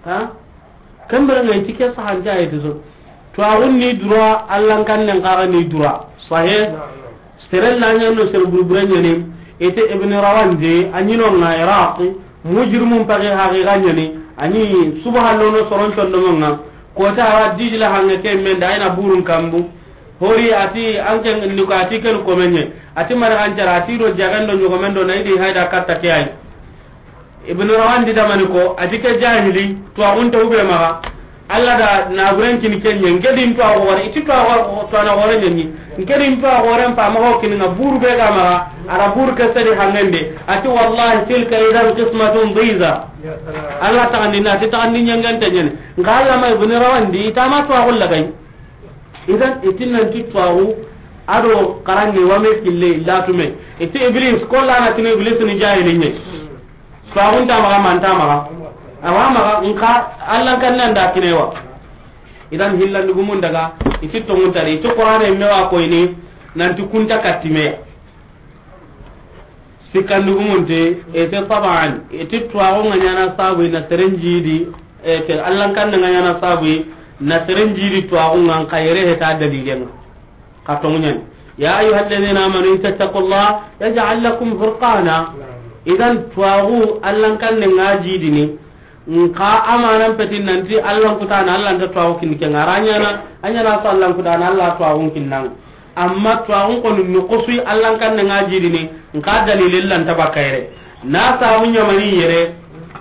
Ha? Kambere ŋa iti ke sahante ayete so. Tuwaxun ni dura, Allah n kannen xaxa ni dura. Sahih? Sere la ɲa no sere burbure ɲani. Ite Ibn Rawandi, a ɲi no ŋa Iraq, mujrimun paxe haqiqa ɲani. A ɲi subaha lono soron condomo ŋa. Kota wa Dijla hange ke men da ina burun kambu. Hori ati an ken ni ko ati ken ko menye. Ati mara an cara ati do jagan do ɲogo men do na idi hayda katta ke ay. Ibn Rawandi da mani ko, ati ke jahili, tuwaxun ta hube maxa. Allah da na buren kini kenye, nke din tuwaxu wara, iti tuwaxu tuwana wara ɲani. Nke din tuwaxu wara mpa maxa kini nga buru be ga maxa, ara buru ke sedi hangende. Ati wallahi tilka idan qismatun dhiza. Allah taxandi na, ati taxandi ɲangante ɲani. Nga Allah ma Ibn Rawandi, itama tuwaxu lagay. Idan, itin nanti tuwaxu, ado xarange wame kille latume. Iti Iblis, ko lana tini Iblis ni jahili ɲe. Tuwaxun ta maxa, man ta maxa. Awa maxa, nka, Allah kan nan da kinewa. Idan, hillan dugumun daga, iti tongun tari, iti Qur'ane mewa koyni, nanti kunta katime. Sikkandugumunte, ete taban, ete tuwaxu nga ɲana sabu na serenjidi, ete Allan kanne nga ɲana sabu na serenjidi tuwaxu nga, nka yere heta dalilen nga. Ka tongu ɲani. يا أيها الذين آمنوا إن تتقوا الله يجعل لكم فرقانا. Idan tuwaxu Allan kanne nga jidini, nka amanan peti nanti Allan kutana, Allan ta tuwaxu kinni kenga. Ara ɲana, a ɲana so Allan kutana, Alla tuwaxun kinnanga. Amma tuwaxun koni nuxusuyi Allan kanne nga jidini, nka dalilin lanta bakka yere. Na sabu ɲamani yere,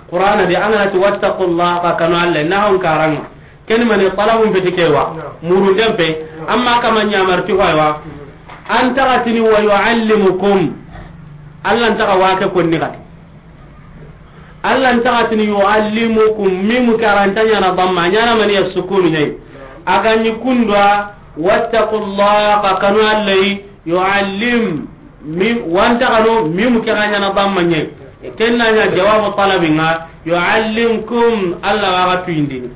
Qur'ana di, an ga na ti wattaqullaha, xa kanu Alla, na hon karanga. Ken mani talabun peti kewa, murunden pe, amma kama ɲamar ti hoywa. An taxatini wa yuallimukum. Allan taxa wake konni xati. Allan taxatini yuallimukum, mimu karanta ɲana damma, ɲana mani ya sukunu ɲayi. A ga ɲi kundwa, wattaqullaha, xa kanu Alla yi, yuallim, mi, wanta kanu, mimu ke ga ɲana damma ɲayi. Kenna ɲa jawabu talabinga, yuallimkum, Alla wa ga tuyindini.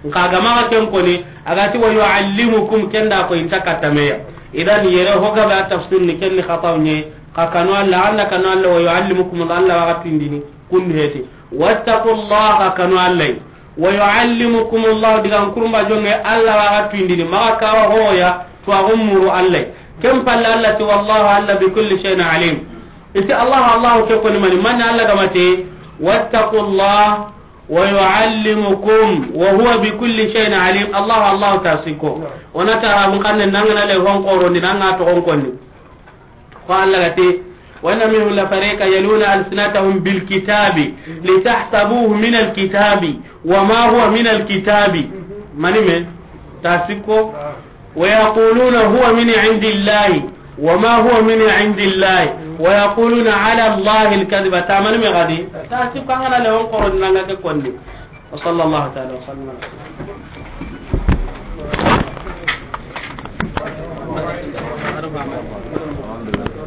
Nka gama ga ken koni, a ga ti wa yuallimukum, kenda ko inta katameya. Idan yere ho ga ba tafsir ni kenni khataw ɲe, xa kanu Alla, anda kanu Alla wa yuallimukum, Alla wa ga tuyindini. Kun heti. Wattaqullaha, kanu Alla. Wa yuallimukumullah, digan kurumba jonge, Alla wa ga tuyindini. Maga kawa hoya, tuwaxu muru Alla. Ken palle Alla ti, wallahu Alla bi kulli shay'in alim. Iti Allah, Allah ke koni mani, mani Alla gamate, wattaqullah, wa yuallimukum, wa huwa bi kulli shay'in alim. Allah, Allah ta siko. Ona tara mun kanne nangana le hon koro ni nanga to hon konni. Ko Alla gate, وإن منهم لفريقا يلوون ألسنتهم بالكتاب لتحسبوه من الكتاب وما هو من الكتاب. Mani me? Tasiko. ويقولون هو من عند الله وما هو من عند الله ويقولون على الله الكذب. Ta mani me gadi? Tasiko, an ga na le on koro nanga ke konni. وصلى الله تعالى وسلم على